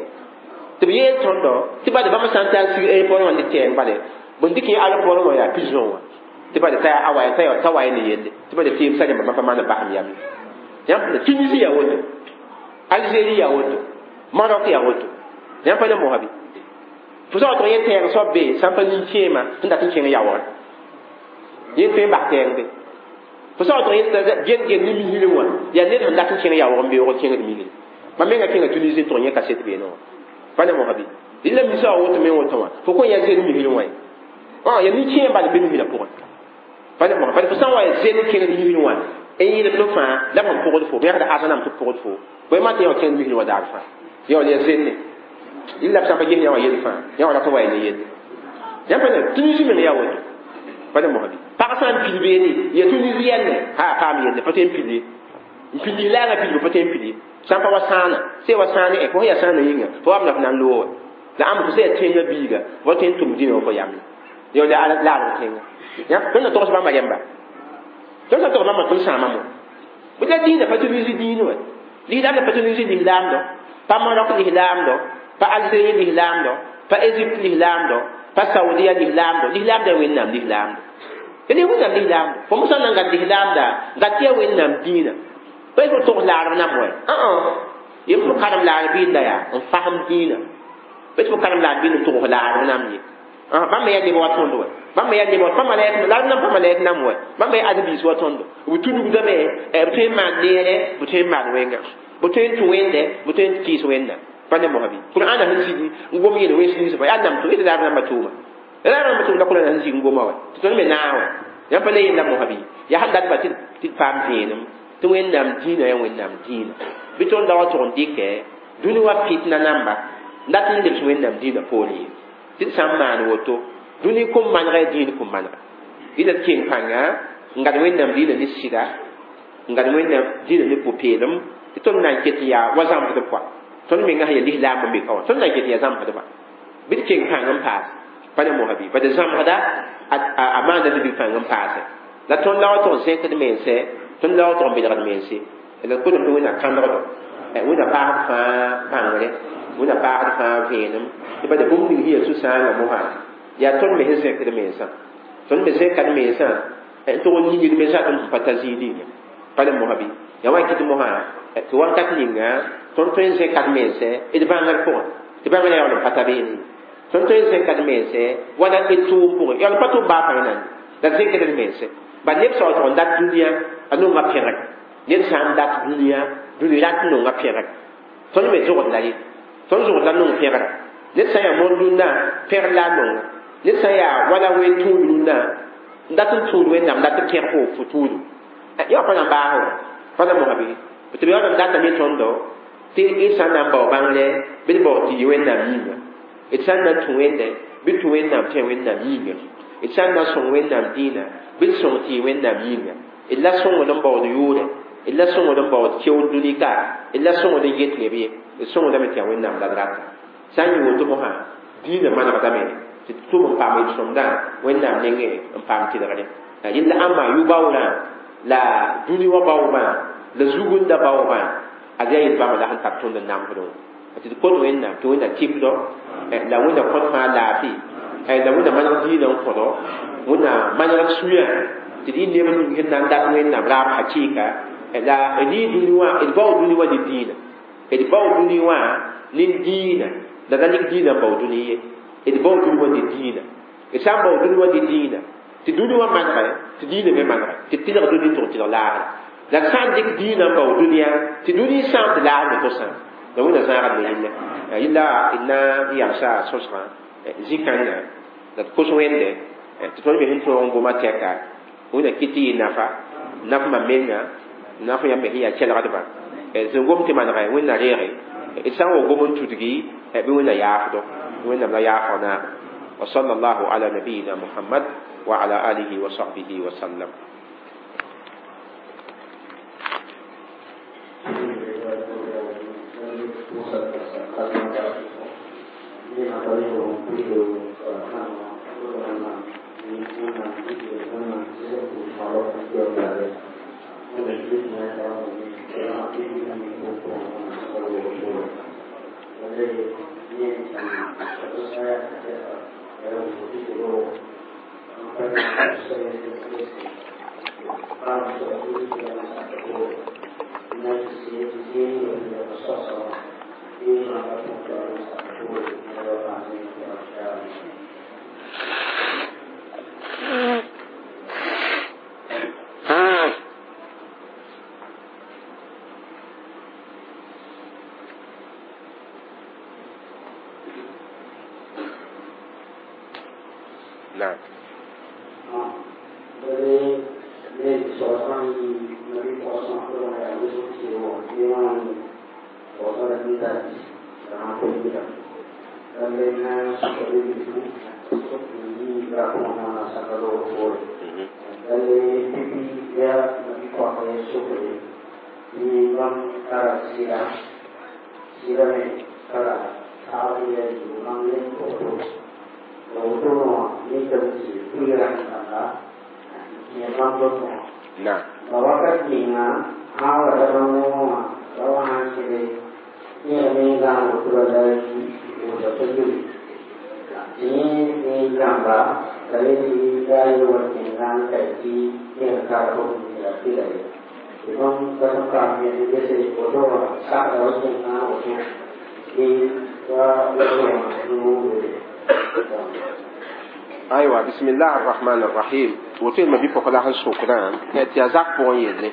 tɩ b yeel tõndo tɩ bala bãmb sã n ta n sig aéroport wã ne tɛɛng bale bõn dɩk yẽ aéroport wã yaa prison wã tɩ bala t'a wa ne yelle tɩ bala teemsã rẽmba bãmb pa maan basem yam yãmb Tunisie yaa woto Algérie yaa woto Maroc yaa woto yãmb pa ne mosã bɩ fo sã wa tʋg yẽ tɛɛng soab be sã n pa nin-kẽema sẽn dat n kẽng yaoogre yẽ tõe n bas tɛɛng be fo sã wa tʋg yẽ gen-gen ne misrẽ wã yaa ned sẽn dat n kẽng yaoog n beoog kẽngd misrẽ mam menga kẽnga Tunisie n tʋg yẽ kaset beene wã pa ne mosã bɩ la misã wa woto me woto wã fo kõn yaa zen misrẽ wã ye yaa nin-kẽem bal n be misrã pʋgẽ pa ne mosã bala fo sã n wa yaa zen kẽngd misrẽ wã n yɩlem fãa la b sẽn pʋgd fo bẽgda asãnam tɩ pʋgd fo bõe maan tɩ yã wã kẽngd misrẽ wã daar fãa yã wã yaa zenne la b sã n pa ges yã wã yell fãa yã wã rat n wa ne yelle yãmb pa ne Tunisie meng yaa woto pa ne mosã bɩ pag sã n pil beene ya Tunisienne ha paam yelle pa tõe n pil ye n pil lislaangã pilgu pa tõe n pil ye sã n pa wa sãana sã wa sãane ẽ fo sẽn yaa sãana yĩnga fo wa b la f na n loog la ãmb fo sã yaa tẽngã biiga fo tõe n tʋm dĩnã wã fo yamle ya la laarb tẽnga tõnd na togs bãmba rẽmba tõnd sã togs bãmba tõnd sãama mo bɩ la dĩinã pa Tunisie dĩin wa lislaamda pa Tunisie lislaamdɔ pa Maroc lislaamdɔ pa Algérie lislaamdɔ pa Égypte lislaamdɔ pa Saudia lislaamdɔ lislaamda wẽnnaam lislaamdɔ ya ne wẽnnaam lislaamdɔ fo mo sã n na n gat lislaamda gat tɩ yaa wẽnnaam dĩinã pa fo togs laarb nam wa yẽ fo karem laarb bɩɩnda yaa n fasem dĩinã pa fo karem laarb bɩɩnd n togs laarb nam ye bãmb yaa neb wa tõnd wa bãmb yaa neb wa pa malɛk laarb nam pa malɛk nam wa bãmb yaa ãdem-biis wa tõndo b tudgdame b tõe n maan neere b tõe n maan wẽnga b tõe n tũ wẽnde b tõe n kɩɩs wẽnna pa ne mosã bɩ Qur'ana sẽn sig n gom yel wẽns nins fa yaa nam tʋ yetɩ laarb namba tʋʋma laarb namba tʋʋm la Qur'ana sẽn sig n goma wa tɩ tõnd me naa wa yãmb pa ne yella mosã bɩ yaa sẽn datba tɩ d paam vẽenem tɩ wẽnnaam dĩinã yaa wẽnnaam dĩinã bɩ tõnd da wa tʋg n dɩkɛ dũni wa fitna namba n dat n lebs wẽnnaam dĩinã poorẽ ye tɩ d sã n maan woto dũni kũm manega yaa dĩin kũm manega yɩla d keng pãnga n gad wẽnnaam dĩinã ne sɩda n gad wẽnnaam dĩinã ne pʋ-peelem tɩ tõnd na n ket n yaa wa zãmsdb pʋa tõnd menga sẽn yaa lislaam n be ka wã tõnd na n ket n yaa zãmsdba bɩ d keng pãng n paas pa ne mosã bɩ bad zãmsda a maanda libg pãng n paase La tõnd la wa tʋg n zẽkd mense tõnd la wa tʋg n belgd mense la kotame tɩ wẽnna kãnegdo wẽnna paasd fãa bãngre wẽnna paasd fãa vẽenem tɩ bala bũmb ning sẽn yaa sũ-sãangã mosã yaa tõnd me sẽn zẽkd mensã tõnd me zẽkad mensã n tʋg n yĩngd mensã tõnd sẽn pa ta zĩig ninga pa le mosã bɩ yaa wa kɩt mosã tɩ wakat ninga tõnd tõe n zẽkad mense d bãngr pʋgẽ tɩ bãngrã yaool n pa ta beene tõnd tõe n zẽkad mense wala d tʋʋm pʋgẽ yaool n pa tʋm baa pa yẽnande la d zẽkd d mense ba neb sã wa tʋg n dat dũniyã a nonga pẽgr ned sã n dat dũniyã dũni rat n nonga pẽgr tõnd me zogd la ye tõnd zogd la nong pẽgra ned sã n yaa moon dũnna pẽgr la a nonga ned sã n yaa wala ween tũud rũnnã n dat n tũud wẽnnaam dat n pẽg fo fo tũudu ya pa na n baas wa pa na mosã bɩ tɩ b yaool n datame tõndo tɩ d sã n na n bao bãngre bɩ d bao tɩ yɩ wẽnnaam yĩnga d sã n na n tũ wẽnde bɩ d tũ wẽnnaam tẽ wẽnnaam yĩnga d sã n na n sõng wẽnnaam dĩinã bɩ d sõng tɩ yɩ wẽnnaam yĩnga d la sõngd n baood yʋʋrɛ d la sõngd n baood keood dũni ka d la sõngd n get neb ye d sõngdame tɩ yaa wẽnnaam la d rata sã n yɩ woto mosã dĩinã manegdame tɩ d tʋm n paam d sõmdã wẽnnaam nengẽ n paam tɩlgre yella ãmba yʋ-baoorã la dũni wã baoobã la zugunda baoobã ad yaa yel-bãmba la sẽn tar tõnd n namsdẽ wã tɩ d kot wẽnnaam tɩ wẽnna tɩpdɔ la wẽnna kõt fãa laafɩ la wẽnna maneg dĩinã n kõdo wẽnna maneg sũyã tɩ d yɩ neb ning sẽn na n dat wẽnnaam raab hakɩɩka la d yɩ dũni wã d bao dũni wã ne dĩinã d bao dũni wã ne dĩinã la da lik dĩinã n bao dũni ye d bao dũni wã ne dĩinã d sã n bao dũni wã ne dĩinã tɩ dũni wã manegɛ tɩ dĩinã me manegɛ tɩ tɩlg dũni tʋg tɩlg laagre la d sã n dɩk dĩinã n bao dũniyã tɩ dũni sãam tɩ laag me to sãam la wẽnna zãagd me yella yella d na n yamsa sõsgã zĩ-kãngã la d kos wẽnde tɩ tõnd me sẽn tõog n goma tɛka wẽnna kɩ tɩ yɩ nafa nafmã menga naf yãmb me sẽn yaa kelgdbã sẽn gom tɩ manegɛ wẽnna reege d sã n wa gom n tudgi bɩ wẽnna yaafdo wẽnnaam la yaafg naaga wa sallallahu ala nabiyina muhammad wa ala alihi wa sahbihi wa sallam. نعم. نعم. أيوة بسم الله الرحمن الرحيم وتين ما بيبقى لها الشكران تي أزاك بون يلي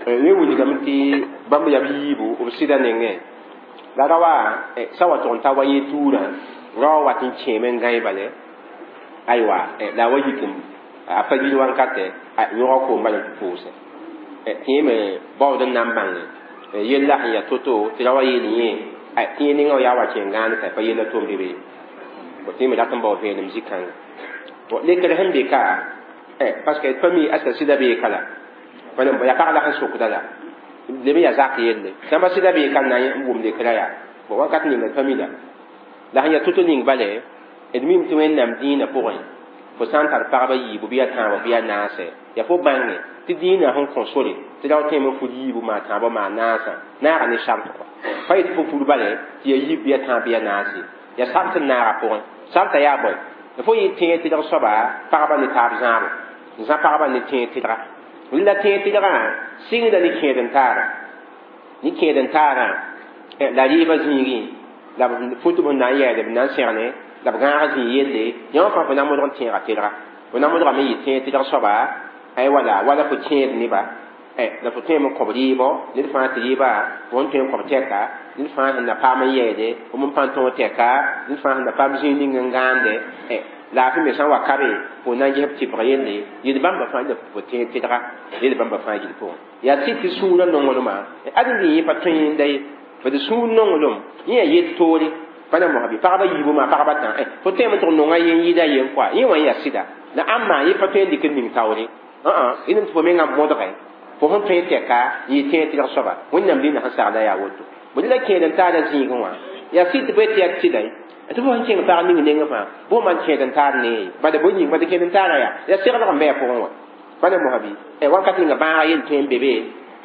وي ولي كمتي بام يبيبو وبسيدا نينغ لا روا سوا تون تا وي تورا روا واتين تشيمن غاي بالي أيوة لا وي كم أفا يلي وان كاتي يورا كو مال بوس تي مي باو دن نامبان يلا يا توتو تي روا يلي تي نينغ يا وا تشين غان كاي فا يلا توم بيبي تي مي داتن باو فين مزيكان lekr sẽn be ka parce que pa mi aska sɩda bee ka la pa ya pag la sẽn sokda la leb n yaa zak yelle sã n pa sɩda bee ka n na n wʋm lekrã yaa bon wakat ninga pa mi la la sẽn yaa to-to ning bale d mim tɩ wẽnnaam dĩinã pʋgẽ Fo sã n tar pagba yiibu bɩ ya tãabã bɩ ya naase yaa fo bãnge tɩ dĩinã sẽn kõ sore tɩ rao tõeme n fud yiibu maa tãabã maa naasã naaga ne sart kɔa pa yetɩ fo fud bale tɩ ya yiib bɩ ya tãab bɩ ya naase ya sart n naaga pʋgẽ sarta yaa bõe fo yɩ tẽeg tɩlg soaba pagba ne taab zãabo zã pagba ne tẽeg tɩlga la tẽeg tɩlgã sɩngda ne kẽed n taara ne kẽed n taarã la rɩɩbã zĩigẽ la b fut b na n yɛɛde b na n sẽgne la b gãag zĩig yelle yã wã fãa fo na modg n tẽega tɩlga fo na modgame yɩ tẽeg tɩlg soaba ay wala wala fo kẽed neba la fo tõeme n kõb rɩɩbɔ ned fãa tɩ rɩɩba fo n tõe n kõb tɛka ned fãa sẽn na paam n yɛɛde fo m pãn tõog tɛka ned fãa sẽn na paam zĩig ning n gãande laafɩ me sã n wa kabe fo na n ges b tɩbg yelle yel bãmba fãa la fo tẽeg tɩlga yel bãmba fãa gill pʋgẽ yaa sɩd tɩ sũurã nonglmã ãdem yẽ pa tõe ye fo sũur nonglem yẽ yaa yel toore pa na mosã bɩ pagba yiibu maa pagba tã fo tõeme tɩ nonga yen yɩɩda yen koa yẽ wã yaa sɩda la ãmba yẽ pa tõe n dɩk n ning taoore ã tɩ fo mengã modge fo sẽn tõe tɛka yɩ tẽeg tɩlg soaba wẽnnaam dĩnã sẽn sagla yaa woto bõe la kẽed n taara zĩigẽ wã yaa sɩd tɩ bõe tɩ yaa tɩla tɩ fo sẽn kẽng pag ning nengẽ fãa bõe man kẽed n taar nee bala bõe yĩng bala kẽed n taara yaa yaa seglg n bɩ a pʋgẽ wã pa na mosã bɩ wakat ninga bãaga yel tõe n be be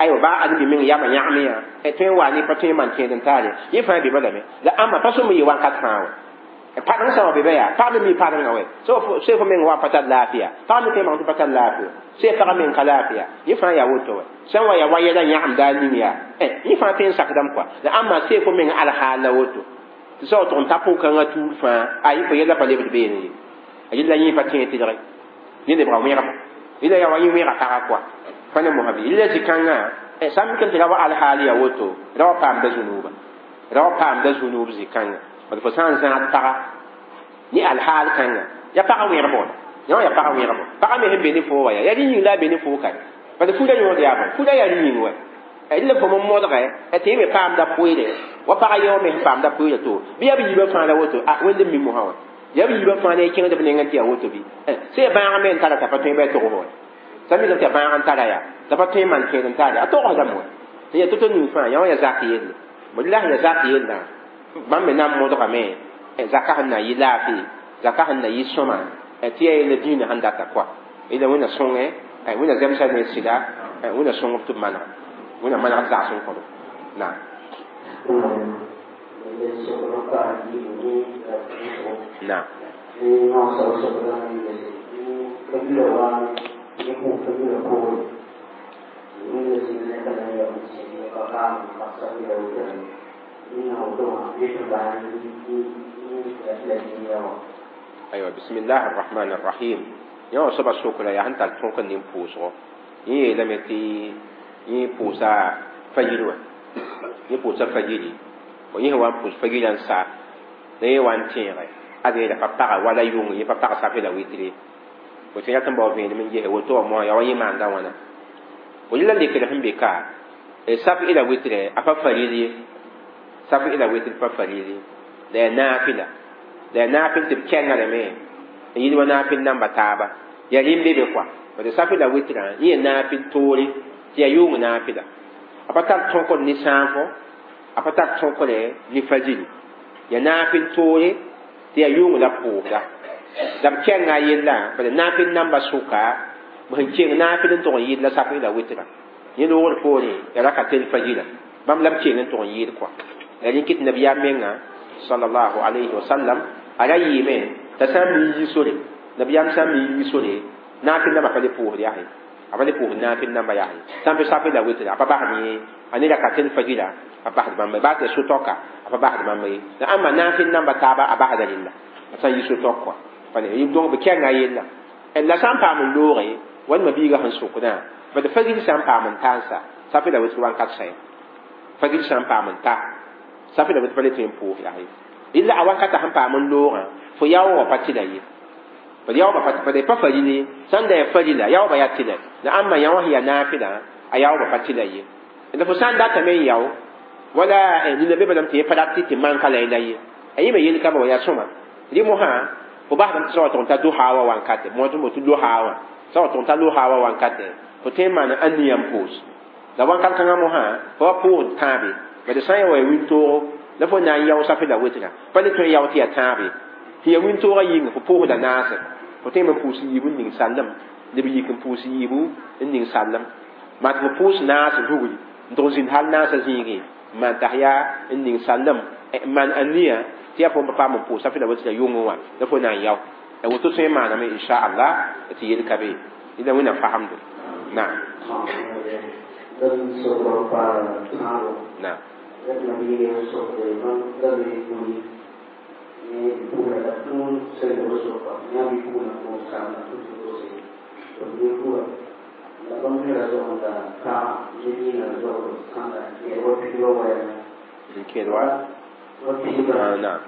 aywa baa ãdem-bi meng yamã yãgme yã tõe n wa ne pa tõe n maan kẽed n taare yẽ fãa be balame la ãmba pa sõm n yɩ wakat fãa wã padeng sã wa be yaa pag me mi padengã wɛ sẽn fo meng wa pa tar laafɩya pag me tõe n maan tɩ pa tar laafɩya sẽn pagã meng ka laafɩya yẽ fãa yaa woto wɛ sã n wa yaa wa yɛla yãgemda a ning yaa yẽ fãa tõe n sakdame kɔa la ãmba sẽn fo meng alhaal la woto tɩ sã wa tʋg n ta pʋg-kãngã tuur fãa a yẽ fo yɛla pa lebd beene ye a yella yẽ pa tẽeg tɩlge yẽ lebga wẽgba yẽla yaa wa yẽ wẽga pagã kɔa pa ne mosã bɩ yella zĩ-kãngã sã n mik n tɩ ra wa alhaal yaa woto ra wa paamda zũnuuba ra wa paamda zũnuub zĩ-kãngã bad fo sã n zãad paga ne alhaal kãnga ya pagã wẽgbo yã wã ya pagã wẽgbo pagã me sẽn be ne foo wa yaa yaa rẽ yĩng la a be ne foo kare bad fuda yõod yaa bõe fuda yaa rẽ yĩng wɛ la fo m modge tɩ yẽ me paamda pʋɩɩre wa pagã yao me sẽn paamda pʋɩɩrã to bɩ yaa b yiibã fãa la woto a wẽnd n mi mosã wã yaa b yiibã fãa la y kẽngd b nengẽ tɩ yaa woto bɩ sẽn ya bãag me n tara t'a pa tõe bɩ a togs wɛ sã mikame tɩ ya bãag n tara yaa t'a pa tõe n maan kẽed n taare a togsdame wɛ tɩ yaa to-to ning fãa yã wã yaa zak yelle bõe la sẽn yaa zak yellã bãmb me na n modgame zaka sẽn na yɩ laafɩ zaka sẽn na yɩ sõma tɩ yaa yella dĩinã sẽn data kɔa yella wẽnna sõngẽ wẽnna zemsa ne sɩda wẽnna sõngb tɩ b manega wẽnna manegd zags n kõdb naam naam أيوة بسم الله الرحمن الرحيم يوم سبا سوكلا يا هنتا تونك نيم بوسو يي لمتي يي بوسا فجيرو يي بوسا فجيري ويي وان بوس فجيران سا ني وان تيغي أدي لا بابا ولا يوم يي بابا سافي لا ويتري وتيا تنبو فين من جهه وتو مو يا وي مان دا وانا ويلا لي كده هم بكا سافي إلى ويتري أفا فريدي سافي إلى ويتري فا فريدي لا نافلة la naafɩl tɩ b kɛngrame n yɩl wa naafɩl namba taaba yaa rẽn be be kɔa bad safɩ la wɩtrã yẽ yaa naafɩl toore tɩ yaa yʋʋng naafɩla a pa tar tõkd ne sãafo a pa tar tõkre ne fajiri yaa naafɩl toore tɩ yaa yʋʋng la pʋʋsda la b kɛnga a yella bad naafɩl namba sʋka b sẽn keng naafɩl n tʋg n yɩl la safɩ la wɩtrã yẽ loogr poorẽ yaa raka tel fajira bãmb la b keng n tʋg n yɩɩd kɔa la rẽ kɩt nabiyaam menga sallallahu alayhi wa sallam a ra yɩɩme t'a sã n mi yi sore nabiyaam sã n mi yi sore naafɩl namba pa le pʋʋsd yaa a pa le pʋʋsd naafɩl namba yaa sã n be safɩ la wɩtra a pa basd yẽ a ne raka tel fajira a basd bãmba baa tɩ ya so-tɔka a pa basd bãmba ye la ãmba naafɩl namba taaba a basda rẽnda a sã n yi so-tɔk kɔa pa ne donc b kɛnga yella la sã n paam n looge wãnema biiga sẽn sʋkdã bad fajir sã n paam n ta n sa safɩ la wɩtr wãnkat sã fajir sã n paam n ta safɩ la wɩtr pa le tõe n pʋʋs yaa illa a wakata sẽn paam n loogã fo yao wã pa tɩla ye bad yaoobã pa pa faril sã n da yaa farila yaoobã yaa tɩla la ãmba yã wã sẽn yaa naafɩlã a yaoobã pa tɩla ye la fo sã n datame n yao wala nina be balame tɩ yẽ pa rat tɩ manka la la ye a yẽ me yel ka ba wa yaa sõma rɩ mosã fo basdame tɩ sã wa tʋg n ta doha wã wankate mo tɩ tɩ loha wã sã wa tʋg n ta loha wã wankate fo tõe n maan aniya n pʋʋs la wakat kãngã mosã fo wa pʋʋsd tãabe bad sã n yaa wa ya wĩntoogo la fo na n yao safɩ la wɩtra pa le tõe n yao tɩ yaa tãabe tɩ ya wĩntoogã yĩnga fo pʋʋsda naase fo Fo tõe n pʋʋs yiibu n ning sallem lb yik n pʋʋs yiibu n ning sallem maa tɩ fo pʋʋs naas rugri n tʋg zĩnd hal naasã zĩigẽ n maan t'a yaa n ning sallem n maan a nia tɩ yaa fo n pa paam n pʋʋsa fɩ la tɩ la yʋngẽ wã la fo na n yao la woto tõe n maaname inchallah tɩ yel ka be la wẽnnaam fagemdo naam naam n kẽed wa naam naam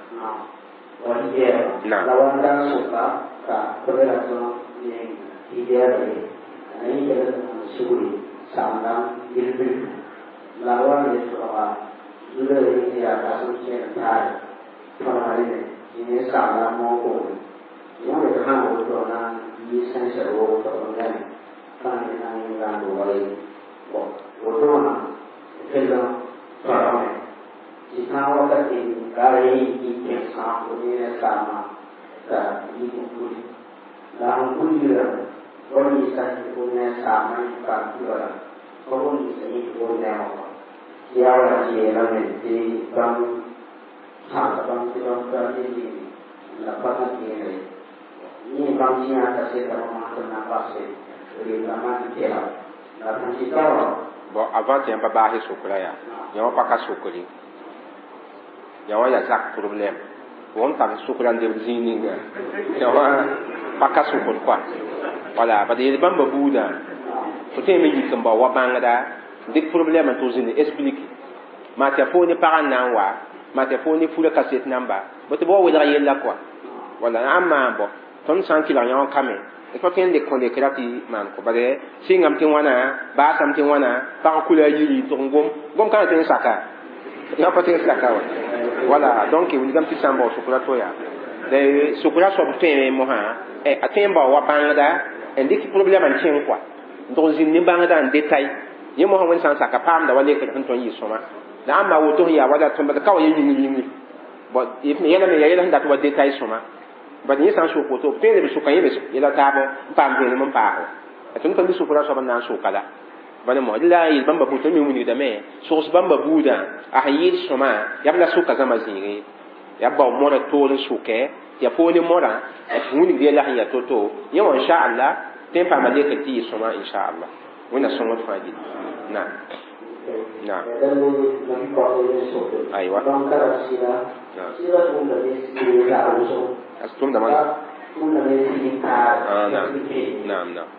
bon avant tɩ yãmb pa baase sokra yaa yã wã pa ka sokre yã wã yaa zak problème fo n tar sokra n lebd zĩig ninga yã wã pa ka sokr koa wala bad yel bãmba buudã fo tõe me yik n bao wa bãngda dɩk problème n tʋg zĩnd explique maa tɩ ya fo ne pagã n na n wa maa tɩ ya fo ne fura kaset namba bõ tɩ b wa welg yella koa wala n maan bɔ tõnd sã n kɩlg yã wã kame pa tõe n lek kõ lekra tɩ maan kõ bad sɩngame tɩ wãna baasame tɩ wãna pag kula a yiri tʋg n gom gom kãna tõe n saka yã pa tõe n saka wa wala donc wilgame tɩ sã n bao sokra to yaa la sokra soab tõeme mosã a tõe n bao wa bãngda n dɩk problème n kẽng koa n tʋg zĩnd ne bãngda n détail yẽ mosã wẽnd sã n saka paamda wa lekr sẽn tõe n yɩ sõma la ãmba woto sẽn yaa wala tõnd ka wa ye yĩngr yĩngri bon yɛla me yaa yɛla sẽn dat wa détail sõma bad yẽ sã n sok woto b tõe n leb sʋka yẽ me yɛla taab n paam vẽenem n paago tõnd pa mi sokra soab n na n soka la bala mo la yel bãmba buud tõnd me wilgdame sogs bãmba buudã a sẽn yɩɩd sõma yaa b la soka zãma zĩigẽ yaa b bao modã toor n sʋkɛ tɩ yaa poor ne modã tɩ wilgd yɛla sẽn yaa to-to yẽ wã inchallah tõe n paama lekr tɩ yɩ sõma inchallah wẽnna sõngd fãa gilli naam naam aywa as tʋmda man naam naam naam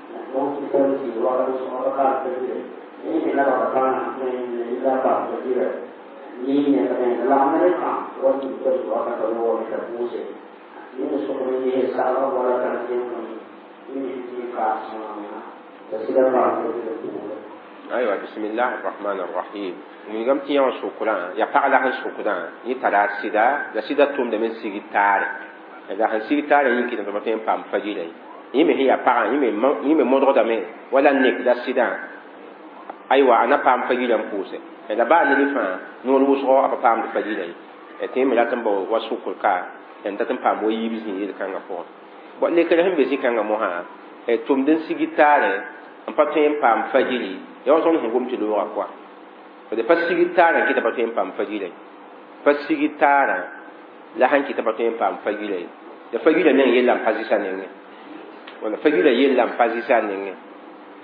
aywa bismillah arrahman arrahim wilgame tɩ yã wã sokdã yaa pag la sẽn sokdã yẽ tara sɩda la sɩda tʋmdame n sig taare la sẽn sig taare yĩng kɩtame tɩ pa tõe n paam fajira ye yẽ me sẽn yaa pagã yẽ me modgdame wala nekda sɩdã aywa a na paam fajira n pʋʋse la baa ned fãa noor wʋsgo a pa paamd fajira ye tɩ yẽ me rat n bao wa sokr ka n dat n paam wa yiib zĩig yel-kãngã pʋgẽ bon lekr sẽn be zĩ-kãngã mosã tʋmd n sig taare n pa tõe n paam fajiri ya wa tõnd sẽn gom tɩ loogã koa d pa sig taarã n kɩta pa tõe n paam fajira ye pa sig taarã la sãn kɩta pa tõe n paam fajira ye la fajira meng yella n pa zɩsa nengẽ wala fajira yella n pa zɩsa nengẽ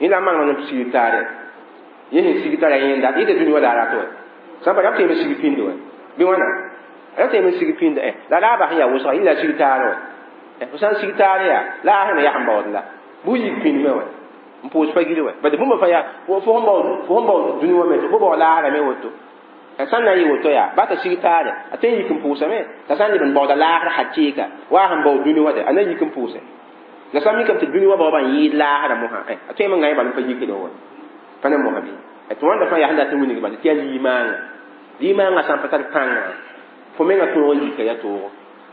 yẽ la n maneg n sig taare yẽ sẽn sig taara yẽnda yẽ tɩ dũni wa la a rat wa sã n pa ra tõe me sig pĩnd wa bɩ wãna ra tõe me sig pĩnd la raaba sẽn yaa wʋsga yẽ la sig taar wa fo sã n sig taar yaa la a sẽn yaa n baood la bʋ yik pĩnd me wa n pʋʋs fagiri wa bad bũmb fãa yaa fo sẽn bao fo sẽn bao dũni wã me fo bao laasra me woto sã n na n yɩ woto yaa ba t'a sig taare a tõe n yik n pʋʋsame t'a sã n leb n baooda laasr hakɩɩka wa sẽn bao dũni wã de a na yik n pʋʋse la sã n mikame tɩ dũni wã baoobã n yɩɩd laasrã mosã a tõe me n gã bal n pa yikd wa pa ne mosã bɩ tɩ wãnda fãa yaa sẽn dat n wilg bala tɩ yaa limaanga limaanga sã n pa tar pãnga fo menga tõog n yika yaa toogo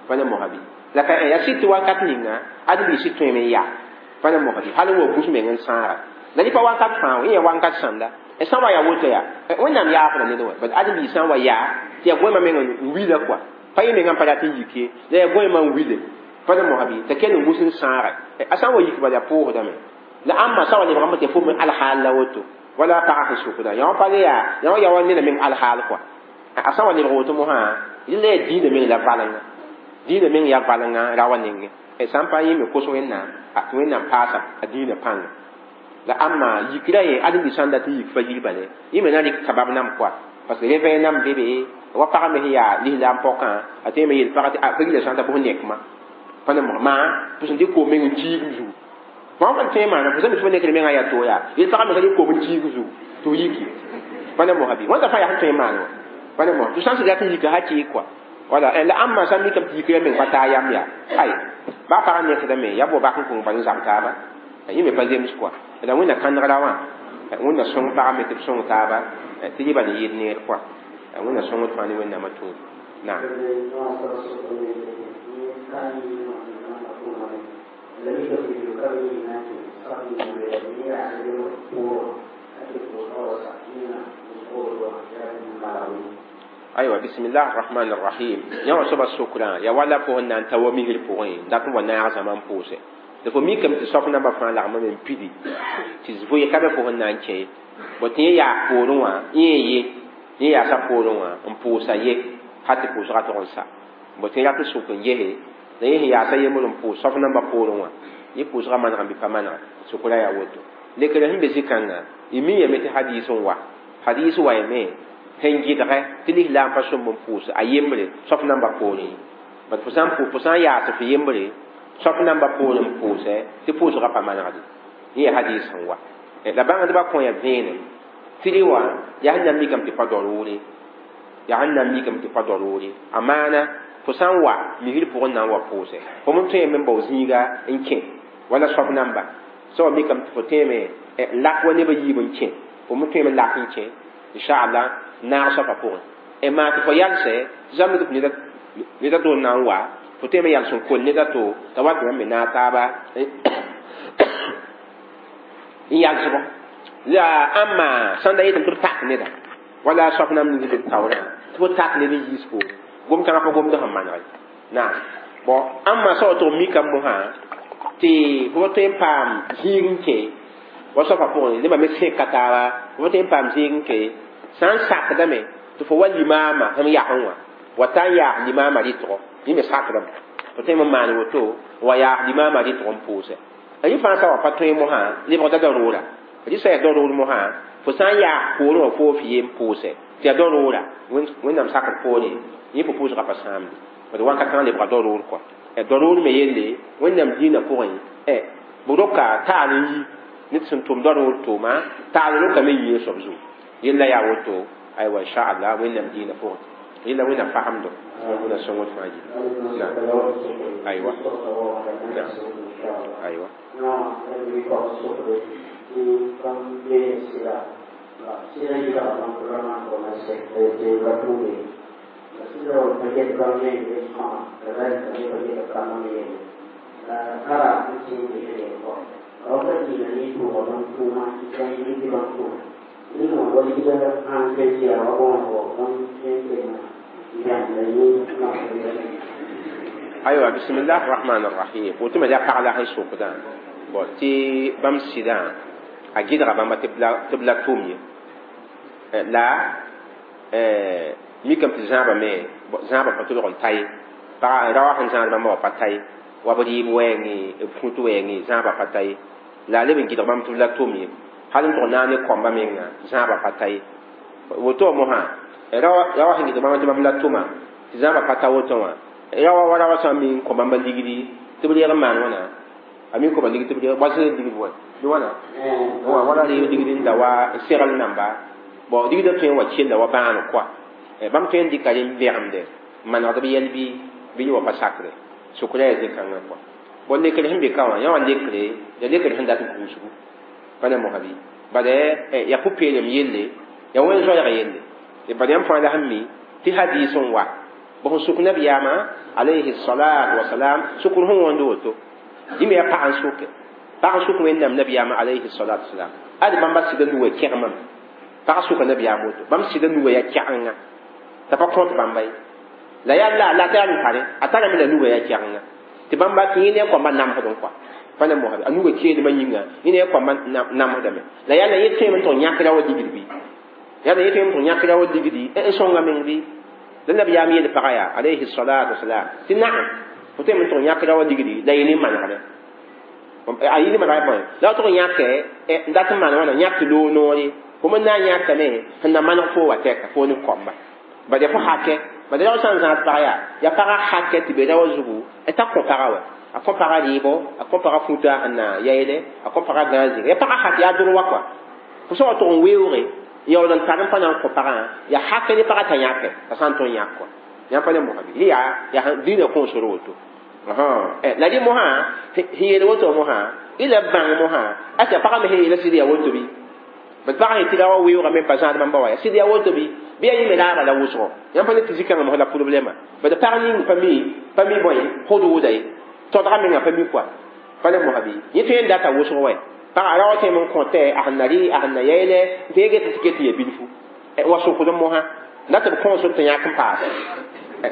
pa ne mosã bɩ la ka yaa sɩd tɩ wakat ninga ad b sɩd tõeme n yaa pa ne mosã bɩ hal n wa bus meng n sãaga la dɩ pa wakat fãa yẽ yaa wakat sãnda sã n wa yaa woto yaa wẽnnaam yaafda ned wa bad ad b sã n wa yaa tɩ yaa goẽmã meng n wila koa pa yẽ mengã n pa rat n yik ye la yaa goẽmã n wile Pa ne mohabi t'a kell n gus n sãage a sã n wa yik bala yaa pʋʋsdame la ãmba sã wa lebgame tɩ fo me alhaal la woto wala pagã sẽn sukda yã wã pa le yaa yã wã yaa wa neda meng alhaal kɔa a sã wa lebg woto mosã yella yaa dĩinã meng la valenga dĩinã meng yaa valenga ra wa nengẽ sã n pa yẽ me kos wẽnnaam tɩ wẽnnaam paasa a dĩinã pãnga la ãmba yikra ye ãdem-bi sã n dat n yik fa yir bale yẽ me na rɩk sabab nam kɔa parce que réveil nam be be wa pagã me sẽn yaa lislaam pɔkã a tõe me yel pagã tɩ fa yila sã n ta bʋs nekma pa ne maa fo sẽn dɩk koom meng n kiigm zugu fãa fãn tõe maana fo sã mi tɩ fo nekd mengã yaa to yaa yel pagã me ka dɩk koom n kiig zugu tɩ f yiki pa ne mosã bɩ wãnda fãa yaa sẽn tõe n maan wã pa ne mosã tɩ sã n sẽn dat n yika hakɩɩk kɔa wala la ãmba sã n mikame tɩ yikra meng pa taa yam yaa ay baa pagã nekdame yaa bo bak n kõng bal n zab taaba yẽ me pa zems kɔa la wẽnna kãnegra wã wẽnna sõng pagã me tɩ b sõng taaba tɩ yɩ bal n yɩɩd neer kɔa wẽnna sõngd fãa ne wẽnnaamã tũud naam aywa bismillah arrahman arrahim yã wã soaba sokrã yaa wala fo sẽn na n ta wa misr pʋgẽ dat n wa naag zãma n pʋʋsɛ tɩ fo mikame tɩ soaf nambã fãa lagmame n pidi tɩ vʋɩ ka be fo sẽn na n kẽ bõ tɩ yẽ yaag poorẽ wã yẽ ye yẽ yaasa poorẽ wã n pʋʋsa ye ha tɩ pʋʋsgã tog n sa bõ tɩ rat n sʋk n gese la yẽ sẽn yaasa yembr n pʋʋs soaf nambã poorẽ wã yẽ pʋʋsgã maneg n bɩ pa manega sʋkra yaa woto lekr sẽn be zĩ-kãngã y mi yame tɩ hadiis n wa hadiis wa yame sẽn gɩdgɛ tɩ lislaam pa sõmb n pʋʋs a yembre soaf nambã poorẽ bat fo sã n fo sã n yaas f yembre soaf nambã poorẽ n pʋʋsɛ tɩ pʋʋsgã pa manegde yẽ yaa hadiis sẽn wa la bãngdbã kõ ya vẽenem tɩ rẽ wã yaa sẽn na n mikame tɩ pa darʋʋre yaa sẽn na n mikame tɩ pa darʋʋre a maana fo sã n wa misr pʋgẽ na n wa pʋʋsɛ fo m tõeme n bao zĩiga n kẽ wala soaf namba sã wa mikame tɩ fo tẽeme lak wa nebã yiib n kẽ fo me tõeme lak n kẽ inchallah naag soapã pʋgẽ maa tɩ fo yalsɛ tɩ sã n mik tɩ ned a to n na n wa fo tõeme yals n kol ned a to t'a wa tɩ bãmb me naag taaba n yalsbɔ la ãmba sãn da yetame tɩ b tak neda wala soap nam ning b taoorã tɩ fo tak ned n yiis poore gom-kãngã pa gomd sẽn maneg naam bon ãmba sã wa tʋg mikame mosã tɩ fo pa tõe n paam zĩig n kẽ wa soapã pʋgẽ nebã me sẽka taaba fo pa tõe n paam zĩig n kẽ sã n sakdame tɩ fo wa limaama sẽm yagẽ wã wa ta n yaas limaama rɩtgo yẽ me sakdame fo tõe n maan woto wa yaas limaama rɩtg n pʋʋsɛ yẽ fãa sã wa pa tõe mosã lebgda darʋʋra rɩ sã yaa darʋʋr mosã fo sã n yaas poorẽ wã foo f yem pʋʋsɛ tɩ yaa darʋʋra wẽnnaam sakd poorẽ yẽ fo pʋʋsgã pa sãamde d wakat kãngã lebga darʋʋr kɔa darʋʋr me yelle wẽnnaam dĩinã pʋgẽ b roka taal n yi ned sẽn tʋm darʋʋr tʋʋma taal rokame yɩ soab zugu yella yaa woto aywa inchallah wẽnnaam dĩinã pʋgẽ yella wẽnnaam fagemdo wẽnna sõngd fãa yɩ aywa aywa aywa bismillah arrahman arrahim woto me yaa pag la sẽn sʋkdã bon tɩ bãmb sɩdã a gɩdga bãmba tɩ b la tʋm ye la mikame tɩ zãabame zãabã pa tʋlg n ta ye pag ra wa sẽn zãad bãmba wa pa ta ye wa b rɩɩb wɛɛngẽ b kũt wɛɛngẽ zãabã pa ta ye la a leb n gɩdg bãmb tɩ b la tʋm ye hal n tʋg naag ne kõmba menga zãabã pa ta ye woto wã mosã ra wa sẽn gɩdg bãmba tɩ bãmb la tʋma tɩ zãabã pa ta woto wã ra wa wa ra wa sã n mi n kõ bãmba ligdi tɩ b reeg n maan wãna a mi n kõ ba ligd tɩ b reeg wa sẽn ligd wa bɩ wãna wala reeg ligd n da wa n segl namba bon ligdã tõe n wa kella wa bãan koa bãmb tõe n dɩka rẽ n vẽgemde n manegd b yɛl bɩ bɩ yẽ wa pa sakre sʋkra yaa zĩ-kãngã kɔa bon lekr sẽn be ka wã yã wã lekre ya lekr sẽn dat gũusgu pa ne mosã bɩ bala yaa pʋ-peelem yelle yaa wẽn zoɛɛg yelle bala yãmb fãa la sẽn mi tɩ hadiis n wa bõ sẽn sʋk nabiyaamã alayhi salatu wasalam sʋkr sẽn wõnd woto yẽ me yaa pag n sʋke pag n sʋk wẽnnaam nabiyaamã alayhi salatu wasalam ad bãmba sɩda nuga kẽgemame pag sʋka nabiyaam woto bãmb sɩda nuga yaa kɛgenga t'a pa kõt bãmba ye la yaa la la t'a yaa n tare a tarame la nuga yaa kɛgenga Tɩ bãmba tɩ yẽ ne a koambã namsdẽ kɔa pa ne mosã a nuga keelmã yĩnga yẽ ne a koambã namsdame la yaa la yẽ tõeme n tʋg yãk ra wa ligd bɩ yaa la yẽ tõeme n tʋg yãk ra wa ligdi n sõnga meng bɩ la nabiyaam yeel pagã yaa alayhi salatu wasalam tɩ naam fo tõeme n tʋg yãk ra wa ligdi la yẽ ne manegre a yɩ ne manegre bõe la wa tʋg yãkɛ n dat n maan wãna yãk tɩ loog noore fo me na n yãkame sẽn na maneg fo wa tɛka fo ne koamba bad yaa fo hakɛ bad ra sã n zãad pag yaa yaa pagã hakɛ tɩ be ra wa zugu t'a kõ pagã wa a kõ pagã rɩɩbo a kõ pagã futa sẽn na yaeele a kõ pagã gãag zĩnga yaa pagã hak yaa droa kɔa fo sã wa tʋg n weoogre yaool n tar n pa na n kõ pagã yaa hakɛ ne pagã t'a yãkɛ a sã n tõe n yãk kɔa yãmb pa ne mosã bɩ yaa yaa dĩinã kõosr woto la rẽ mosã sẽn yeel woto mosã y la bãng mosã asa pagã me sẽn yeela sɩd yaa woto bɩ bad pagã yetɩ ra wa weoogame n pa zãad bãmba wa yaa sɩd yaa woto bɩ bɩ yaa yẽ me raaba la wʋsgo yãmb pa ne tɩ zĩ-kãngã mos la problɛma bad pag ning pa mi pa mi bõe hodooda ye todga menga pa mi kɔa pa ne mosã bɩ yẽ tõe n data wʋsg wɛ pagã ra wa tõeme n kõtɛ a sẽn na rɩ a sẽn na yaeele tɩ yẽ get tɩ ket tɩ ya bilfu wa sokd mosã la tɩ b kõos tɩ yãk n paase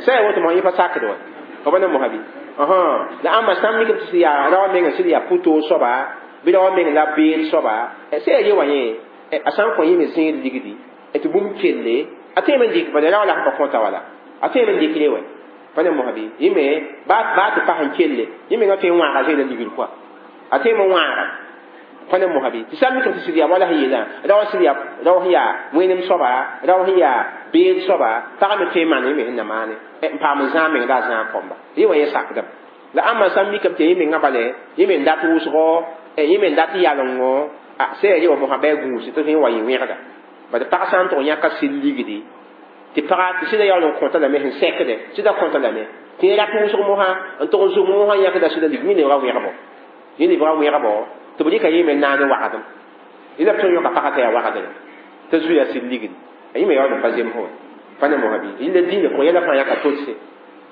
sã yaa woto mosã yẽ pa sakd wɛ fa pa ne mosã bɩ la ãmba sã n mikm tɩ yaa ra wa meng sɩd yaa pʋ-toog soaba bɩ ra wa meng la beel soaba sã yaa ye wã yẽ a sã n kõ yẽ me zẽed ligdi tɩ bũmb kelle a tõeme n dɩk bala ra wa la sẽn pa kõta wala a tõeme n dɩkre wɛ pa ne mosã bɩ yẽ me baa tɩ pas n kelle yẽ mengã tõe n wãaga zẽeda ligd kɔa a tõeme n wãaga pa ne mosã bɩ tɩ sã n mikm tɩ sɩd yaa wala sẽn yeelã ra wa sɩd yaa ra wa sẽn yaa wẽnem soaba ra wa sẽn yaa beel soaba pagã me tõe n maan yẽ me sẽn na maane n paam n zãag meng la a zãag kõmba yẽ wã yẽ sakdame la ãmba sã n mikame tɩ yẽ mengã bale yẽ me n dat wʋsgo yẽ me n dat yalengo sã yaa ye wa mosã bɩ a gũus tɩ sẽn wa yẽ wẽgda bad pag sã n tʋg yãka sɩd ligdi tɩ paga tɩ sɩda yaool n kõta lame sẽn sɛkdɛ sɩda kõta lame tɩ yẽ rat wʋsg mosã n tʋg n zʋg mosã yãkda sɩda lig yẽ lebga wẽgbo yẽ lebga wẽgbo tɩ b rɩka yẽ me naane wagdem yẽ la b tõe n yõka pagã t'a yaa wagdre t'a zu yaa sɩd ligdi yẽ me yaool n pa zems wɛ pa ne mosã bɩ yẽ la dĩinã pʋgẽ yɛla fãa yãka tolse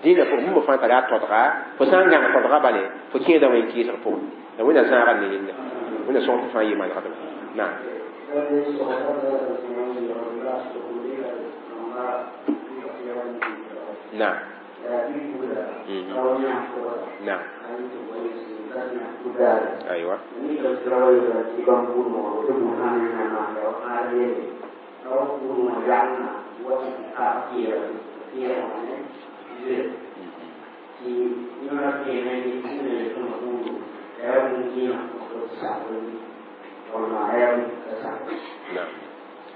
dĩinã pʋgẽ bũmb fãa tara a todga fo sã n gãng todga bale fo kẽeda wẽn kɩɩsg pʋgẽ la wẽnna zãaga ne yella wẽnna sõng tɩ fãa yɩ manegdem naam نعم نعم أيوة نعم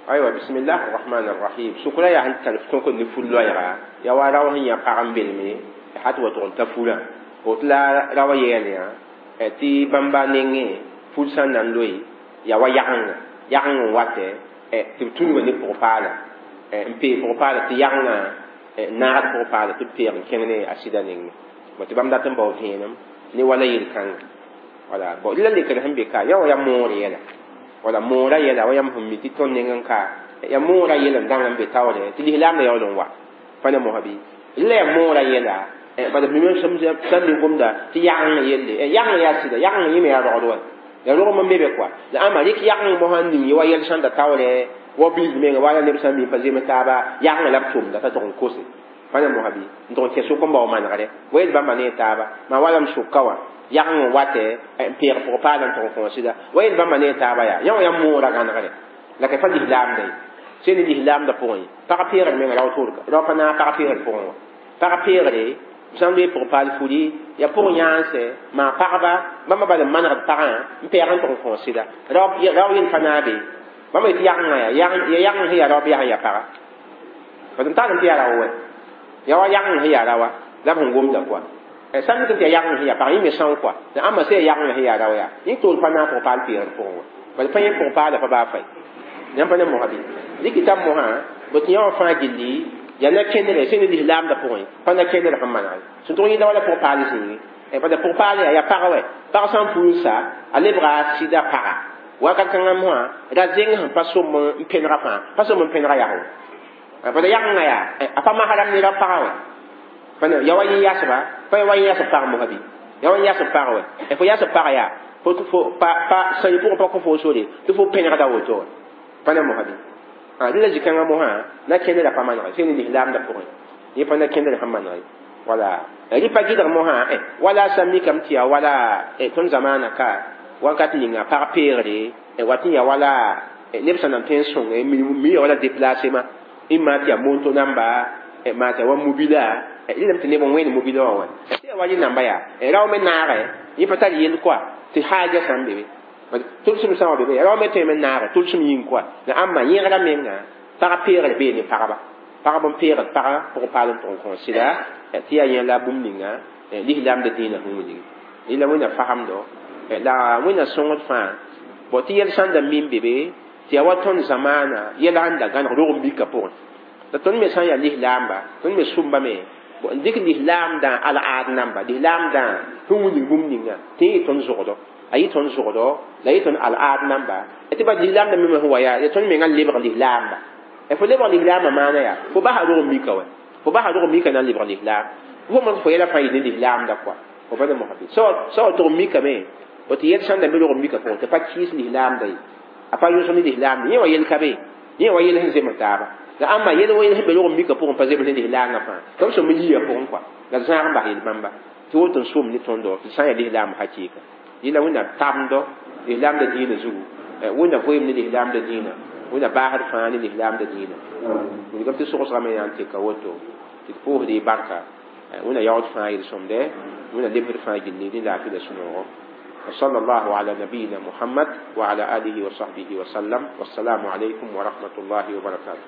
أيوة بسم الله الرحمن الرحيم سكرا يا هل تلفتون كن نفول لويرا يا وارا وهي قام بالمي حتى وتون تفولا وتلا روا يليا تي بامبا نينغي فول سان نان لوي يا وا يان يان واتي تي تون وني بروفالا ام بي بروفالا تي يان نار بروفالا تي بير كينني اسيدا نينغي وتي بام داتن باو فينم ني ولا يل كان ولا بو لا لي كان هم بكا يا يا موري يلا wala moora yɛla wa yãmb sẽn mi tɩ tõnd neng n ka ya moora yɛl n dãng n be taoore tɩ lislaam la yaool n wa pa ne mosã bɩ la yaa moora yɛla bala mime sãn mi gomda tɩ yageng yelle yageng yaa sɩda yageng yẽ me yaa rogd wa yaa rog n be be kɔa la ãmba rɩk yageng mosã n ning ye wa yɛl sẽn da taoore wa bilg menga wala neb sã n mi pa zem taaba yageng la b tʋmda t'a tʋg n kose pa ne mosã bɩ n tʋg n kẽ sʋk n bao manegre wa yel bãmba ne taaba maa wala m sʋka wã yageng n watɛ n peeg pʋg paal n tʋg n kõ sɩda wa yel bãmba ne taaba yaa yã wã yaa moora gãnegre la ka pa lislaamda ye sẽn ne lislaamda pʋgẽ pag peegr menga rao toorga rao pa naag pag peegr pʋgẽ wã pag peegre sã n loe pʋg paal furi yaa pʋg yãanse maa pagba bãmba bal n manegd pagã n peeg n tʋg n kõ sɩda rao yel pa naabe bãmba yetɩ yagengã yaa yageng sẽn yaa rao bɩ yaa sẽn yaa paga bad n tagl tɩ yaa rao wɛ yaa wa yageng sẽn yaa rawa la b sẽn gomda kɔa sã n tɩ yaa yageng sẽn yaa pag yẽ me são kɔa la ãmba sã yaa yageng sẽn yaa rao yaa yẽ toor pa naag pʋg paal peegr pʋgẽ wã bala pa yẽ pʋg paala pa baa fay yãmb pa ne mosã bɩ rɩkɩ mosã bõ tɩ yã wã fãa gilli yaa na kẽndre sẽn ne lislaamdã pʋgẽ pa na kẽndr sẽn maneg sẽn tʋg yẽda wala pʋg paal zĩigi bala pʋg paal yaa yaa pag wɛ pag sã n puur sa a lebga sɩda paga wakat kãngã mosã ra zeng sẽn pa som n pẽnega fãa pa som n pẽnega yag wã bala yagengã yaa a pa masram ne ra paga wɛ pa ne ya wa yẽ yasba pa ya wa yẽ yasb pag mosã bɩ ya wa yẽ yasb pag wɛ fo yasb pag yaa fo fo pa pa sã yẽ pʋgẽ pa kõ fo sore tɩ fo pẽnegda woto wɛ pa ne mosã bɩ dẽ la zĩ-kãngã mosã na kẽndra pa manege sẽn ne lislaamdã pʋgẽ yẽ pa na kẽndr sẽn manege Wala rɩ pa gɩdg mosã wala sã mikame tɩ yaa wala tõnd zamaana ka wakat ninga pag peegre wat n yaa wala neb sã nan tõe n sõnge mi ya wala déplacement ĩmma tɩ yaa monto namba maa tɩ yaa wa mobila rẽndame tɩ neb n wẽnd mobila wã wã tɩ yaa wa rẽ namba yaa rao me naagɛ yẽ pa tar yell koa tɩ haaja sã n be be tʋlsem sã wa be be rao me tõe me naagɛ tʋlsem yĩng koa la ãmba yẽgra menga pag peegr bee ne pagba pagb n peegd pagã pʋgẽ paal n tʋg n kõ sɩda tɩ yaa yẽ la bũmb ninga lislaamda dĩinã sẽn wilgi yẽla wẽnna fasemdo la wẽnna sõngd fãa bõ tɩ yɛl sãn da min be be tɩ yaa wa tõnd zamaana yɛla sẽn da gãneg rog n mika pʋgẽ la tõnd me sã n yaa lislaamba tõnd me sʋmbame n dɩk lislaamdã al-aad namba lislaamdã sẽn wilg bũmb ninga tɩ yẽ tõnd zogdo a yɩ tõnd zogdo la yɩ tõnd al-aad namba tɩ ba lislaamda me sẽn wa yaa ya tõnd mengã lebg lislaamba fo lebg lislaamã maana yaa fo basa rog n mika wɛ fo basa rog n mika na n lebg lislaam fo mo fo yɛla fãa yɩ ne lislaamda koa fo pa ne mosã bɩ sã wa tʋg n mikame tɩ yɛl sãn da me rog n mika pʋgẽ tɩ pa kɩɩs lislaamda ye a pa yõsg ne lislaamda yẽ wa yel ka be yẽ wa yel sẽn zems taaba la ãmba yel wa yel sẽn be rog n mika pʋgẽ pa zems ne lislaangã fãa tɩ b sõm yiya pʋgẽ koa la zãag n bas yel bãmba tɩ woto n sʋm ne tõndo tɩ sã n yaa lislaam hakɩɩka yẽla wẽnna tabendo lislaamda dĩinã zugu wẽnna voeem ne lislaamda dĩinã wẽnna baasd fãa ne lislaamda dĩinã wilgame tɩ sogsgame yaa n teka woto tɩ d pʋʋsd y barka wẽnna yaood fãa yel-sõmde wẽnna lebsd fãa gilli ne laafɩ la sũ-noogo وصلى الله على نبينا محمد وعلى آله وصحبه وسلم والسلام عليكم ورحمة الله وبركاته.